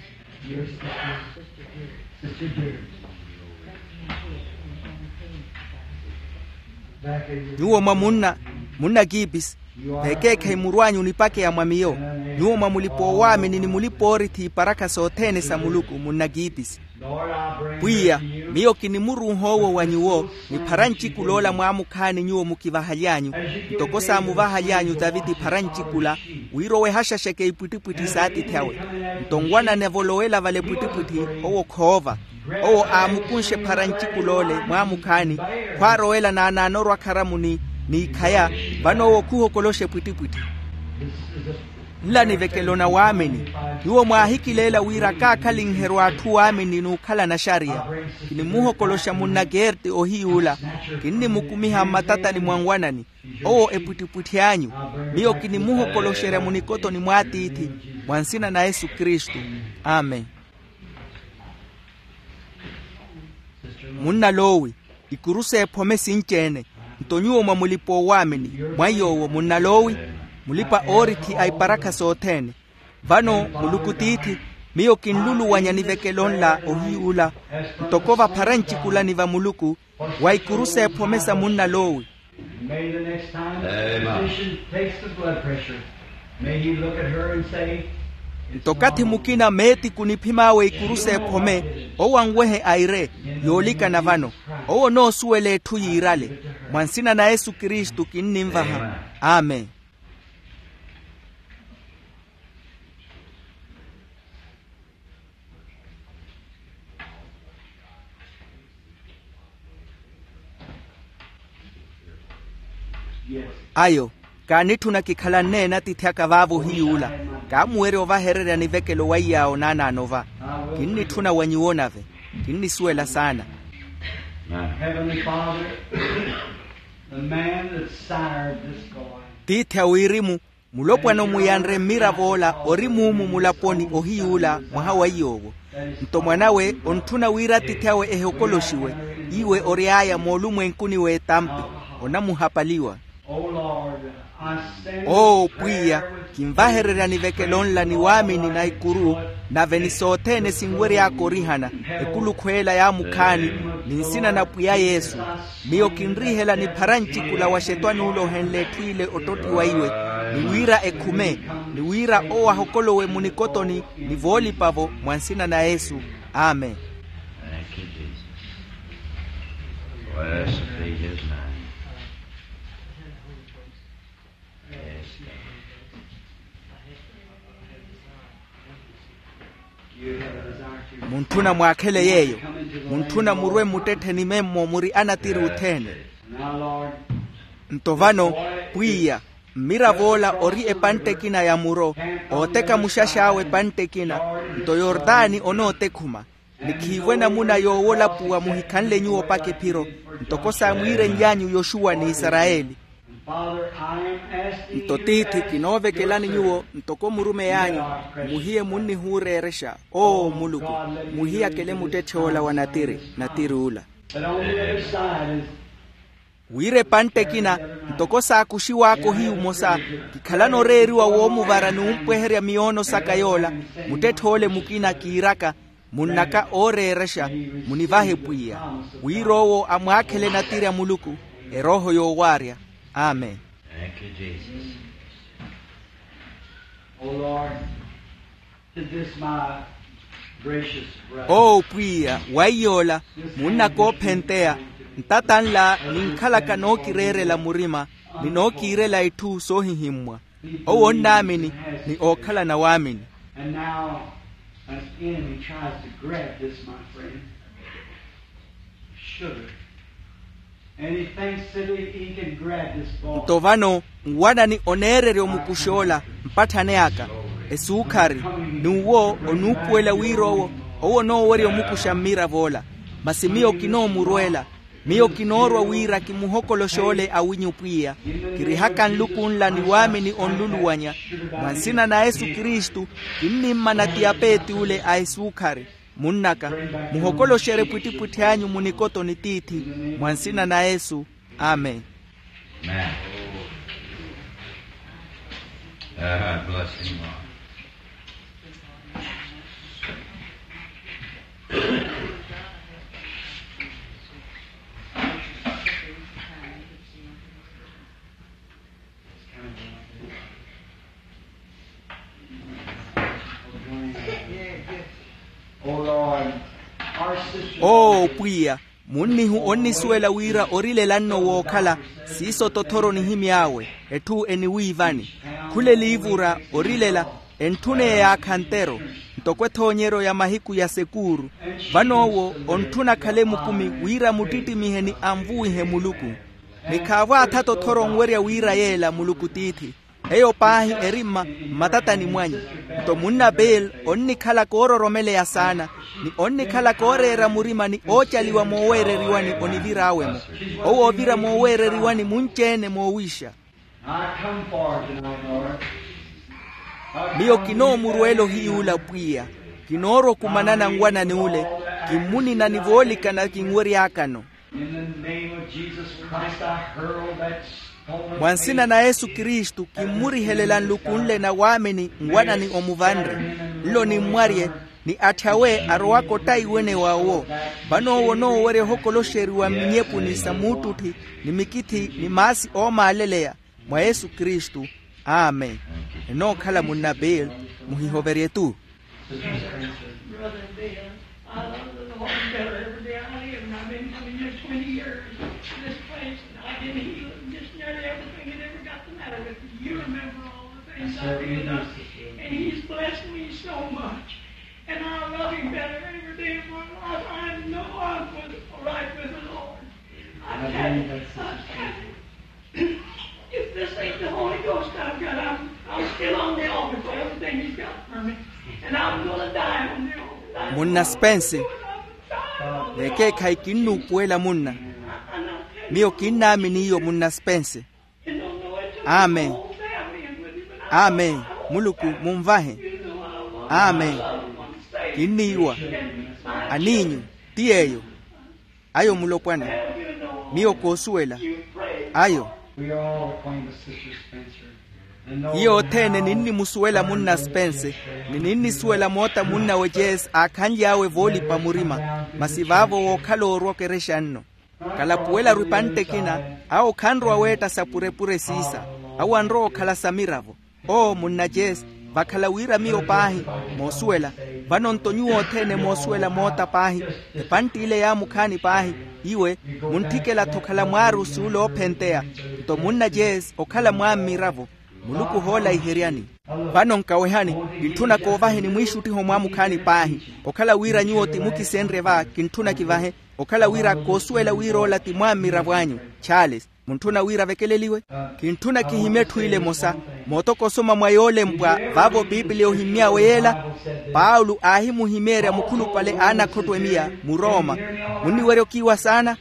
Nyuwo mwa munna, munna kiipisi, veekeekhayi murw'anyu onipakeya mwa miyo. Nyuwo mwa mulipa owaamini ni mulipa oorithi iparakha sothene sa muluku munna kiipisi. Pwiya, miyo kinimuruuha owo wa nyuwo, niphara ncikula ola mwaamukhaani nyuwo mukivahaly'anyu, ntoko saamuvahaly'anyu taviti phara ncikula, wira owo ehaxaxeke ipwittipwitthi s'atiithi awe. Nto nwanani avolowela vale pwittipwitthi, owo khoova. Owo aamukunxe phara ncikula ole mwaamukhaani, khwaarowela naanaano orwa kharamuni, n'ikhaya, vano owo khuhokoloxe pwittipwitthi. Nla nivekelo na waamini. Nyuwo mwaahikileela wira kaakhalinherya atthu waamini n'ukhala naxariya. Kinimuhokoloxa munna kerti ohiy'ula. Kinnimukumiha mmatatani mwa nwanani, owo epwittipwitthi anyu. Miyo kinimuhokoloxerya munikotoni mw'atiithi, mwa nsina na yesu kristu. Amen. Munna lowi, ikuru s'ephome sinci-ene. Nto nyuwo mwa mulipa owaamini, mwa yoowo munna lowi, mulipa oorithi a iparakha sothene. Vano muluku tiithi, miyo kinluluwanya nivekelo nla ohiy'ula, ntoko vaphara ncikulani va muluku, wa ikuru s'ephome sa munna lowi. May the next time the physician takes the blood pressure, may he look at her and say, nto kathi mukina meetiku niphim'awe ikuru s'ephome, owo anwehe aire, yoolikana vano, owo onoosuwela etthu yiirale. Mwa nsina na yesu kristu kinninvaha. Amen. Ayo, kaanitthuna kikhalanne n'atiithi aka vaavo ohiy'ula. Kaamuwerya ovahererya nivekelo wa iy'awo naanaano va. Kinnitthuna wa nyuwo nave. Kinnisuwela saana. Heavenly Father, the man that sired this boy. Tiithi a wirimu, mulopwana omuyanre mmirav'ola ori muumu mulaponi ohiy'ula mwaha wa iy'owo. Nto mwan'awe ontthuna wira atiithi awe ehokoloxiwe, iwe ory'aya moolumwenkuni w'etampi, onamuhapaliwa. Oo pwiya, kinvahererya nivekelo nla ni waamini na ikuru, nave ni sothene sinwery'aka orihana, ekulukhu ela yaamukhaani, ni nsina na pwiya yesu. Miyo kinrihela niphara ncikula wa xetwani ula ohenle etthu ile ottottiwa iwe, ni wira ekhume, ni wira owo ahokolowe munikotoni ni voolipa-vo mwa nsina na yesu. Amen. Muntthuna mwaakhele yeeyo. Muntthuna murwe mmuttettheni memmo muri anatiri othene. Nto vano, pwiya, mmirav'ola ori epantte ekina ya muro, ooteka muxax'awe epantte ekina, nto yortani onootekhuma. Ni khiivo enamuna yoowolapuwa muhikhanle nyuwo opaka ephiro, ntoko saamwiirenly'anyu yoxuwa n'isarayeli. Nto tiithi kinoovekelani nyuwo ntoko murumey'anyu, muhiye munnihuureerexa. Oo muluku, muhiyakele muttetthe ola wa natiri, natiri ula. Wira epantte ekina, ntoko saakuxiwaaka ohiyu omosa, kikhalana oreeriwa woomuvara n'umpweherya miyoono saka yoola. Muttetthe ole mukina kiiraka, munnaka ooreerexa, munivahe pwiya, wira owo amwaakhele natiri a muluku, erooho yoowaarya. Amen. Thank you, Jesus. Oh Lord, to this my gracious brother. Oo pwiya, wa iy'ola, munnaka oophenteya, ntata nla ninkhalaka nookireerela murima, ni nookiirela itthu soohihimmwa. Owo onnaamini, ni ookhalana waamini. And now, as the enemy tries to grab this, my friend, sugar. And he thinks that he, he can grab this ball. Nto vano nwanani oneererya omukuxa ola, mpatthane aka, esuukhari, n'uwo onuupuwela wira owo, owo onoowerya omukuxa mmirav'ola. Masi miyo kinoomurweela. Miyo kinoorwa wira kimuhokoloxe ole awinyu pwiya, kirihaka nluku nla ni waamini onluluwanya. Mwa nsina na yesu kristu, kinnimmana ti apeeti ole a esuukhari. Munnaka, muhokoloxerye pwittipwitthi anyu mu nikotoni tiithi. Mwa nsina na yesu. Amen. Amen. Ah, bless him, Lord. Oo pwiya, munnihu onnisuwela wira orilela nno wookhala. Siiso tothoro nihimy'awe, etthu eniwiivani. Khula eliivura orilela, entthuneya yaakha ntero, ntoko ethoonyeryo ya mahiku ya sekuuru. Vano owo ontthuna akhale mukumi wira muttittimihe ni anvuwihe muluku. Ni khaavo atha tothoro onwerya wira yeela muluku tiithi. Eyo paahi eri mma mmatatani mwanyu. Nto munna bill onnikhala koororomeleya saana, ni onnikhala kooreera murima ni oocaliwa mooweereriwani onivir'awe-mo. Owo oovira mooweereriwani munci-ene moowiixa. Miyo kinoomurweela ohiyuula pwiya. Kinoorwa okumanana nwanani ule. Kimmunina ni voolikana kinweryaakano. Mwa nsina na yesu kristu kimmurihelela nluku nle na waamini nwanani omuvanre. Nlo nimmwarye, ni atthi awe arowaka ottaiwene wa owo. Vano owo onoowerya ohokoloxeriwa mminyepuni sa muttutthi, ni mikithi ni maasi oomaaleleya. Mwa yesu kristu. Amen. Enookhala munna bill, muhihoverye-tu. Brother Bill, I love the Lord better every day I live, and I've been coming here twenty years to this place, and I've been healed, and just nearly everything that ever got the matter with me. You remember all the things I've been up, and he's blessed me so much. And I love him better every day of my life. I know I was right with the Lord. I tell you, I tell you. If this ain't the Holy Ghost I've got, I'm, I'm still on the altar for everything he's got for me. And I'm gonna die on the altar. Munna spense. Vekeekhayi kinnuupuwela munna. Miyo kinnaamini iyo munna spense. Amen. Amen. Muluku munvahe. Amen. Kinniiwa. Aniinyu. Ti yeeyo. Ayo mulopwana. Miyo koosuwela. Ayo. Hiyo othene ninnimusuwela munna spense, ni ninnisuwela moota munnawe jeesi aakhanly'awe voolipa murima. Masi vaavo wookhala oorwa okerexa nno. Kalapuwela-ru epantte ekina. Awo khanrowa weetta sapurepure siisa. Awo anrowa okhala sa miravo. Oo munna jeesi, vakhala wira miyo paahi moosuwela. Vano-nto nyuwo othene moosuwela moota paahi. Epantte ile yaamukhaani paahi. Iwe muntthikela-tho okhala mwaarusi ule oophenteya. Nto munna jeesi okhala mwaammiravo. Muluku ohoolaiheryani. Vano nkawehani. Kintthuna koovaheni mwiixuttiho mwaamukhaani paahi. Okhala wira nyuwo ti mukisenrye va kintthuna kivahe. Okhala wira koosuwela wira ola ti mwaammiravo anyu. Charles, muntthuna wira avekeleliwe? Kintthuna kihimye etthu ile emosa. Mootoko osoma mwa yoolempwa vaavo piipiliya ohimmy'awe yeela. Paulo aahimuhimyeerya mukhulupale a anakhotto emiya murooma. Munniwerya okiiwa saana.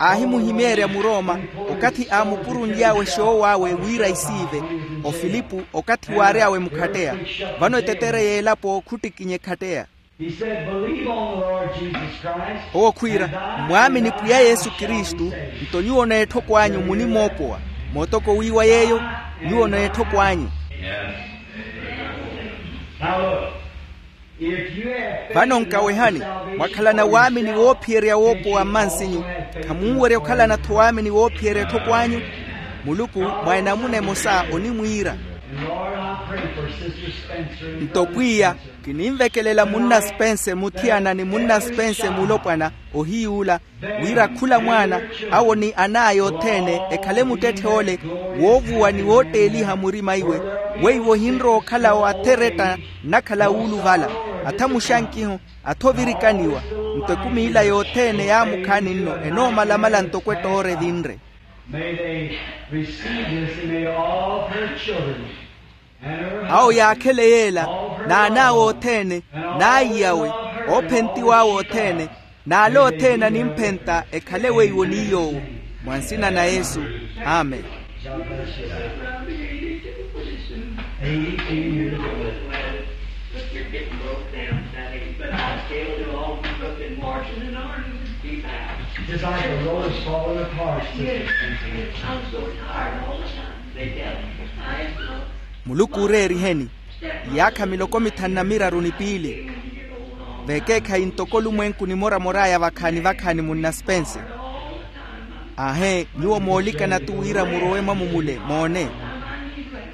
Aahimuhimeerya murooma okathi aamupurunly'awe xoowawe wira isiive ofilipu, okathi waary'awe mukhatteya. Vano etetere y'elapo khuttikinye ekhatteya. Owo khwiira, mmwaamini pwiya yesu kristu, nto nyuwo n'etthoko anyu munimoopowa. Mootoko wiiwa yeeyo, nyuwo n'etthoko anyu. Vano nkawehani, mwakhalana waamini woophiyerya woopowa mmansinyu, khamunwerya okhalana-tho waamini woophiyerya etthoko anyu? Muluku mwa enamuna emosa onimwiira. Nto pwiya, kininvekelela munna spense muthiyana ni munna spense mulopwana, ohiyuula, wira khula mwaana, awo ni an'aya othene ekhale muttetthe ole, woovuwa ni wootteeliha murima iwe, weiwo ohinrowa okhala wa atheretta nnakhala wuuluvala, atha muxankiho, atha ovirikaniwa. Nto ekumi ila yothene yaamukhaani nno enoomalamala ntoko ettoora evinre. May they receive this, and may all her children and her husband, awo yaakhele yeela, n'an'awe othene, n'aiyawe, oophentiw'awe othene, n'ale othene animphenta ekhale weiwo ni yoowo. Mwa nsina na yesu. Amen. Eighty-two years old. But you're getting broke down, Daddy. But I still do all the cooking, washing, and ironing. Just like the rose falling apart, sister. Yes, yes. I'm so tired all the time. They tell me. I am so. Muluku oreeriheni. Iyaakha miloko mithanu na miraru ni piili. Vekeekhayi ntoko olumwenku nimoramor'aya vakhaani vakhaani munna spense. Aahe, nyuwo moolikana-tu wira murowe mwamu mule moone.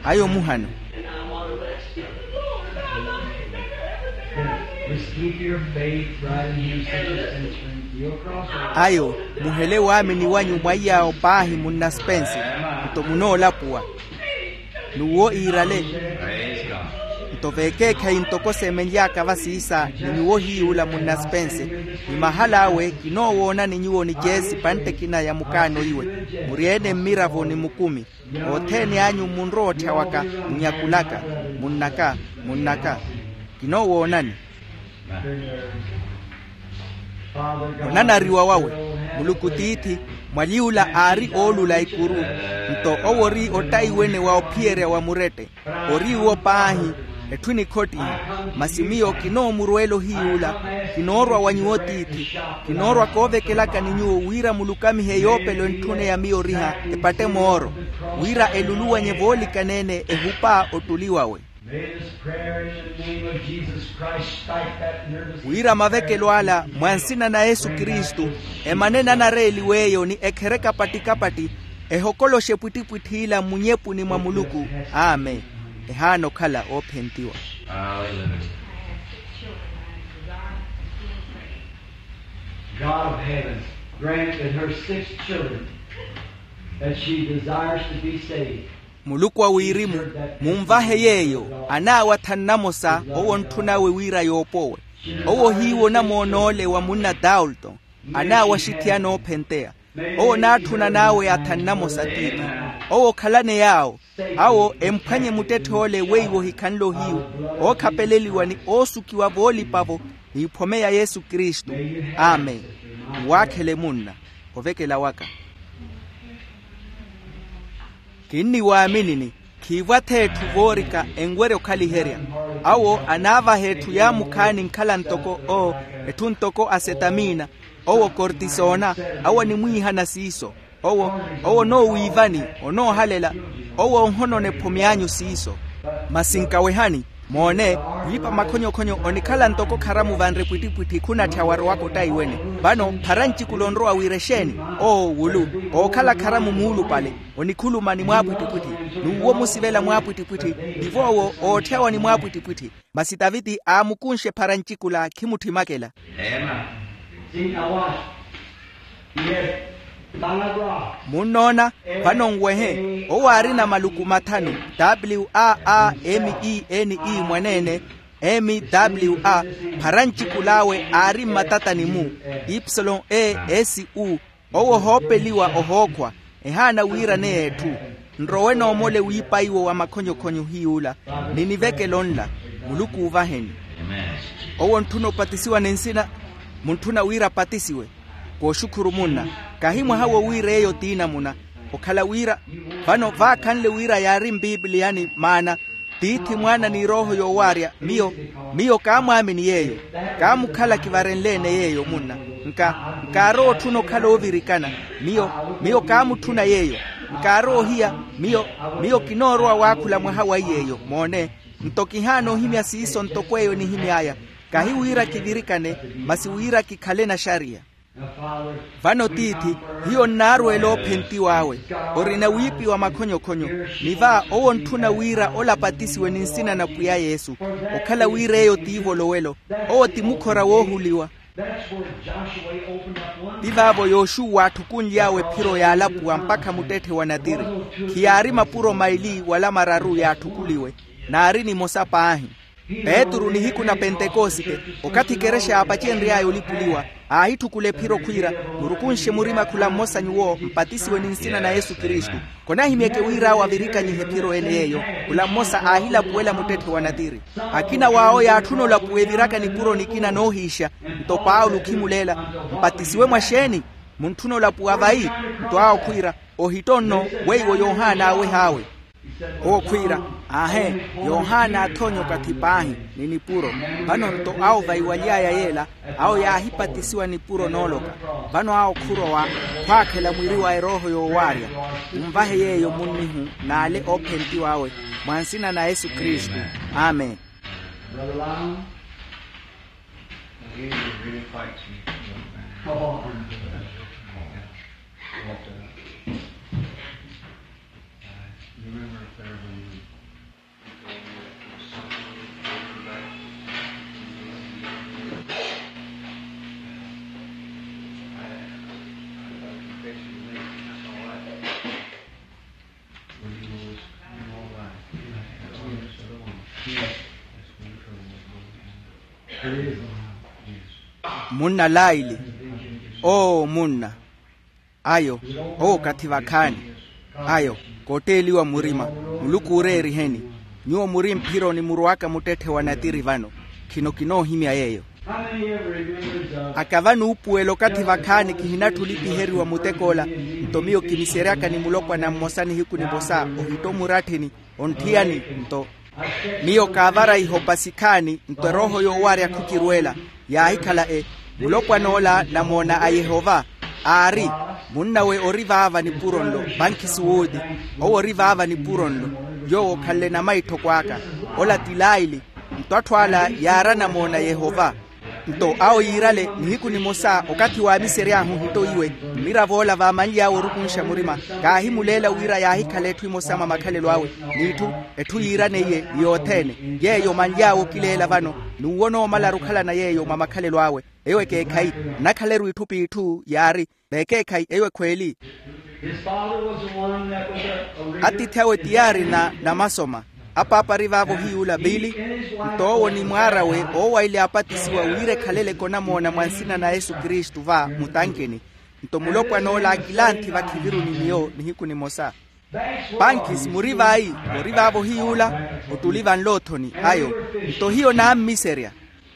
Ayo muhano. Ayo, muhele waamini wanyu mwa iyaawo paahi munna spense. Nto munoolapuwa. N'uwo iirale. Nto vekeekhayi ntoko seemenly'aka vasiisa ni nyuwo hiyuula munna spense, ni mahal'awe kinoowoonani nyuwo ni jeesi pantte ekina ya mukaano iwe, muri-ene mmiravo ni mukumi. Othene anyu munrowa otthya waka, munyakulaka, munnaka, munnaka. Kinoowoonani. Onanariwa wawe. Muluku tiithi, mwaly'ula aari oolula ekuru. Nto owo ori ottaiwene wa ophiyerya wa murette. Ori iwo paahi, etthu enikhottiha. Masi miyo kinoomurweela ohiyuula. Kinoorwa wa nyuwo tiithi. Kinoorwa koovekelaka ni nyuwo wira mulukamihe yoopelo entthune ya miyo oriha, epatte mooro, wira eluluwanye voolikana-ene ehupa ottuli wawe. May this prayer in the name of Jesus Christ strike that nervous system. Wira mavekelo ala mwa nsina na yesu kristu, emane nanareeliw'eyo ni ekhereke kapatti-kapatti, ehokoloxe epwittipwitthi ila mmunyepuni mwa muluku. Amen. Ehaana okhala oophentiwa. Hallelujah. God of heaven, grant that her six children, that she desires to be saved. Muluku a wirimu, munvahe yeeyo, anaawe athanu namosa owo ontthun'awe wira yoopowe. Owo hiiwo onamoon'ole wa munna dalton, anaawe axithiyana oophentteya. Owo onaatthunan'awe athanu namosa tiithi. Owo okhalane yaawo, awo emphwanye muttetthe ole weiwo ohikhanle ohiyu, ookhapeleliwa ni oosukiwa voolipa-vo, n'iphome ya yesu kristu. Amen. Nwaakhele munna. Ovekela waka. Kinniwaaminini, khiivwa-tho etthu voorika enwerya okhaliherya. Awo anaavaha etthu yaamukhaani nkhala ntoko o, etthu ntoko asetamiina, owo kortisona, awo animwiihana siiso. Owo, owo onoowiivani, onoohalela, owo onhonona ephome anyu siiso. Masi nkawehani, moone, wiipa makhonyokhonyo onikhala ntoko kharamu vanre pwittipwitthi khunatthya warowaka ottaiwene. Vano phara ncikula onrowa wira exeeni? Oo wulu, ookhala kharamu muulupale, onikhuluma ni mwaapwittipwitthi, n'uwo omusivela mwaapwittipwitthi, tivo owo ootthyawa ni mwaapwittipwitthi. Masi taviti aamukunxe phara ncikula khimutthimmakela. Munnoona, vano nwehe, owo aarina maluku mathanu, w a a m e n e mwaneene, m w a, phara ncikul'awe aari mmatatani-mu, ipsilon e s u. Owo ohoopeliwa ohookhwa, ehaana wiiraneya etthu. Nrowe noomole wiipa-iwo wa makhonyokhonyo hiy'ula, ni nivekelo nla. Muluku uuvaheni. Owo ontthuna opatisiwa ni nsina? Muntthuna wira apatisiwe. Kooxukhuru munna. Kahi mwaha wo wira eyo ti namuna. Okhala wira vano vaakhanle wira yaari mpipiliyani maana, tiithi mwaana ni erooho yoowaarya miyo. Miyo kaamwaamini yeeyo. Kaamukhala kivarenle-ene yeeyo munna. Nka nkaarowa otthuna okhala oovirikana. Miyo miyo kaamutthuna yeeyo. Nkaarowa ohiya. Miyo miyo kinoorowa waakhula mwaha wa iy'eyo moone. Nto kihaana ohimya siiso ntoko eyo nihimy'aya. Kahi wira kivirikane, masi wira kikhale naxariya. Vano tiithi, hiyo nnaarweela oophentiw'awe. Orina wiipiwa makhonyokhonyo. Ni va owo ontthuna wira ole apatisiwe ni nsina na pwiya yesu, okhala wira eyo ti ivolowelo. Owo ti mukhora woohuliwa. Ti vaavo yoxuwa aatthukunly'awe ephiro yaalapuwa mpakha muttetthe wa natiri. Khiyaari mapuro maili wala mararu yaatthukuliwe. Naari nimosa paahi. Petru nihiku na pentekosite, okathi ekerexa yaapacenry'aya olipuliwa, aahitthukula ephiro khwiira, murukunxe murima khula mmosa nyuwo mpatisiwe ni nsina na yesu kristu. Khonahimyeke wira awo avirikanyihe ephiro ene yeeyo. Khula mmosa aahilapuwela muttetthe wa natiri. Akina w'awo yaatthuna olapuwa eviraka nipuro nikina noohiixa. Nto paulo okhimuleela, mpatisiwe mwa xeeni? Muntthuna olapuwa vayi? Nto awo khwiira, ohitonno, weiwo yohana aaweh'awe. Owo khwiira, aahe, yohana aathoonya okathi paahi, ni nipuro. Vano nto awo vaiwaly'aya yeela, awo yaahipatisiwa nipuro nooloka. Vano awo khurowa, khwaakhela mwiri wa erooho yoowaarya. Munvahe yeeyo munnihu n'ale oophentiw'awe, mwa nsina na yesu kristu. Amen. Munna laili. Oo munna. Ayo, owo okathi vakhaani. Ayo, kootteeliwa murima. Muluku ooreeriheni. Nyuwo muri mphironi murowaka muttetthe wa natiri vano. Khino kinoohimya yeeyo. Aka vanuupuwela okathi vakhaani kihinatthi olipiheriwa mutek'ola. Nto miyo kimiseryaka ni mulopwana mmosa nihiku nimosa, ohitto muratthini, ontthiyani. Nto miyo kaavara ihopa sikhaani, nto erooho yoowarya khukirweela. Yaahikhala e, mulopwan'ola namoona a yehova. Aari, munnawe ori vaava nipuro nlo. Pankhi suwuti. Owo ori vaava nipuro nlo. Yoowo okhanle namaitthoko aka. Ola ti laili. Nto atthu ala yaara namoona a yehova. Nto awo yiirale nihiku nimosa okathi waamisery'ahu ohitto iwe. Mmirav'ola vaamanly'awe orukunxa murima. Kaahimuleela wira yaahikhala etthu emosa mwa makhalelo awe. N'itthu etthu yiiraneiye ni yothene. Yeeyo manly'awe okileela vano. N'uwo noomalaru okhalana yeeyo mwa makhalelo awe. Eyo ekeekhayi. Nnakhaleru itthu p'itthu yaari. Veekeekhayi eyo ekhweeli. Atiithi awe ti yaari na namasoma. Apaapa ari vaavo ohiyuula pili. Nto owo ni mwaar'awe oowayile aapatisiwa wira ekhaleleke onamoona mwa nsina na yesu kristu va mutankini. Nto mulopwan'ola aakilanthi vakhiviru ni miyo nihiku nimosa. Pankisi muri vayi? Ori vaavo ohiyuula. Ottuli vanloothoni ayo. Nto hiyo naammiserya.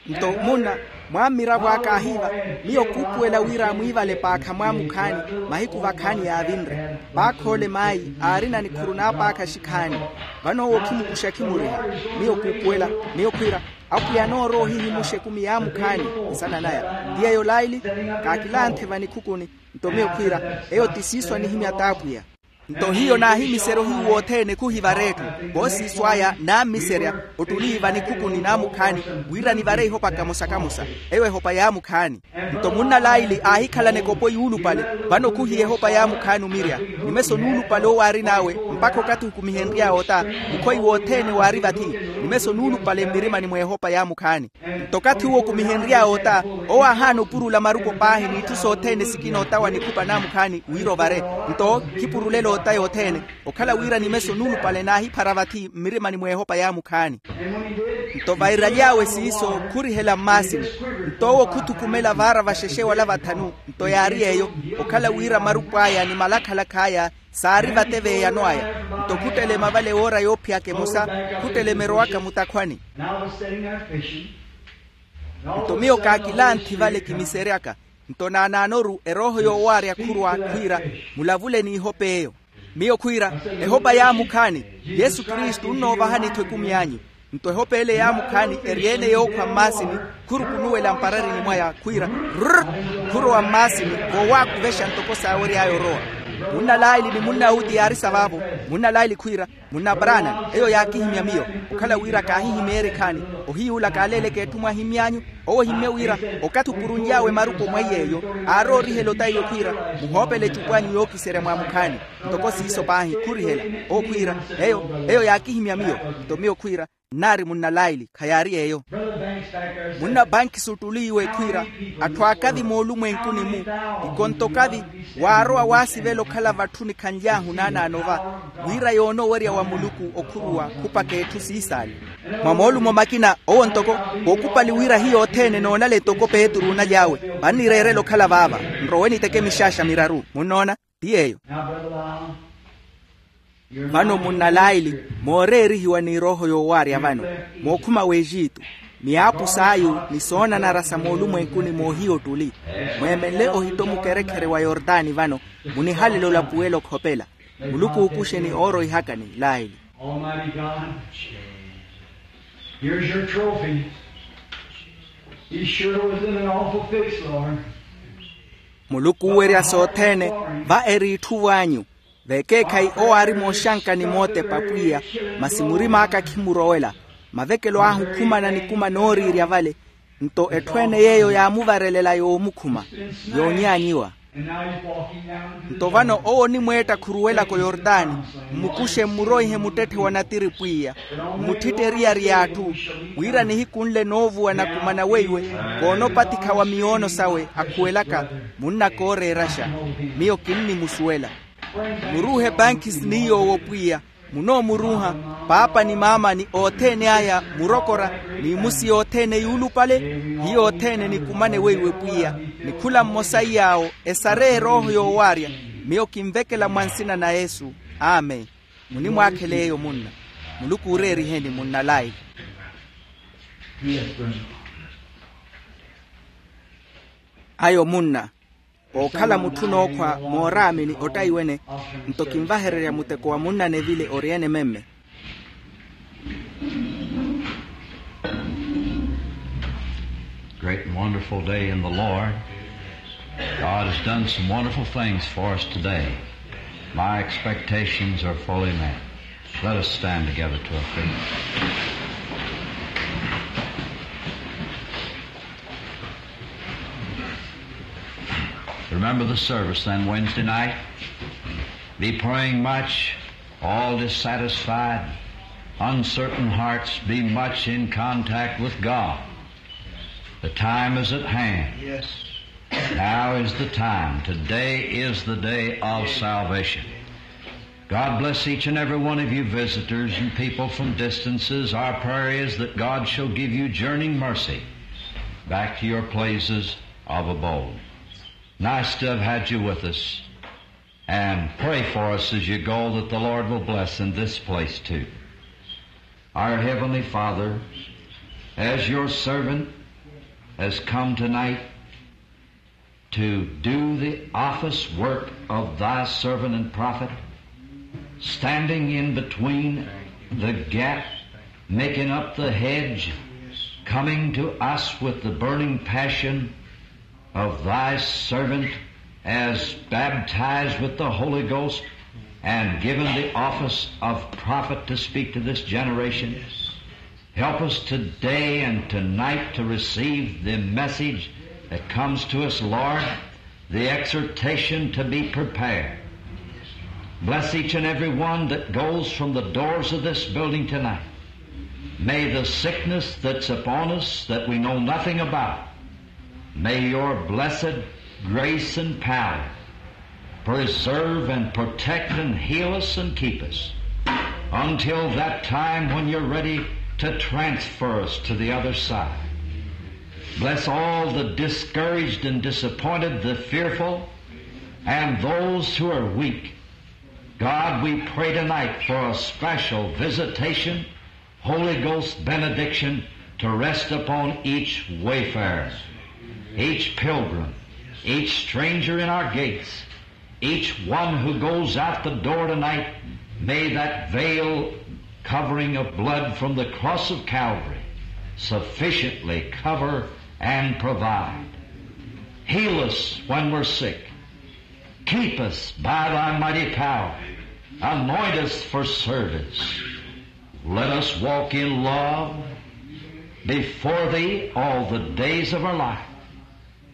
Nto munna, mwammiravo aka ahiiva. Miyo kuupuwela wira amwiivale paakha mwaamukhaani. Mahiku vakhaani yaavinre. Paakha ole maayi aarina nikhuru naapaakha xikhaani. Vano owo okhimukuxa khimuriha. Miyo kuupuwela. Miyo khwiira, apwiya anoorowa ohihimuxa ekumi yaamukhaani. Nsana naya ti eyo laili. Kaakilanthe vanikhukuni. Nto miyo khwiira, eyo ti siiso anihimya t'apwiya. Nto hiyo naahimiserya ohiyu wothene khuhivara etthu. Voosiiso aya naammiserya, ottuli vanikhukhuni naamukhaani, wira nivare ihopa kamosa-kamosa. Eyo ehopa yaamukhaani. Nto munna laili aahikhalana ekopo yuulupale. Vano khuhiya ehopa yaamukhaani omirya. Nimeso nuulupale owo aarin'awe, mpakha okathi okumihenry'awe ota. Mukhoyi wothene waari vathi. Nimeso nuulupale mmirimani mw'ehopa yaamukhaani. Nto okathi uwo okumihenry'awe ota, owo aahaana opurula marupo paahi n'itthu sothene sikina ota wa nikhupa naamukhaani wira ovare. Nto khipurulela ota yothene. Okhala wira nimeso nuulupale naahiphara vathi mmirimani mw'ehopa yaamukhaani. Nto vairaly'awe siiso khurihela mmaasini. Nto owo khuthukumela vaara vaxexe wala vathanu. Nto yaari yeeyo, okhala wira marupo aya ni malakhalakha aya saari vateveeyano aya. Nto khuttelema vale woora yoophiyaka emosa. Khuttelema erowaka mutakhwani. Nto miyo kaakilanthi vale kimiseryaka. Nto naanaanoru erooho yoowaarya khurwa khwiira, mulavule n'ihopa eyo. Miyo khwiira, ehopa yaamukhaani, yesu kristu onnoovahani-tho ekumi anyu. Nto ehopa ele yaamukhaani eri-ene yookhwa mmaasini, khurukunuwela mpararini mwaya khwiira, rrr, khurowa mmaasini, voowaakuvexa ntoko saawery'aya orowa. Munna laili ni munna uti yaari sa vaavo. Munna laili khwiira, munna brana, eyo yaakihimya miyo, okhala wira kaahihimeerye ekhaani. Ohiyuula kaaleeleke etthu mwahimmy'anyu. Owo ohimmye wira, okathi opurunly'awe maruku omweiy'eyo, aaroorihela otaiwe khwiira, muhoopele ecupu anyu yookiserya mwaamukhaani. Ntoko siiso paahi khurihela. Owo khwiira, eyo, eyo yaakihimya miyo. Nto miyo khwiira, nnaari munna laili khayaari eyo. Munna banki suttuli iwe khwiira, atthu akathi moolumwenkuni-mu, ikonto kathi, waarowa waasivela okhala vatthu nikhanly'ahu naanaano va, wira yoona owerya wa muluku okhuruwa khupaka etthu siisaali. Mwa moolumo makina owo ntoko, kookupali wira hiyo othene noonale ntoko petru onaly'awe, vannireerela okhala vaava. Nrowe niteke mixaaxa miraru munnoona. Ti yeeyo. Vano munna laili, mooreerihiwa ni erooho yoowaarya vano, mookhuma w'exitu, miyaapu s'ayu ni soonanara sa moolumwenkuni moohiya ottuli, mweemenle ohitto mukherekhere wa yortani vano, munihalele olapuwela okhopela. Muluku ookuxe ni ooroihakani laili. Almighty God, here's your trophy. He sure was in an awful fix, Lord. Muluku oowerya sothene, va eri itthuvo anyu. Vekeekhayi owo aari mooxanka ni mootepa pwiya, masi murima aka khimurowela. Mavekelo ahu khumana nikuma nooriirya vale. Nto etthu ene yeeyo yaamuvarelela yoomukhuma, yoonyaanyiwa. Nto vano owo onimweetta khuruwelaka oyortani, mmukuxe mmuroihe muttetthe wa natiri pwiya, mmutthitteriyari y'atthu, wira nihiku nle noovuwa nakumana weiwe, koonopatikha wa miyoono sawe akhuwelaka. Munnakooreeraxa, miyo kinnimusuwela. Muruuhe banki siniy'owo pwiya, munoomuruuha, paapa ni maama ni othene aya murokora, n'imusi yothene yuulupale. Hiyo othene nikumane weiwe pwiya, ni khula mmosa iy'awo esareye erooho yoowaarya. Miyo kinvekela mwa nsina na yesu. Amen. Munimwaakhele eyo munna. Muluku ooreeriheni munna laili. Ayo munna, ookhala mutthu nookhwa mooraamini ottayi wene. Nto kinvahererya muteko wa munna nevile ori ene memme. Great and wonderful day in the Lord. God has done some wonderful things for us today. My expectations are fully met. Let us stand together to our feet. Remember the service then Wednesday night. Be praying much. All dissatisfied, uncertain hearts, be much in contact with God. The time is at hand. Now is the time. Today is the day of salvation. God bless each and every one of you visitors and people from distances. Our prayer is that God shall give you journeying mercy back to your places of abode. Nice to have had you with us. And pray for us as you go that the Lord will bless in this place too. Our Heavenly Father, as your servant has come tonight to do the office work of thy servant and prophet, standing in between the gap, making up the hedge, coming to us with the burning passion of thy servant as baptized with the Holy Ghost and given the office of prophet to speak to this generation. Help us today and tonight to receive the message that comes to us, Lord, the exhortation to be prepared. Bless each and every one that goes from the doors of this building tonight. May the sickness that's upon us that we know nothing about, may your blessed grace and power preserve and protect and heal us and keep us until that time when you're ready to transfer us to the other side. Bless all the discouraged and disappointed, the fearful, and those who are weak. God, we pray tonight for a special visitation, Holy Ghost benediction to rest upon each wayfarer, each pilgrim, Each stranger in our gates, each one who goes out the door tonight, may that veil covering of blood from the cross of Calvary sufficiently cover and provide. Heal us when we're sick. Keep us by thy mighty power. Anoint us for service. Let us walk in love before thee all the days of our life.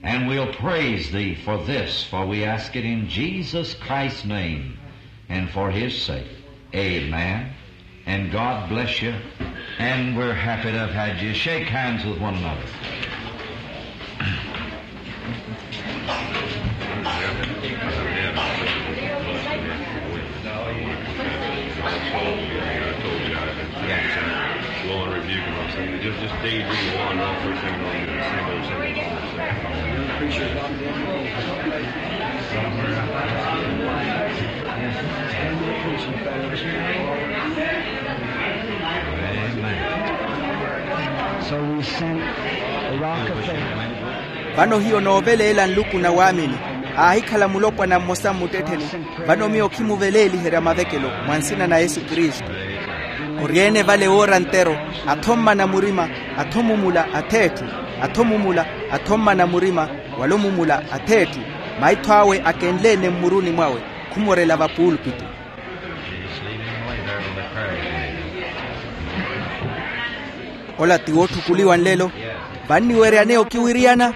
And we'll praise thee for this, for we ask it in Jesus Christ's name and for his sake. Amen. And God bless you. And we're happy to have had you. Shake hands with one another. Lord, rebuke him. I'm saying, just, just daydream on and off, first thing you know, you're gonna sing those, sing those, sing those. So we sent a rock of faith. Vano hiyo nooveleela nluku na waamini. Aahikhala mulopwana mmosa mmuttettheni. Vano miyo khimuveleeliherya mavekelo mwa nsina na yesu kristu. Ori-ene vale woora ntero, atho mmana murima, atho mumula atheetthu, atho mumula, atho mmana murima, wala omumula atheetthu. Maitho awe akenle-ene mmuruni mwawe, khumorela vapuulpitu. Ola ti wootthukuliwa nlelo. Vanniweryaneya okiwiriyana.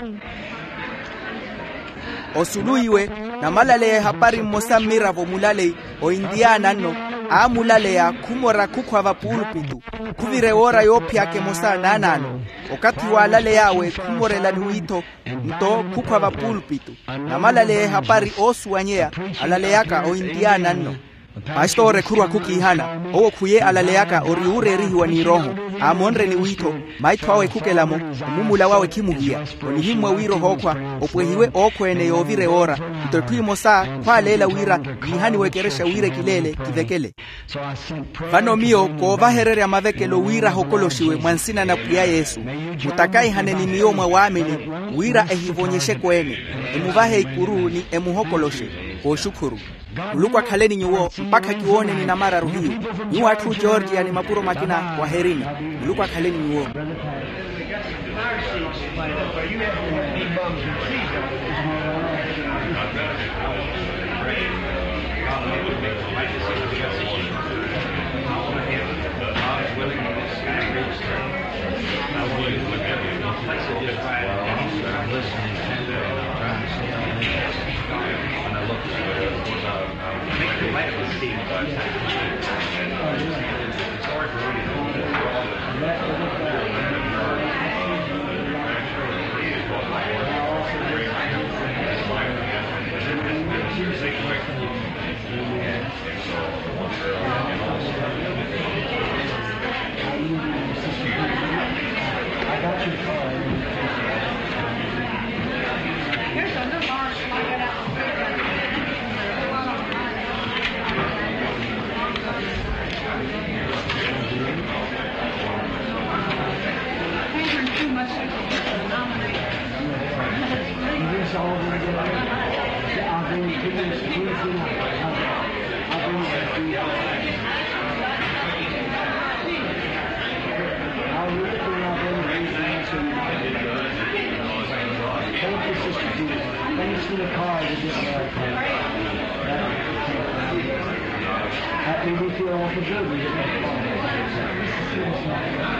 Osulu iwe, namalaleya ehapari mmosa mmiravo mulaleyi, ointiyaana nno, aamulaleya khumora khukhwa vapuulpitu. Khuvira ewoora yoophiyaka emosa naanaano. Okathi waalaley'awe khumorela ni wiitho, nto khukhwa vapuulpitu. Namalaleya ehapari oosuwanyeya, alaleyaka ointiyaana nno. Pastori ekhurwa khukiihana, owo khuye alaleyaka ori ooreerihiwa ni erooho. Aamonre ni wiitho, maitho awe khukelamo, omumula wawe khimuhiya. Onihimmwa wira ohookhwa, opwehiwe ookhweene yoovira ewoora. Nto etthu emosa khwaaleela wira yiihaniwe ekerexa wira ekileele kivekele. Vano miyo koovahererya mavekelo wira ahokoloxiwe mwa nsina na pwiya yesu. Mutakaihane ni miyo mwa waamini, wira ehivonyexeke-ene. Emuvahe ikuru ni emuhokoloxe. Kooxukhuru. Muluku akhaleni nyuwo mpakha kiwooneni namararu hiyu. Nyuwo atthu georgia ni mapuro makina waherini. Muluku akhaleni nyuwo. Thank you, Sister Judy. Thanks for the card. That made me feel awful good. We get that card.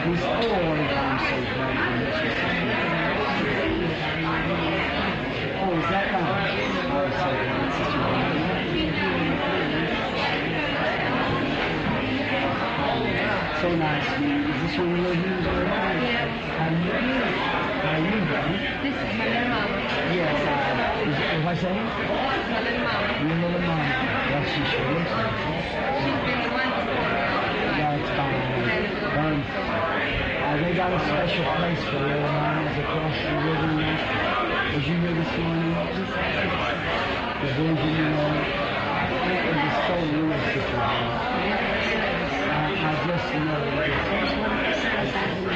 We still want to go on so glad. Oh, is that right? Oh, so glad, Sister Judy. So nice, man. Is this one of your hands? Are you, are you done? This is my mama. Yes, uh, is, what I say? This is my little mama. Your little mama. Well, she sure is. She's been the one to... Yeah, it's fine. Um, uh, they got a special place for little mamas across the river. Did you hear this morning? The vision, you know, it was so real, Sister Judy. I, I just know it. Thank you.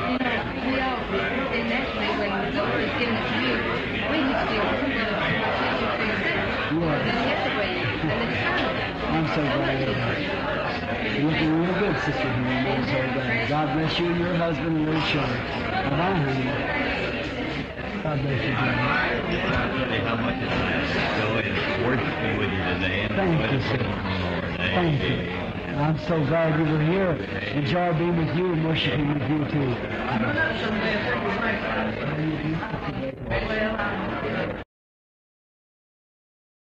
You know, we all, initially, when the book was given to you, we used to Looking real good, Sister Hernandez, over there. God bless you and your husband and little children. Bye-bye, honey. God bless you, dear. Thank you, sir. Thank you. I'm so glad you were here. Enjoy being with you and worshiping with you, too.